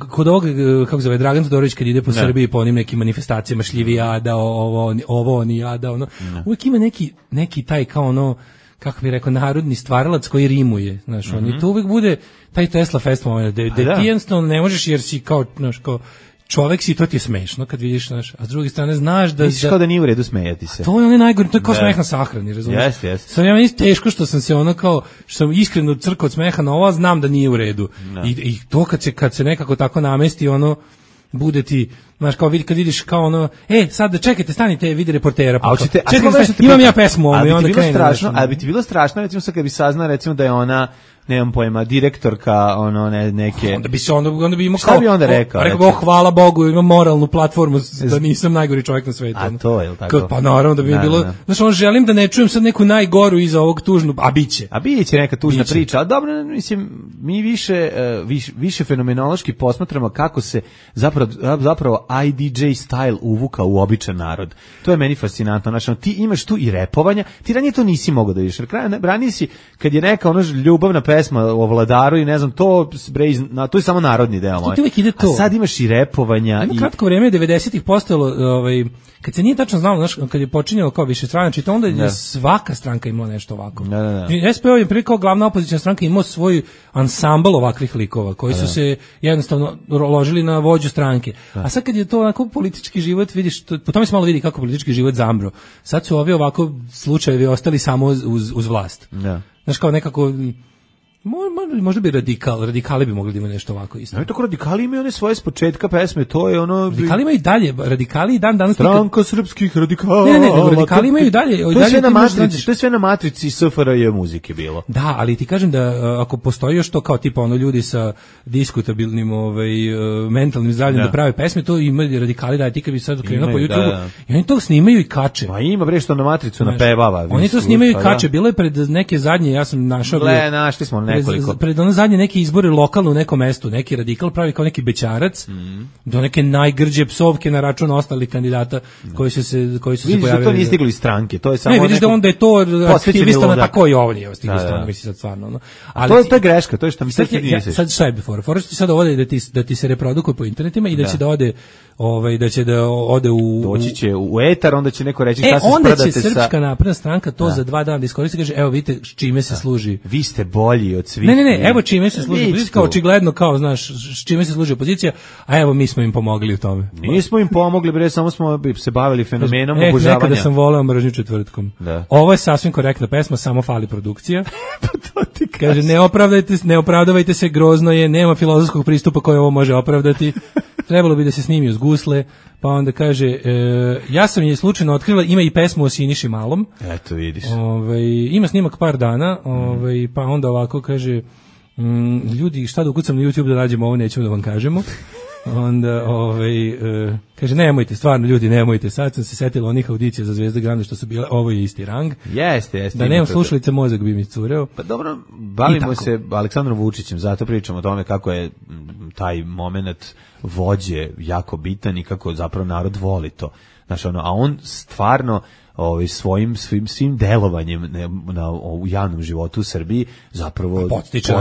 kod ovog, kako zove, Dragan Todorović kad ide po Srbiji po onim nekim manifestacijama šljivijada, ovo onijada, ono, uvijek ima neki taj kao ono, kako bih rekao, narodni stvaralac koji rimuje, znaš, i to uvijek bude taj Tesla Fest moment, da ti jednostavno ne možeš jer si kao, znaš, kao čovek si, to ti je smešno kad vidiš, znaš, a s druge strane znaš da... Misliš kao da nije u redu smejati se. To je onaj najgori, to je kao smeh na sahrani, razumiješ? Jeste. Sad ja meni teško što sam se ono kao, što sam iskreno crkao od smeha na ovo, znam da nije u redu. I to kad se nekako tako namesti, ono, bude ti, znaš, kao kad vidiš kao ono, sad čekajte, stanite, vidi reportera. Imam ja pesmu ovo i onda krenu. Ali bi ti bilo strašno, recimo sad kad bi saznao, recimo da je ona, nemam pojma, direktorka, neke... Onda bi imao kao... Šta bi onda rekao? Rekao, hvala Bogu, imam moralnu platformu da nisam najgori čovjek na svetu. A to je li tako? Pa naravno da bi bilo... Znaš, želim da ne čujem sad neku najgoru iza ovog tužnu, a biće. A biće neka tužna priča, ali dobro, mislim, mi više fenomenološki posmatramo kako se zapravo IDJ style uvuka u običan narod. To je meni fascinantno. Znači, ti imaš tu i repovanja, ti ranije to nisi mogao da vidiš. Ranije si, kad je neka ljubavna pesma o vladaru i ne znam, to je samo narodni deo moj. A sad imaš i repovanja. Ima kratko vreme 90-ih postojalo, kad se nije tačno znalo, znaš, kad je počinjalo kao višestranačje, to onda je svaka stranka imala nešto ovako. SPO je prije kao glavna opozicijna stranka imao svoj ansambl ovakvih likova, koji su se jednostavno ložili na vođu stranke. A sad kad je to onako politički život, vidiš, po tome se malo vidi kako politički život zambro. Sad su ovi ovako slučajevi ostali samo uz vlast. Znaš, kao nekako... Možda bi radikali bi mogli da imaju nešto ovako isto. No, tako radikali imaju one svoje s početka pesme, to je ono... Radikali imaju i dalje, radikali i dan danas... Stranka srpskih radikala... Ne, radikali imaju i dalje... To je sve na matrici SFRJ muzike bilo. Da, ali ti kažem da ako postoji još to kao tipa ono ljudi sa diskutabilnim mentalnim zdravljem da prave pesme, to imaju radikali da ti kad bi sad krenuo po YouTube i oni to snimaju i kače. Ma ima bre što na matricu napevava. Oni to snimaju i kače, bilo je pred neke zadnje, ja sam našao... Našli smo nekoliko. Pred ono zadnje neke izbore lokalno u nekom mestu, neki radikal pravi kao neki bećarac, do neke najgrđe psovke na račun ostalih kandidata koji su se pojavili. Vidiš da to nije stiglo iz stranke, to je samo... Ne, vidiš da onda je to aktivista na tako i ovo nije stiglo iz stranke, misli sad stvarno. No. Ali to je greška, to je što mi sad sad šta je before? Fora što ti sad ovdje da ti se reprodukuje po internetima i da će da ode u... Doći će u etar, onda će neko reći šta se onda sprdate će Srpska napredna stranka to za 2 dana da iskoristi, kaže, evo vidite s čime se služi. Vi ste bolji od svih. Ne, evo čime se služi opozicija, kao očigledno, kao, znaš, s čime se služi opozicija, a evo mi smo im pomogli u tome. Nismo im pomogli, bre, samo smo se bavili fenomenom obožavanja. Nekada sam voleo mržnju četvrtkom. Ovo je sasvim korektna pesma, samo fali produkcija. Kaže, ne opravdavajte se, grozno je, nema filozofskog pristupa koji ovo može opravdati. Trebalo bi da se snimi uz gusle, pa onda kaže, ja sam je slučajno otkrila, ima i pesmu o Siniši Malom. Eto, vidiš. Ima snimak par dana, pa onda ovako kaže, ljudi, šta da ukucam na YouTube da nađemo ovo, nećemo da vam kažemo. Onda, kaže, nemojte, stvarno, ljudi, nemojte, sad sam se setila onih audicija za Zvezda Grande što su bile, ovo je isti rang. Jeste. Da nemam slušalice, mozak bi mi cureo. Pa dobro, bavimo se Aleksandrom Vučićem, zato pričamo o tome kako je taj moment vođe jako bitan i kako zapravo narod voli to. Znaš, a on stvarno svim delovanjem u javnom životu u Srbiji zapravo potiče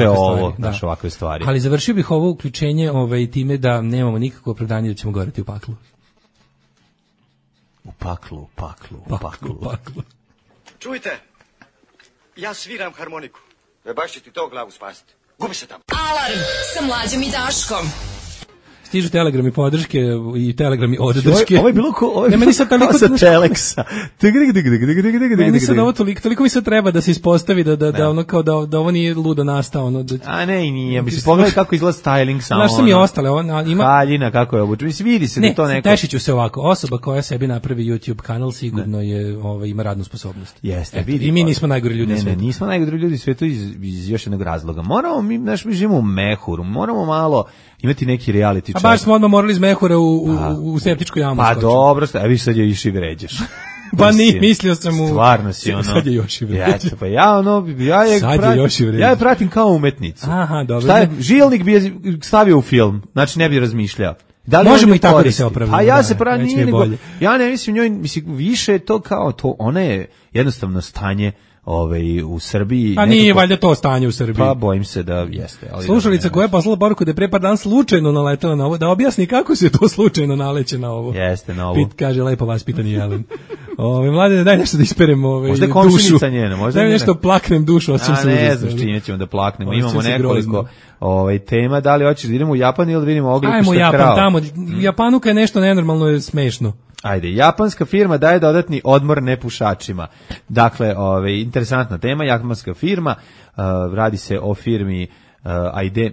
ovo, naš ovakve stvari. Ali završio bih ovo uključenje time da nemamo nikakvo opravdanje da ćemo goreti u paklu. U paklu. Čujte, ja sviram harmoniku. Baš će ti to glavu spasiti. Gubi se tamo. Alarm sa Mlađom i Daškom. Stižu telegrami podrške i telegrami oddrške. Ovo je bilo meni sad toliko sa Teleksa. Meni sad ovo toliko mi sad treba da se ispostavi da ono kao da ovo nije ludo nastao. A ne, i nije. Mislim, pogledaj kako izgleda styling samo. Znaš, sam i ostale. Haljina, kako je obučen. Mislim, vidi se da to neko... Tešiću se ovako. Osoba koja sebi napravi YouTube kanal sigurno ima radnu sposobnost. Jeste, vidi. I mi nismo najgori ljudi u svijetu. Ne, nismo najgori ljudi u svijetu iz još jednog razloga. Moramo, mi živimo u mehuru, moramo malo imati neki reality check. A baš smo odmah morali iz mehura u septičku jamu. Pa dobro, viš sad je još i vređaš. Pa mislio sam stvarno si ono. Sad je još i vređaš. Pa ja je pratim kao umetnicu. Aha, dobro. Šta je, žilnik bi je stavio u film, znači ne bi razmišljao. Da li možemo i tako da se opravimo? Pa ja se pravim, ja ne mislim njoj, više to kao to, ona je jednostavno stanje u Srbiji. A nije valjda to stanje u Srbiji. Pa bojim se da jeste. Slušalica koja je poslala poruku da je pre par dana slučajno naletela na ovo, da objasni kako se to slučajno naleće na ovo. Jeste, na ovo. Kaže lepo vaspitani Jelen. Mladene, daj nešto da isperem možda dušu. Komšinica njena, možda daj nešto plaknem dušu. A ne znam čime ćemo da plaknemo. Imamo nekoliko tema. Da li hoćeš da idemo u Japan ili da vidimo Oglipišta krao? Ajmo Japan tamo. Japanuka je nešto nenormalno, je smešno. Ajde, japanska firma daje dodatni odmor nepušačima. Dakle, interesantna tema, japanska firma, radi se o firmi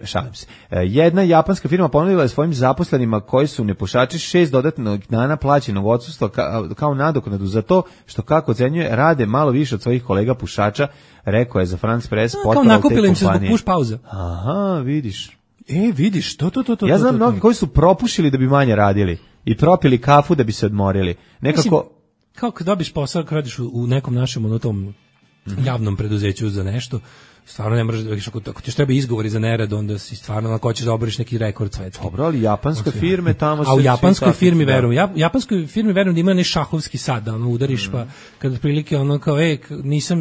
šalim se. Jedna japanska firma ponudila je svojim zaposlenima koji su nepušači 6 dodatnog dana plaćenog odsustva kao nadoknadu za to što, kako ocenjuje, rade malo više od svojih kolega pušača, rekao je za France Press portal te kompanije. Kao nakupili im se zbog puš pauza. Aha, vidiš. Vidiš, to. Ja znam mnogi koji su propušili da bi manje radili i propili kafu da bi se odmorili. Nekako... Mislim, kao kad dobiš posao, kad radiš u nekom našem tom javnom preduzeću za nešto, stvarno ne možeš, ako ti treba izgovori za nerad, onda si stvarno ako hoćeš da oboriš neki rekord svetski. Dobro, ali japanske firme tamo se... A u japanskoj firmi verujem. Japanskoj firmi verujem da ima ne šahovski sad, da udariš, pa kad otprilike kao, nisam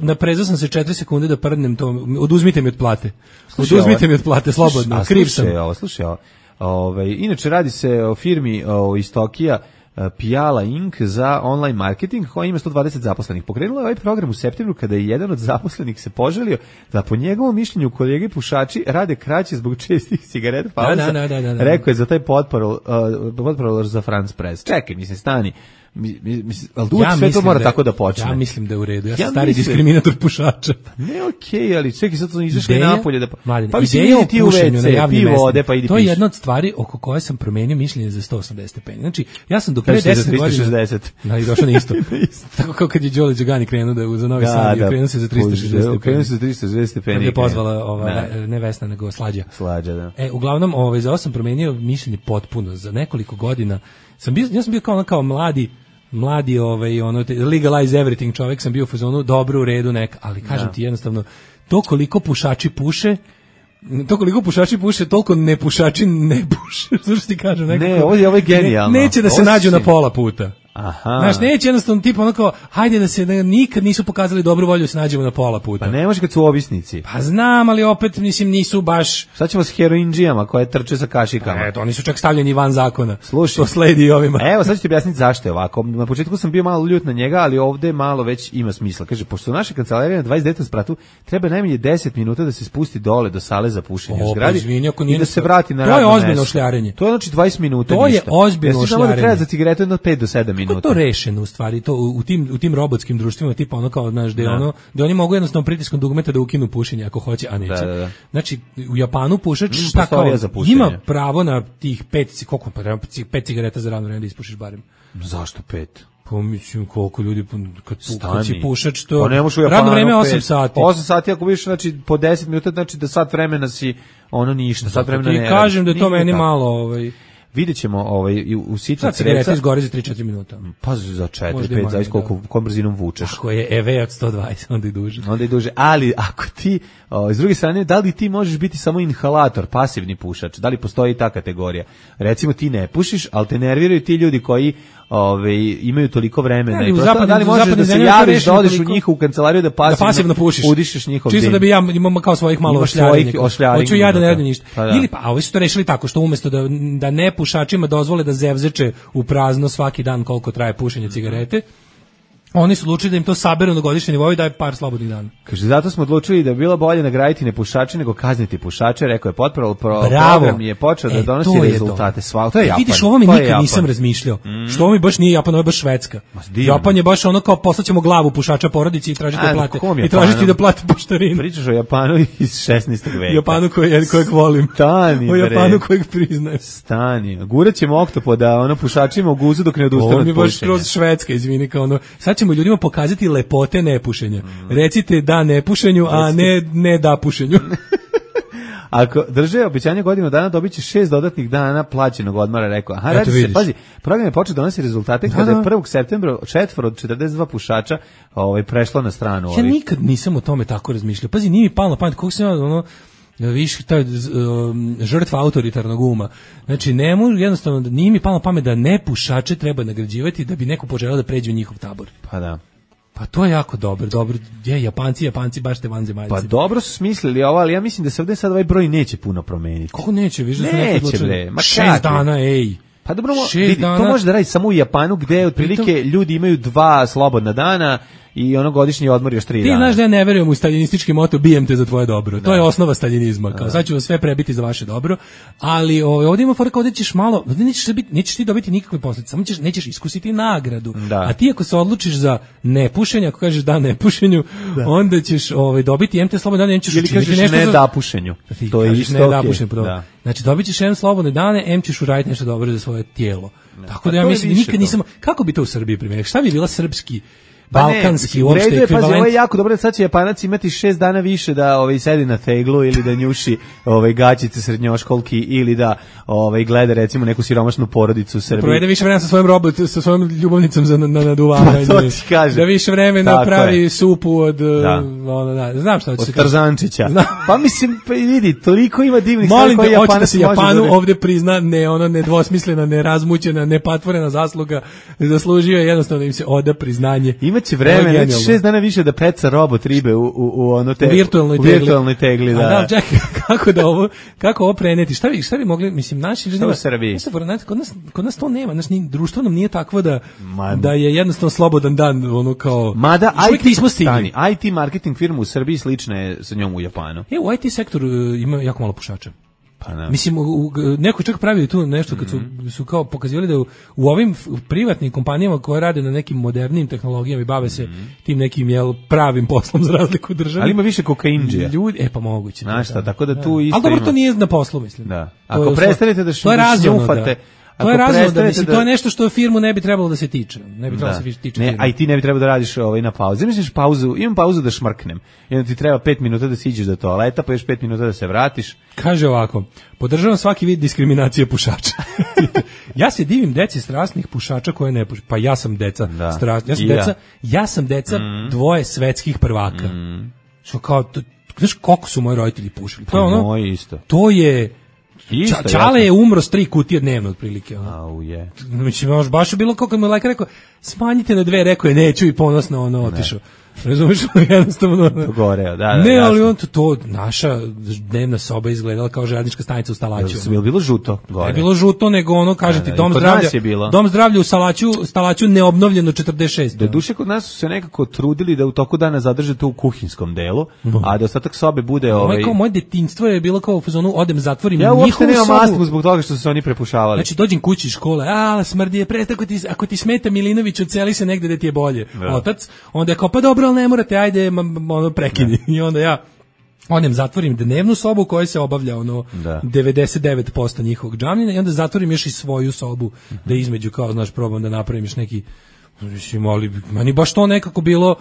naprezao sam se 4 sekunde da prdnem to, oduzmite mi od plate. Oduzmite mi od plate, slobodno, kriv sam. Slušaj ovo. Inače radi se o firmi iz Tokija, Piala Inc. za online marketing koja ima 120 zaposlenih. Pokrenula je ovaj program u septembru kada je jedan od zaposlenih se požalio da po njegovom mišljenju kolege pušači rade kraće zbog čestih cigareta pauza. Da. Rekao je za taj potporol za France Press. Čekaj, mislim, stani. Ali sve to mora tako da počne. Ja mislim da je u redu. Ja sam stari diskriminator pušača. Ne, okej, ali čekaj, sad su izašli napolje da pa mislim idi ti u WC, pi vode, pa idi piši. To je jedna od stvari oko koje sam promenio mišljenje za 180 stepeni. Znači, ja sam do pre 10 godina i došao na isto. Tako kao kad je Đole Đugani krenuo da za Novi Sad, krenuo se za 360 stepeni. Krenuo se za 360 stepeni. Kad je pozvala ne Vesna, nego Slađa. Da. Uglavnom, za ovo sam promenio mišljenje potpuno. Za nekoliko godina ja sam bio kao mladi legalize everything čovjek, sam bio u fazonu dobro u redu neka, ali kažem ti jednostavno to koliko pušači puše, toliko nepušači ne puše. Što ti kažem nekako. Ne, ovo je genijalno. Neće da se nađu na pola puta. Aha. Znaš, neće jednostavno tipa onako, hajde da nikad nisu pokazali dobru volju da se nađemo na pola puta. Pa ne može kad su ovisnici. Pa znam, ali opet, mislim, nisu baš... Sad ćemo s heroinđijama koje trče sa kašikama. Eto, oni su čak stavljeni van zakona. Slušaj. To sledi i ovima. Evo, sad ću ti objasniti zašto je ovako. Na početku sam bio malo ljut na njega, ali ovde malo već ima smisla. Kaže, pošto naša kancelarija na 29. spratu, treba najmanje 10 minuta da se spusti dole do sale za pušenje u zgradi i da se vrati na radno mesto. To je ozbiljno ošljarenje. To je znači 20 minuta. To je ozbiljno ošljarenje. Da treba za cigaretu jedno 5 do 7 minuta. Kako to rešeno u stvari to u tim robotskim društvima tipa ono kao znaš da oni mogu jednostavno pritiskom dugmeta da ukinu pušenje ako hoće, a neće. Da. Znači u Japanu pušač ima pravo na tih 5 cigareta za radno vreme da ispušiš barem. Zašto 5? Pa mislim koliko ljudi kad si pušač to pa radno vreme 8 sati. 8 sati ako biš znači po 10 minuta znači da sat vremena si ono ništa, sat vremena ne. Ti kažem da je to meni malo vidjet ćemo u sitnici cigareta izgore za 3-4 minuta. Pa za 4-5, zavis koliko brzinom vučeš. Ako je EV od 120, onda i duže. Ali ako ti, s druge strane, da li ti možeš biti samo inhalator, pasivni pušač? Da li postoji ta kategorija? Recimo ti ne pušiš, ali te nerviraju ti ljudi koji imaju toliko vremena i prosto da li možeš da se javiš da odeš u njihovu kancelariju da pasivno pušiš, udišeš njihov dim. Čisto da bi ja imam kao svojih malo ošljarenja. Hoću ja da ne radim ništa. Ili pa, ovi su to rešili tako što umesto da ne pušačima dozvole da zevzeče u prazno svaki dan koliko traje pušenje cigarete, oni su odlučili da im to saberu na godišnjem nivou i daje par slobodnih dana. Kaže, zato smo odlučili da bi bilo bolje nagraditi nepušače nego kazniti pušače, rekao je potporol, program je počeo da donosi rezultate. To je Japan. Vidiš, ovo mi nikad nisam razmišljao. Što ovo mi baš nije Japan, ovo je baš Švedska. Japan je baš ono kao poslaćemo glavu pušača porodici i tražiti da plate. I tražiti da plate poštarinu. Pričaš o Japanu iz 16. veka. Japanu kojeg volim. Stani, o Japanu kojeg priznajem. Stani. Gurat ćemo oktopoda pušačima u guzu dok ne odustane od pušenja. Ovo mi baš kroz Švedska, izvini, kao ono. Sad ćemo ljudima pokazati lepote nepušenja. Recite da nepušenju, a ne da pušenju. Ako drže obećanje godinu dana, dobit će 6 dodatnih dana plaćenog odmora, rekao. Aha, radi se, pazi, program je počeo donosi rezultate kada je 1. septembra 4 od 42 pušača prešlo na stranu. Ja nikad nisam o tome tako razmišljao. Pazi, nije mi palo na pamet, koliko sam viš taj žrtva autoritarnog uma. Znači, jednostavno, nije mi palo na pamet da nepušače treba nagrađivati da bi neko poželeo da pređe u njihov tabor. Pa da. Pa to je jako dobro. Japanci baš te vanzemaljci. Pa dobro su smislili ovo, ali ja mislim da se ovdje sad ovaj broj neće puno promeniti. Kako neće? Viš da neće, bre. 6 dana, ej. Pa dobro, vidi, to može da radi samo u Japanu gde otprilike ljudi imaju 2 slobodna dana i ono godišnji odmor još 3 dana. Ti znaš da ja ne verujem u staljinistički moto bijem te za tvoje dobro. Da. To je osnova staljinizma. Kao sad ću vas sve prebiti za vaše dobro. Ali ovdje ima fora kao ovdje ćeš malo, nećeš ti dobiti nikakve posljedice, samo nećeš iskusiti nagradu. Da. A ti ako se odlučiš za nepušenje, ako kažeš da nepušenju, onda ćeš dobiti MT slobodne dane, ćeš učiniti nešto. Ili kažeš ne da pušenju. To je isto okej. Znači dobit ćeš jedan slobodne dane, ćeš uraditi nešto dobro za svoje tijelo. Tako da ja mislim nikad nisam, kako bi to u Srbiji primjerili? Šta bi bila srpski balkanski uopšte ekvivalent. Pazi, ovo je jako dobro, sad će Japanac imati 6 dana više da sedi na teglu ili da njuši gaćice srednjoškolki ili da gleda recimo neku siromašnu porodicu u Srbiji. Provede više vremena sa svojom ljubavnicom za naduvavanje. To ti kažem. Da više vremena pravi supu od znam šta hoće se od Tarzančića. Pa mislim, vidi, toliko ima divnih stvari koje Japanac može da se Japanu ovde prizna nedvosmislena, nerazmućena, nepatvorena zasluga, zaslužio je jednostavno da im se oda priznanje. imaće vremena, 6 dana više da peca robot ribe u ono te... U virtualnoj tegli, da. A da, čekaj, kako ovo preneti? Šta bi mogli, mislim, naši ljudi... Šta u Srbiji? Kod nas to nema, društvo nam nije takvo da je jednostavno slobodan dan, ono kao... Mada IT marketing firma u Srbiji slična je sa njom u Japanu. U IT sektoru ima jako malo pušača. Pa ne. Mislim, neko čak pravio tu nešto kad su kao pokazivali da u ovim privatnim kompanijama koje rade na nekim modernim tehnologijama i bave se tim nekim pravim poslom za razliku od države. Ali ima više kokainđija. Ljudi, pa moguće. Znaš šta, tako da tu isto. Ali dobro, to nije na poslu, mislim. Da. Ako prestanete da šljufate... To je razumno, mislim, to je nešto što firmu ne bi trebalo da se tiče. Ne bi trebalo da se tiče firmu. A i ti ne bi trebalo da radiš na pauzi. Misliš imam pauzu da šmrknem. I onda ti treba 5 minuta da siđeš do toaleta, pa još 5 minuta da se vratiš. Kaže ovako, podržavam svaki vid diskriminacije pušača. Ja se divim deci strasnih pušača koje ne puše. Pa ja sam deca strasnih. Ja sam deca dvoje svetskih prvaka. Što kao, znaš koliko su moji roditelji pušili? To je ono, moji isto. To je... Čale je umro s 3 kutije dnevno otprilike. Mislim, baš je bilo kako mi je lekar rekao, smanjite na 2, rekao je neću i ponosno otišao. Razumiješ, jednostavno. Goreo, da. Ne, ali on to naša dnevna soba izgledala kao željeznička stanica u Stalaću. Je bilo žuto gore? Je bilo žuto, nego ono, kažete, dom zdravlja u Stalaću neobnovljeno 46. Doduše, kod nas su se nekako trudili da u toku dana zadrže to u kuhinskom delu, a da ostatak sobe bude... Moje detinjstvo je bilo kao u fazonu, odem zatvorim njihovu sobu. Ja uopšte nemam astmu zbog toga što su se oni prepušavali. Znači, dođem kući iz škole, smrdi je presta, ako ti smeta Milinović, odseli se negde da ti je bolje. Otac, onda je kao, pa dobro, ali ne morate, ajde, prekini. I onda ja odem, zatvorim dnevnu sobu koja se obavlja 99% njihovog džamljena i onda zatvorim još i svoju sobu da između, kao, znaš, probam da napravim još neki, mislim, ali meni baš to nekako bilo...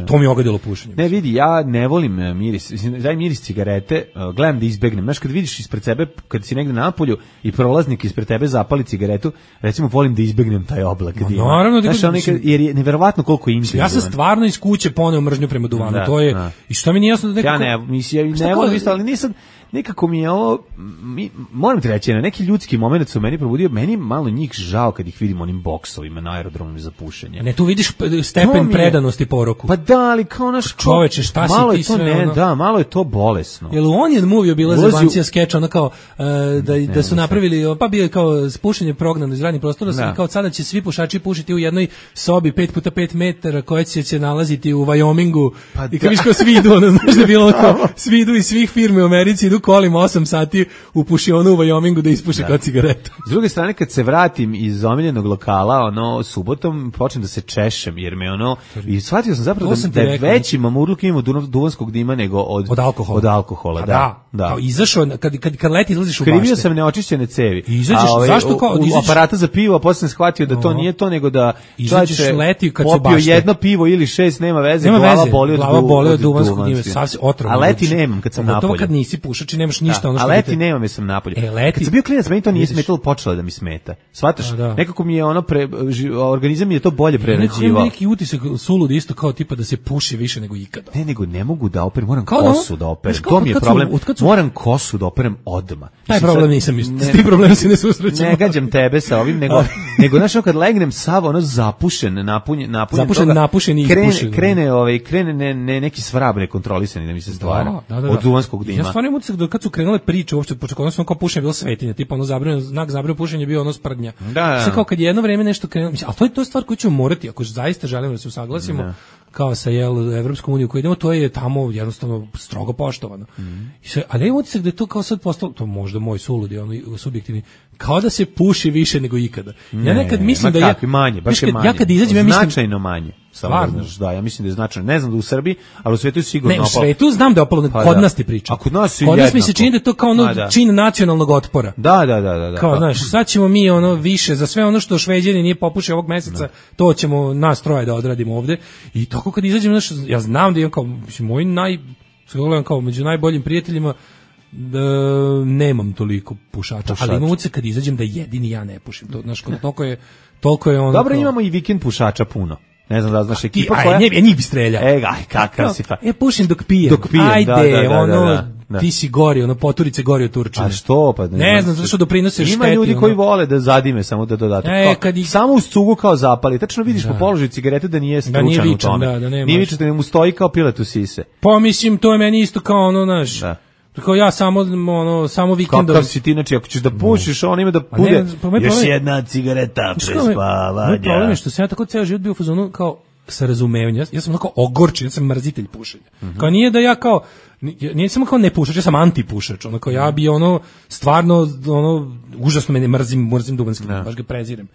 To mi je ogadilo pušenje. Ne, vidi, ja ne volim miris. Daj miris cigarete, gledam da izbegnem. Znaš, kad vidiš ispred sebe, kad si negde napolju i prolaznik ispred tebe zapali cigaretu, recimo volim da izbegnem taj oblak. Naravno, jer je neverovatno koliko je intenzivan. Ja sam stvarno iz kuće poneo mržnju prema duvanu. To je, i što mi nije jasno da nekako... Ja ne volim isto, ali nisam... Nekako mi je ovo, moram ti reći, na neki ljudski moment su meni probudio, meni malo njih žao kad ih vidim onim boksovima na aerodromu za pušenje. Ne, tu vidiš stepen predanosti poroku. Pa da, ali kao naš... Čoveče, šta si ti sve ono... Da, malo je to bolesno. Jel u Onion Movie bila zebancija skeča, ono kao, da su napravili, pa bio je kao pušenje prognano iz radnih prostora, kao sada će svi pušači pušiti u jednoj sobi 5x5 metara koja će se nalaziti u Wyomingu. I kao viš kao svi idu, ono, znaš da je bilo kao, svi idu iz svih firme u Americi, idu kolima 8 sati u pušionu u Wyomingu da ispuše kao cigaretu. S druge strane, kad se vratim iz omiljenog lokala, subotom počnem da se češem, jer me i shvatio sam zapravo da je veći mamurluk imamo duvanskog dima nego od alkohola. Da. Kao izašao, kad leti izlaziš u bašte. Krivio sam neočišćene cevi. Izađeš, zašto kao? U aparata za pivo, a posle sam shvatio da to nije to, nego da izađeš leti kad su popio jedno pivo ili 6, nema veze, glava boli od duvanskog dima. A leti nemam kad sam napolje. To kad nisi pušač, nemaš ništa ono što... A leti nemam, jer sam napolje. Kad sam bio klinac, meni to nije smetalo, počelo da mi smeta. Shvataš? Nekako mi je organizam mi je to bolje prerađivao. Neki utisak sulud isto kao tipa da se puši više nego ikada. Ne mogu da operem, moram kosu da operem. To mi je problem. Moram kosu da operem odmah. Taj problem nisam isto. S tim problemom se ne susrećem. Ne gađam tebe sa ovim, nego znaš, kad legnem sav zapušen, napušen i ispušen. Krene neki svrab nekontrolisani da mi se stvara od duvanskog dima. Ja stvarno imam utisak da kad su krenule priče uopšte, počekao sam kao pušenje bilo svetinja, tipa znak zabranjeno pušenje bio sprdnja. Sve kao kad je jedno vreme nešto krenulo, ali to je stvar koju ćemo morati, ako zaista želimo da se usaglasimo, kao sa Evropskom unijom koju idemo, to je tamo jednostavno strogo poštovano. Ali imam utisak da je to kao sad postalo, to možda moj suludi, subjektivni, kao da se puši više nego ikada. Ja nekad mislim da ja manje, baš je manje. Ja kad izađem, ja mislim značajno manje. Stvarno, da, ja mislim da je značajno. Ne znam da u Srbiji, ali u svetu je sigurno opalo. Ne, u svetu znam da je opalo, kod nas ti pričam. A kod nas mi se čini da je to kao čin nacionalnog otpora. Da. Kao, znaš, sad ćemo mi više, za sve ono što Šveđani nije popušio ovog meseca, to ćemo nas troje da odradimo ovde. I tako kad izađem, znaš, ja znam da imam kao, moj kao među najboljim prijateljima, nemam toliko pušača, ali imam utisak kad izađem da jedini ja ne pušim. To, znaš, toliko je ono... Dobro, imamo i vikend pušača puno. Ne znam da znaš ekipa koja... Njih bi strelja. Kakav si fa. Ja pušim dok pijem. Ajde, ti si gori, ono poturice gori od Turčina. A što pa? Ne znam, zato što doprinose šteti. Ima ljudi koji vole da zadime samo da dodate. Samo uz cugu kao zapali. Tačno vidiš po položaju cigarete da nije stručan u tome. Nije vičan, da mu stoji kao pilet u sise. Pa mislim, to je meni isto kao ono, znaš, kao ja samo vikendom. Kakav si ti, znači, ako ćeš da pušiš, on ima da bude još jedna cigareta pre spavanja. Moj problem je što sam ja tako ceo život bio u fazonu kao sa razumevanjem. Ja sam onako ogorčen, ja sam mrzitelj pušenja. Kao nije da ja kao, nije samo kao ne pušač, ja sam antipušač. Ono kao ja bi stvarno, užasno mene mrzim duvanski, baš ga prezirem.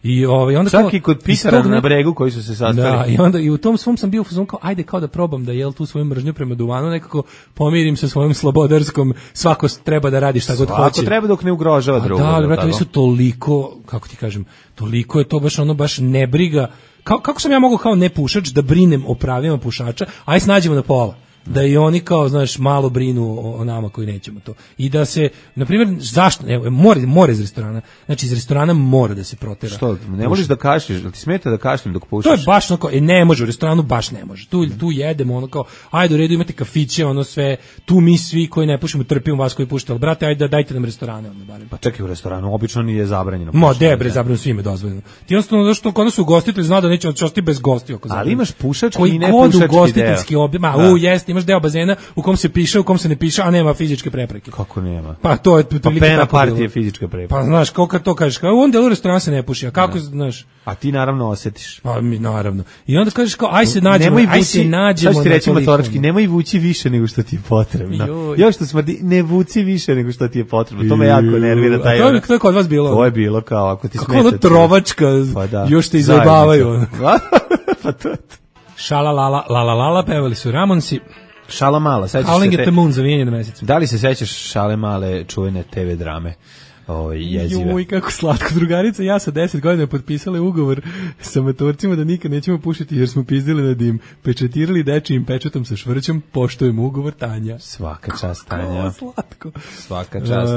I onda čak i kod pisara na bregu koji su se sastali. Da, i onda i u tom svom sam bio u fazonu kao ajde kao da probam da tu svoju mržnju prema duvanu nekako pomirim sa svojom slobodarskom, svako treba da radi šta god hoće. Svako treba dok ne ugrožava drugo. Da, ali brate, su toliko, kako ti kažem, toliko je to baš nebriga. Kako sam ja mogao kao nepušač da brinem o pravima pušača, aj snađemo na pola. Da i oni kao, znaš, malo brinu o nama koji nećemo to. I da se, na primjer, zašto, evo, more iz restorana, znači iz restorana mora da se protera. Što, ne možeš da kašlješ, ti smeta da kašljem dok pušaš? To je baš ono kao, ne može, u restoranu baš ne može. Tu jedemo ono kao, ajde u redu imate kafiće, ono sve, tu mi svi koji ne pušimo trpimo vas koji pušite, ali brate, ajde dajte nam restorane. Ono, barem. Pa čekaj, u restoranu obično nije zabranjeno. Debre, zabranjeno svime dozvoljeno. Ti jednostavno, zašto kod nas ugostitelj zna da neće ostati bez gostiju. Ali imaš pušački i nepušački deo. Imaš deo bazena u kom se piše, u kom se ne piše, a nema fizičke prepreke. Kako nema? Pa to je pena partije fizičke prepreke. Pa znaš, kako to kažeš, kao onda u restoranu se ne puši, a kako znaš? A ti naravno osjetiš. Pa mi naravno. I onda kažeš kao aj se nađemo. Sad ti reći motorički, nemoj vući više nego što ti je potrebno. Još što smrdi, ne vuci više nego što ti je potrebno. To me jako nervira taj. A to je kod vas bilo? To je bilo kao ako ti smeta. Kako ono trovačka, još te izabavaju. Pa to. Šala la pevali su Ramonsi. Šala mala, sećaš se Howling at the Moon za vijenje na mesecu. Da li se sećaš Šale male čuvene TV drame? Jezive. Joj, kako slatko. Drugarica ja sa 10 godina potpisale ugovor sa matorcima da nikad nećemo pušiti jer smo pizdili na dim. Pečatirali dečijim pečatom sa švrćom, poštujemo ugovor, Tanja. Svaka čast, Tanja. Slatko. Svaka čast.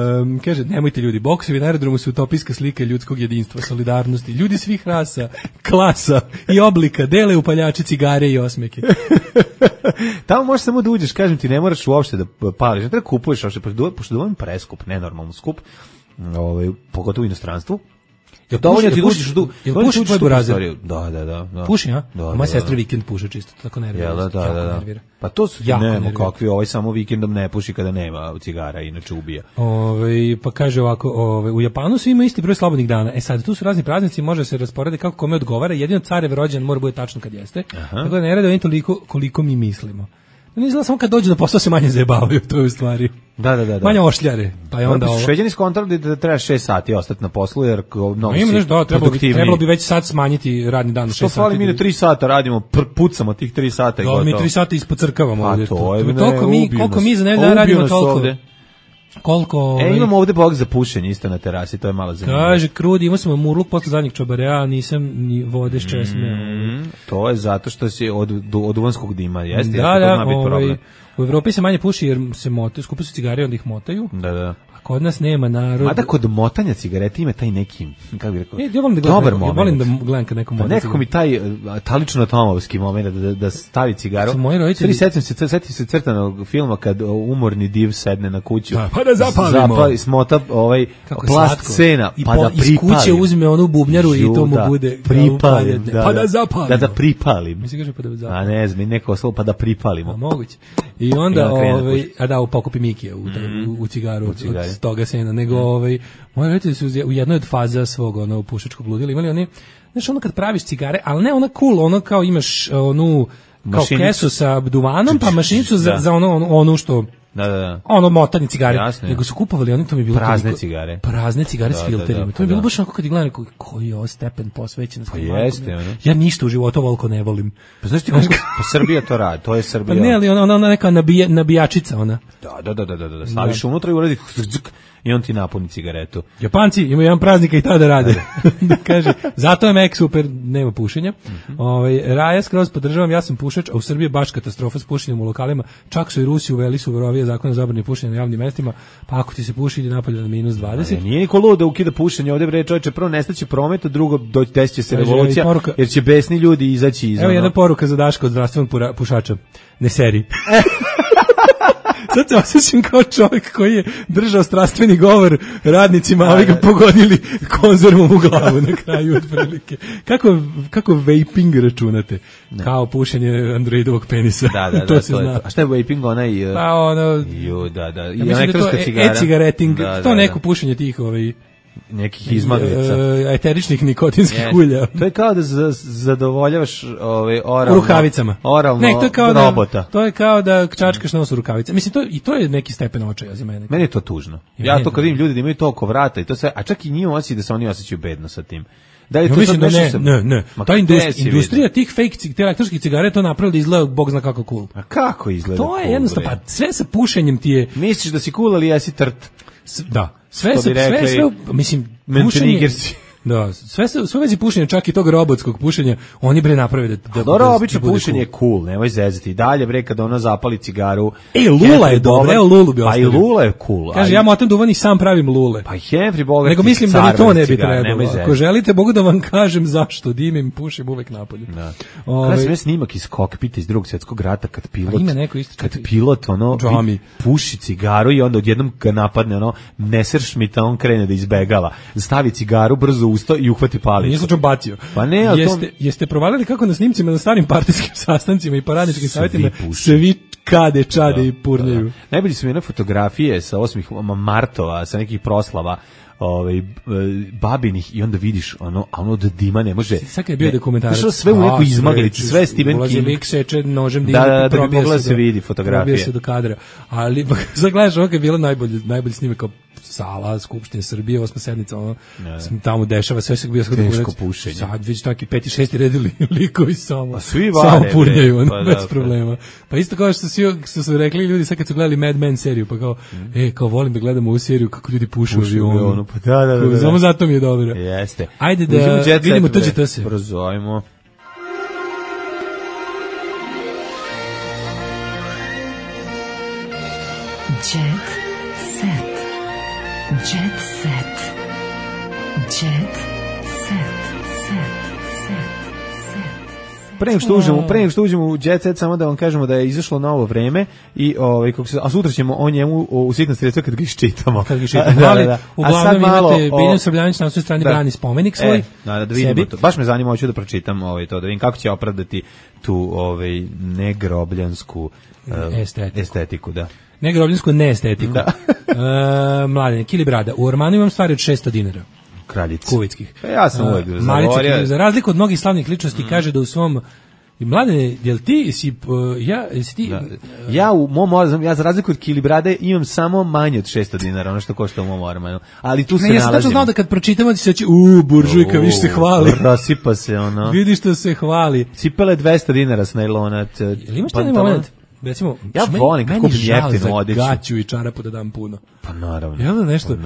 Kaže, nemojte ljudi, boksevi na aerodromu su utopijska slika ljudskog jedinstva, solidarnosti. Ljudi svih rasa, klasa i oblika dele upaljači, cigare i osmeke. Tamo možeš samo da uđeš, kažem ti, ne moraš uopšte da pališ, ne treba kupuješ, pošto dovoljno preskup, nenormalno skup, pogotovo u inostranstvu. Dovoljno ti uđeš u tvoj burazer. Da. Puši, a? Moja sestra vikend puše čisto, tako nervira. Da. Pa to su nema kakvi, samo vikendom ne puši kada nema cigara, inače ubija. Pa kaže ovako, u Japanu svi ima isti broj slobodnih dana. Sad, tu su razni praznici, može se rasporediti kako kome odgovara, jedino carev rođen mora bude tačno kad jeste. Tako da ne rade oni toliko koliko mi mislimo. Ne znam, samo kad dođu na posao se manje zajebavaju, to je u stvari. Da. Manje ošljare. Pa je onda ovo. Šveđani skontrali da treba 6 sati ostati na poslu, jer mnogo si produktivniji. Trebalo bi već sad smanjiti radni dan na 6 sati. Što fali mi na 3 sata radimo, pucamo tih 3 sata i gotovo. Mi 3 sata ispocrkavamo ovdje. A to je, koliko mi za nedelju radimo toliko. Koliko... imamo ovde bok za pušenje isto na terasi, to je malo zanimljivo. Kaže, Krudi, imao sam murluk posle zadnjeg čobarea, nisam ni vode s česme. To je zato što si od duvanskog dima, jeste? Da, u Evropi se manje puši jer se motaju, skupi su cigare, onda ih motaju. Da. A kod nas nema narod. Mada kod motanja cigarete ima taj neki, kako bih rekao, dobar moment. Ja volim da gledam kad neko mota. Nekako mi taj talično-tomovski moment da stavi cigaru. Moji roditelji... Setim se crtanog filma kad umorni div sedne na kuću. Pa da zapalimo. Smota plast scena, pa da pripalim. Iz kuće uzme onu bubnjaru i to mu bude pripalim. Pa da zapalim. Da pripalim. Mislim kaže pa da zapalim. A ne znam, neko slovo pa da pripalimo. Moguće. I onda u pokupi Mikije u cigaru od toga sena, nego moji roditelji su u jednoj od faza svog pušačkog ludila imali oni, znaš, kad praviš cigare, ali ne ona cool, ono kao imaš onu kao kesu sa duvanom, pa mašinicu za ono što ono motanje cigare. Jasne. Nego su kupovali, oni to mi je bilo prazne cigare s filterima. To mi je bilo baš onako kad gledam koji je ovo stepen posvećenosti. Pa jeste. Ja ništa u životu ovoliko ne volim. Pa znaš ti kako Srbija to radi, to je Srbija. Pa ne, ali ona neka nabijačica ona. Da. Staviš unutra i uradi i on ti napuni cigaretu. Japanci imaju jedan praznik i tada rade. Kaže, zato je Mek super, nema pušenja. Raja skroz podržavam, ja sam pušač, a u Srbiji je baš katastrofa s pušenjem u lokalima. Čak su i Rusi uveli suverovije zakone o zabrani pušenja na javnim mestima, pa ako ti se puši ide napolje na -20. Nije niko lud da ukida pušenje, ovdje bre čovječe, prvo nestaće promet, a drugo desit će se revolucija, jer će besni ljudi izaći iz. Evo jedna poruka za Daška od zdravstvenog pušača. Ne seri. Sad se osjećam kao čovjek koji je držao strastveni govor radnicima, a ovi ga pogodili konzervom u glavu na kraju otprilike. Kako vaping računate? Ne. Kao pušenje androidovog penisa. Da, to se zna. A šta je vaping, onaj... Pa ono... Da. I elektronska cigara. E-cigareting, to neko pušenje tih nekih izmaglica. Eteričnih nikotinskih ulja. To je kao da zadovoljavaš oralno. Rukavicama. Oralno ne, to je kao robota. To je kao da čačkaš nos u rukavice. Mislim, to je neki stepen očaja za mene. Meni je to tužno. Ja to kad vidim ljudi da imaju to oko vrata i to sve, a čak i njima osjeća da se oni osjećaju bedno sa tim. Da li to mislim da ne. Ta industrija tih fake te elektronskih cigara to napravila da izgleda bog zna kako cool. A kako izgleda? To je jednostavno, pa sve sa pušenjem ti je... Misliš da si cool, ali jesi trt? Da. Sve, mislim, pušenje... Da, sve vezi pušenja, čak i tog robotskog pušenja, oni bre naprave da dobro, obično pušenje je cool, nemoj zezati. I dalje bre kad ona zapali cigaru. Lula je dobra, evo Lulu bi ostavio. Pa i Lula je cool. Kaže, ja motam duvan i sam pravim Lule. Pa Henry Bogat. Nego mislim da ni to ne bi trebalo. Ako želite, mogu da vam kažem zašto. Dimim, pušim uvek napolju. Da. Kada sam snimak iz kokpita iz Drugog svjetskog rata kad pilot, kad pilot puši cigaru i onda odjednom ga napadne Messerschmitt, on krene da izbegava. Stavi cigaru brzo usto i uhvati palicu. Nije slučajno bacio. Pa ne, ali jeste provalili kako na snimcima na starim partijskim sastancima i paradničkim savjetima svi čade i purnjaju. Najbolji su mi one fotografije sa 8. martova, sa nekih proslava babinih i onda vidiš ono od dima ne može. Sad je bio dokumentarac. Sve u nekoj izmaglici, sve Stephen King. Ulazi lik seče nožem dim. Da bi mogla se vidi fotografije. Probio se do kadra. Ali sad gledaš ovo je bilo najbolji snimak kao sala Skupštine Srbije, 8. sednica, tamo dešava sve se bio teško pušenje. Sad već taki 5. 6. redili likovi samo purnjaju, bez problema. Pa isto kao što su rekli ljudi sad kad su gledali Mad Men seriju, pa kao volim da gledamo ovu seriju kako ljudi pušu u avionu. Pa da. Samo zato mi je dobro. Jeste. Ajde da vidimo tuđe se. Brzo, ajmo. Jet set. Jet set. Jet set. Pre nego što uđemo u Jet Set, samo da vam kažemo da je izašlo novo vreme i a sutra ćemo o njemu u sitnom sredstvu kad ga iščitamo. Da. Uglavnom imate Biljana Srbljanić na svoj strani brani spomenik svoj. Da vidimo to. Baš me zanima, hoću da pročitam to, da vidim kako će opravdati tu negrobljansku estetiku, da. Negrobljansku neestetiku. Mladen, Kili Brada, u ormanu imam stvari od 600 dinara. Kraljici. Kuvitskih. Ja sam uvek zagovorio. Za razliku od mnogih slavnih ličnosti kaže da u svom Mladene, jel ti si ja u mom ja za razliku od Kili Brade imam samo manje od 600 dinara, ono što košta u mom ormanu. Ali tu se nalazim. Ja sam tačno znao da kad pročitamo ti se će buržujka, vidiš se hvali. Rasipa se ono. Vidiš što se hvali. Cipele 200 dinara s najlona. Jel imaš taj moment? Recimo, ja volim kako kupim jeftinu odeću. Gaću i čarapu da dam puno. Pa naravno. Jel da nešto?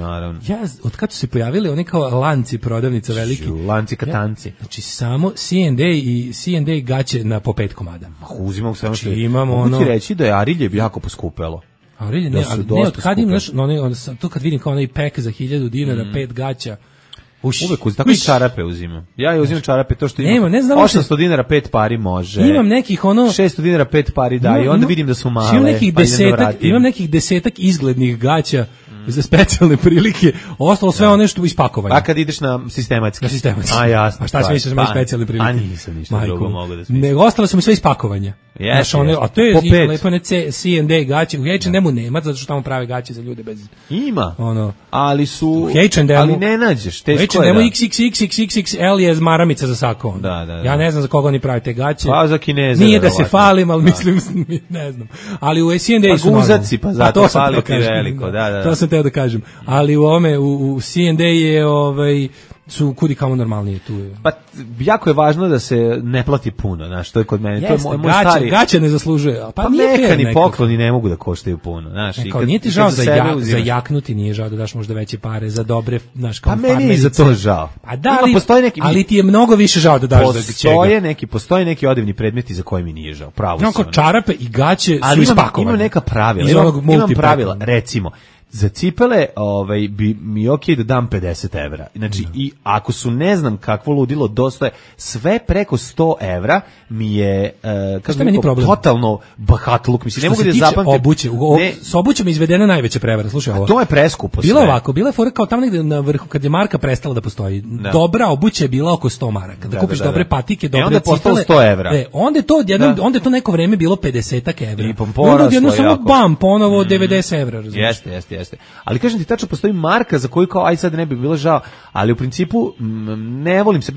Ja, od kad su se pojavili oni kao lanci prodavnica veliki. Lanci katanci. Znači samo C&A gaće na po 5 komada. Uzimam sve što imamo ono. Mogu ti reći da je Arilje jako poskupelo. Arilje, ne, od kad im, to kad vidim kao onaj pek za 1000 dinara, 5 gaća. Uvek tako i čarape uzimam. Ja je uzimam čarape to što imam. 800 dinara 5 pari može. Imam nekih 600 dinara 5 pari da i onda vidim da su male. Imam nekih desetak izglednih gaća za specijalne prilike. Ostalo sve ono što ispakovanje. A kad ideš na sistematski. A jasno. A šta se misliš da specijalne prilike? A nisam ništa drugo mogu da smislim. Nego ostalo su mi sve ispakovanje. A to je lepo ne C&A gaće. U H&M-u nema, zato što tamo prave gaće za ljude bez... Ima. Ali su... Ali ne nađeš. Teško je. U H&M-u XXXXXL je maramica za sako. Ja ne znam za koga oni prave te gaće. Pa za Kineze. Nije da se falim, ali mislim, ne znam. Ali u C&A su... Pa guzaci, pa zato fali ti veliko. To sam teo da kažem. Ali u C&A je su kudi kamo normalnije tu. Pa jako je važno da se ne plati puno, znaš, to je kod mene. Jeste, to je moj stari. Gaće ne zaslužuje. Pa neka ni pokloni ne mogu da koštaju puno, znaš. Nije ti žao za jaknuti, nije žao da daš možda veće pare za dobre, znaš, kao farmerice. Pa meni je za to žao. Pa da, ali ti je mnogo više žao da daš za čega. Postoje neki odevni predmeti za koje mi nije žao. Pravo si. Čarape i gaće su ispakovane. Imam neka pravila. Imam pravila, recimo, za cipele bi mi okej da dam 50 evra. Znači, i ako su ne znam kakvo ludilo dostaje, sve preko 100 evra mi je totalno bahatluk. Mislim, ne mogu da zapamtim. Obuće, s obućem je izvedena najveća prevara. Slušaj ovo. To je preskupo sve. Bilo ovako, bila je fora kao tamo negde na vrhu, kad je marka prestala da postoji. Dobra obuća je bila oko 100 maraka. Da kupiš dobre patike, dobre cipele. Onda je 100 evra. Onda je to neko vreme bilo 50 evra. I poraslo jedno samo bam, ponovo 90 evra. Jeste. Ali kažem ti, tačno postoji marka za koju kao aj sad ne bi bilo žao, ali u principu ne volim se.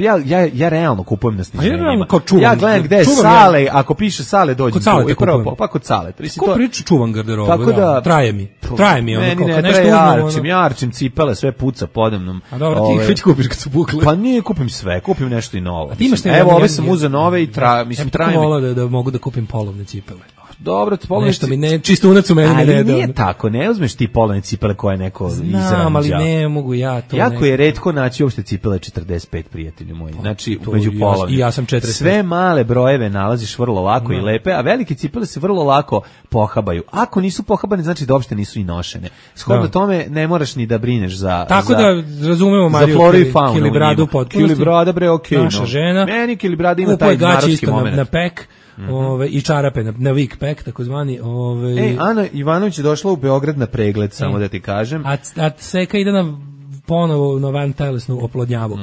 Ja realno kupujem na sniženjima. Ja gledam gde je Sale, ako piše Sale dođem tu. Pa kod Sale. Ko priča čuvam garderobu? Tako da traje mi ono kao nešto jarčim cipele, sve puca podemnom. A dobro, ti ih već kupiš kad su bukle. Pa nije kupim sve, kupim nešto i novo. Evo, ove sam uzeo nove i mislim traje mi. Da mogu da kupim polovne cipele. Dobro, polovne nešto mi ne, čisto unac u meni ne da. Ali nije tako, ne uzmeš ti polovne cipele koje neko izranđa. Znam, ali ne mogu ja to. Jako je retko naći uopšte cipele 45, prijatelji moji. Znači, među polovnim. I ja sam 45. Sve male brojeve nalaziš vrlo lako i lepe, a velike cipele se vrlo lako pohabaju. Ako nisu pohabane, znači da uopšte nisu i nošene. Shodno tome ne moraš ni da brineš za... Tako da razumemo Mariju Kilibradu potpunosti. Kilibrada, bre, okej. Naša žena. Meni Kilibrada ima taj narodski moment. Na pek. I čarape na week pack takozvani. Ana Ivanović je došla u Beograd na pregled, samo da ti kažem. A Seka ide ponovo na vantelesnu oplodnjavu.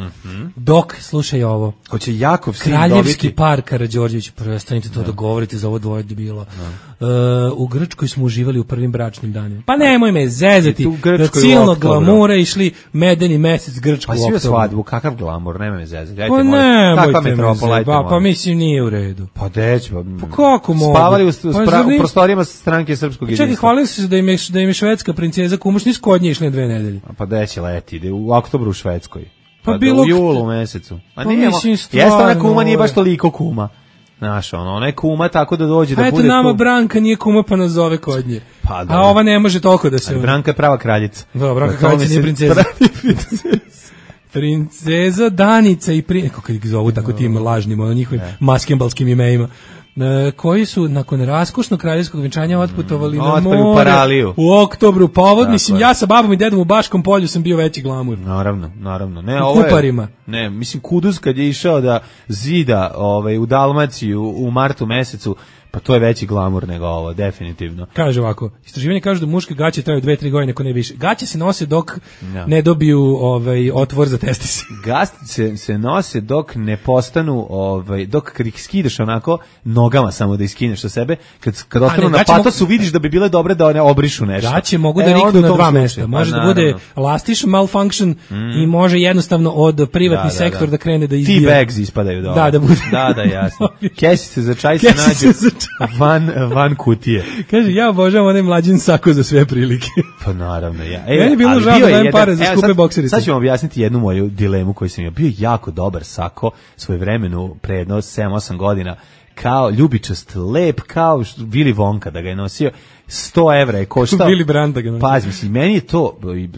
Dok, slušaj ovo. Hoće Jakov sin Kraljevski par Karađorđević, prestanite to da govorite za ovo dvoje debila. U Grčkoj smo uživali u prvim bračnim danima. Pa nemoj me zezati. Da silno glamura išli medeni mesec Grčku u oktobru. Pa svi svadbu, kakav glamur, nemoj me zezati. Pa nemojte me zezati. Pa mislim nije u redu. Pa deć, pa kako mogu? Spavali u prostorijama stranke Srpskog jedinstva. Čekaj, hvalili su se da im je švedska princeza kumoš nisu kod nje išli na 2 nedelje. Pa deće leti, ide u oktobru u Švedskoj. Pa bilo u julu mesecu. A nije, jeste ona kuma, nije baš toliko kuma. Znaš, ona je kuma tako da dođe da bude... Eto nama Branka nije kuma pa nas zove kod nje. A ova ne može toliko da se... Branka je prava kraljica. Da, Branka kraljica nije princeza. Princeza Danica i kako ih zovu tako tim lažnim, njihovim maskembalskim imenima. Koji su nakon raskošnog kraljevskog venčanja otputovali na more u oktobru. Povod, mislim, ja sa babom i dedom u Baškom polju sam bio veći glamur. Naravno. Ne, u Kuparima. Ne, mislim, Kuduz kad je išao da zida u Dalmaciju u martu mesecu, pa to je veći glamur nego ovo, definitivno. Kaže ovako, istraživanje kaže da muške gaće traju 2-3 godine, ako ne više. Gaće se nose dok ne dobiju otvor za testis. Gaće se nose dok ne postanu, dok ih skidaš onako nogama samo da iskineš sa sebe, kad ostanu na patosu vidiš da bi bile dobre da one obrišu nešto. Gaće mogu da riknu na 2 mesta. Može da bude lastiš malfunction i može jednostavno od privatni sektor da krene da izbija. T-bags ispadaju dobro. Da bude. Da, jasno. Kesice za čaj se nađu van kutije. Kaže, ja obožavam onaj mlađin sako za sve prilike. Pa naravno, ja. Meni je bilo žao da dajem pare za skupe bokserice. Sad ću vam objasniti jednu moju dilemu koju sam imao. Bio jako dobar sako svoje vremenu, pre jedno 7-8 godina, kao ljubičast, lep, kao Willy Wonka da ga je nosio. 100 evra je koštao. Willy Brandt da ga nosio. Pazi, mislim, meni je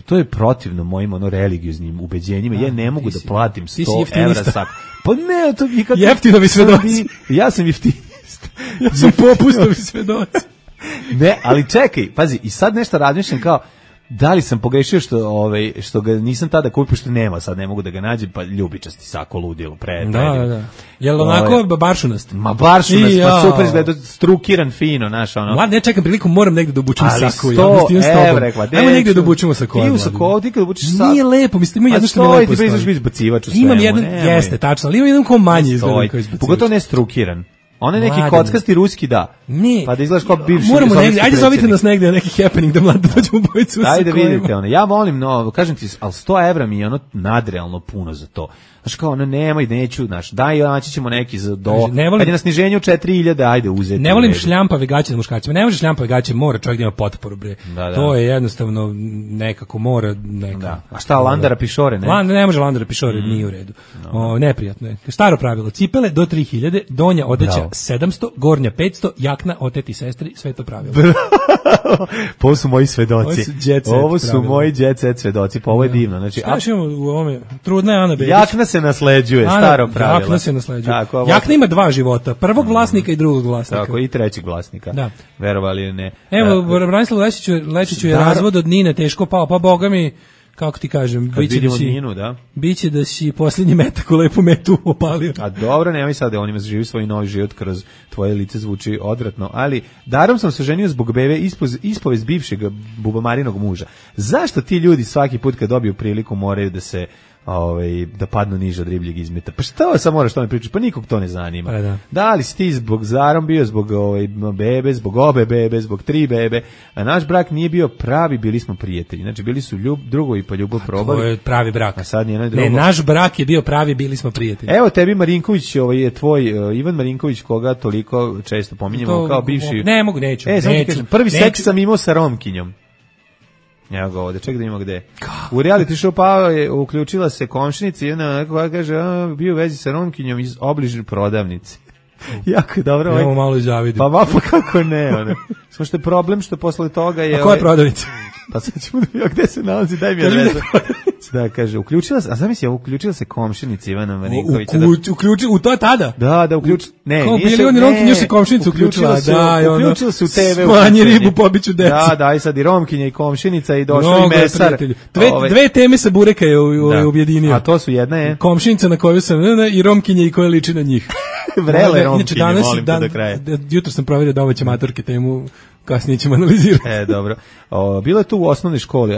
to je protivno mojim religioznim ubeđenjima. Ja ne mogu da platim 100 evra sako. Pa ne, to nikako... Jeftinovi svedoci. Ja sam jeftini. Ja sam popustovi svedoci. Ne, ali čekaj, pazi, i sad nešto razmišljam kao, da li sam pogrešio što ga nisam tada kupio, što nema, sad ne mogu da ga nađem, pa ljubičasti sako ludilo, Da. Jel onako baršunast? Ma baršunast, pa super izgleda, strukiran fino, znaš, ono. Mlad, ne čekam priliku, moram negde da obučem sako. Ali 100 evra, ajmo negde da obučemo sako. Ti u sako, ti kad obučeš sako. Nije lepo, mislim, ima jedno što mi lepo stoji. A 100 ti bezviš bacivač u svemu. Imam jedan, jeste, tačno, ali ima jedan ko manji izgleda koji izbacivač. Pogotovo ne strukiran. On je neki kockasti ruski, da. Ne. Pa da izgledaš kao bivši. Moramo negdje, ajde zovite nas negdje neki happening da mlado dođemo bojicu. Ajde vidite ono. Ja volim, kažem ti, ali 100 evra mi je ono nadrealno puno za to. Znaš kao, nemoj, neću, znaš, daj, naći ćemo neki kad je na sniženju 4000, ajde uzeti. Ne volim šljampave gaće na muškarcima, ne može šljampave gaće, mora čovjek da ima potporu, bre. Da. To je jednostavno nekako mora, Da. A šta, Landara Pišore, ne? Ne može Landara Pišore, nije u redu. Neprijatno je. Staro pravilo, cipele do 3000, donja odeća 700, gornja 500, jakna oteti sestri, sve to pravilo. Ovo su moji svedoci. Ovo su moji jet set svedoci, pa ovo je divno. Znači, šta ćemo u ovome? Trudna je Ana Bebić. Jakna se nasleđuje, staro pravilo. Jakna se nasleđuje. Jakna ima 2 života, prvog vlasnika i drugog vlasnika. Tako, i trećeg vlasnika. Da. Verovali ili ne. Evo, Branislav Lečiću je razvod od Nine teško pao, pa boga mi, kako ti kažem, biće da si posljednji metak u lepu metu opalio. A dobro, nemoj sad da on ima živi svoj novi život kroz tvoje lice, zvuči odvratno, ali darom sam se ženio zbog bebe ispovest bivšeg bubamarinog muža. Zašto ti ljudi svaki put kad dobiju priliku moraju da se da padnu niže od ribljeg izmeta? Pa šta sad moraš to ne pričati? Pa nikog to ne zanima. Da li si ti zbog zarom bio, zbog bebe, zbog obe bebe, zbog 3 bebe, a naš brak nije bio pravi, bili smo prijatelji. Znači bili su drugovi pa ljubav probali. To je pravi brak. A sad nije drugo. Ne, naš brak je bio pravi, bili smo prijatelji. Evo tebi Marinković, je tvoj Ivan Marinković, koga toliko često pominjemo kao bivši. Ne mogu, neću. Prvi seks sam imao sa Romkinjom. Evo ga ovde, ček da imamo gde. U reality show Pao je uključila se komšinica i ona koja kaže, bio u vezi sa Romkinjom iz obližne prodavnice. Jako je dobro. Evo malo zavidim. Pa kako ne, ono. Samo što je problem što posle toga je... A koja je prodavnica? Pa sad ćemo da vidimo gde se nalazi, daj mi adresu. Da, kaže, uključila se komšinica Ivana Marinkovića. U to tada? Da, uključila. Ne, kao bili oni Romkinji, još se komšinica uključila. Uključila se u TV. Smanji ribu, pobiću decu. Da, i sad i Romkinja i komšinica i došao i mesar. Dve teme sa Bureka je objedinio. A to su jedna je? Komšinica na koju sam i Romkinje i koja liči na njih. Vrele Romkinje, molim te do kraja. Jutro sam provjerio domaće maturke temu, kasnije ćemo analizirati. Dobro. Bilo je tu u osnovnoj školi.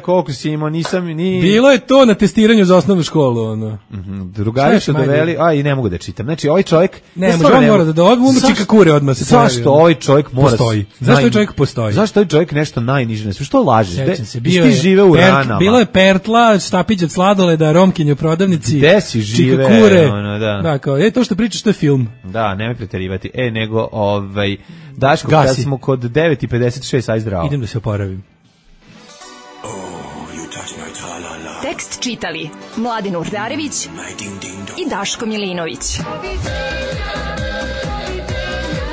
Koliko si imao, nisam ni... Bilo je to na testiranju za osnovnu školu, ono. Drugari su doveli, i ne mogu da čitam. Znači, ovaj čovjek... Ne, on mora da odmah čika kure odmah se pojavi. Zašto ovaj čovjek mora... Postoji. Zašto ovaj čovjek postoji? Zašto ovaj čovjek nešto najniže? Što laže? Sjećam se, ti žive u ranama. Bilo je Pertla, štapić od sladoleda, Romkinje u prodavnici. Gde si žive? Čika kure. Da, kao, to što pričaš, to je film. Da, nemoj preterivati. Nego, Daško, kad smo kod 9:56, aj zdravo. Idem da se oporavim. Tekst čitali Mladin Urdarević i Daško Milinović.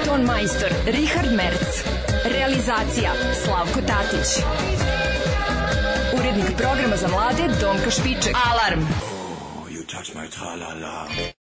Ton majstor Richard Merc. Realizacija Slavko Tatić. Urednik programa za mlade Donka Špiček. Alarm!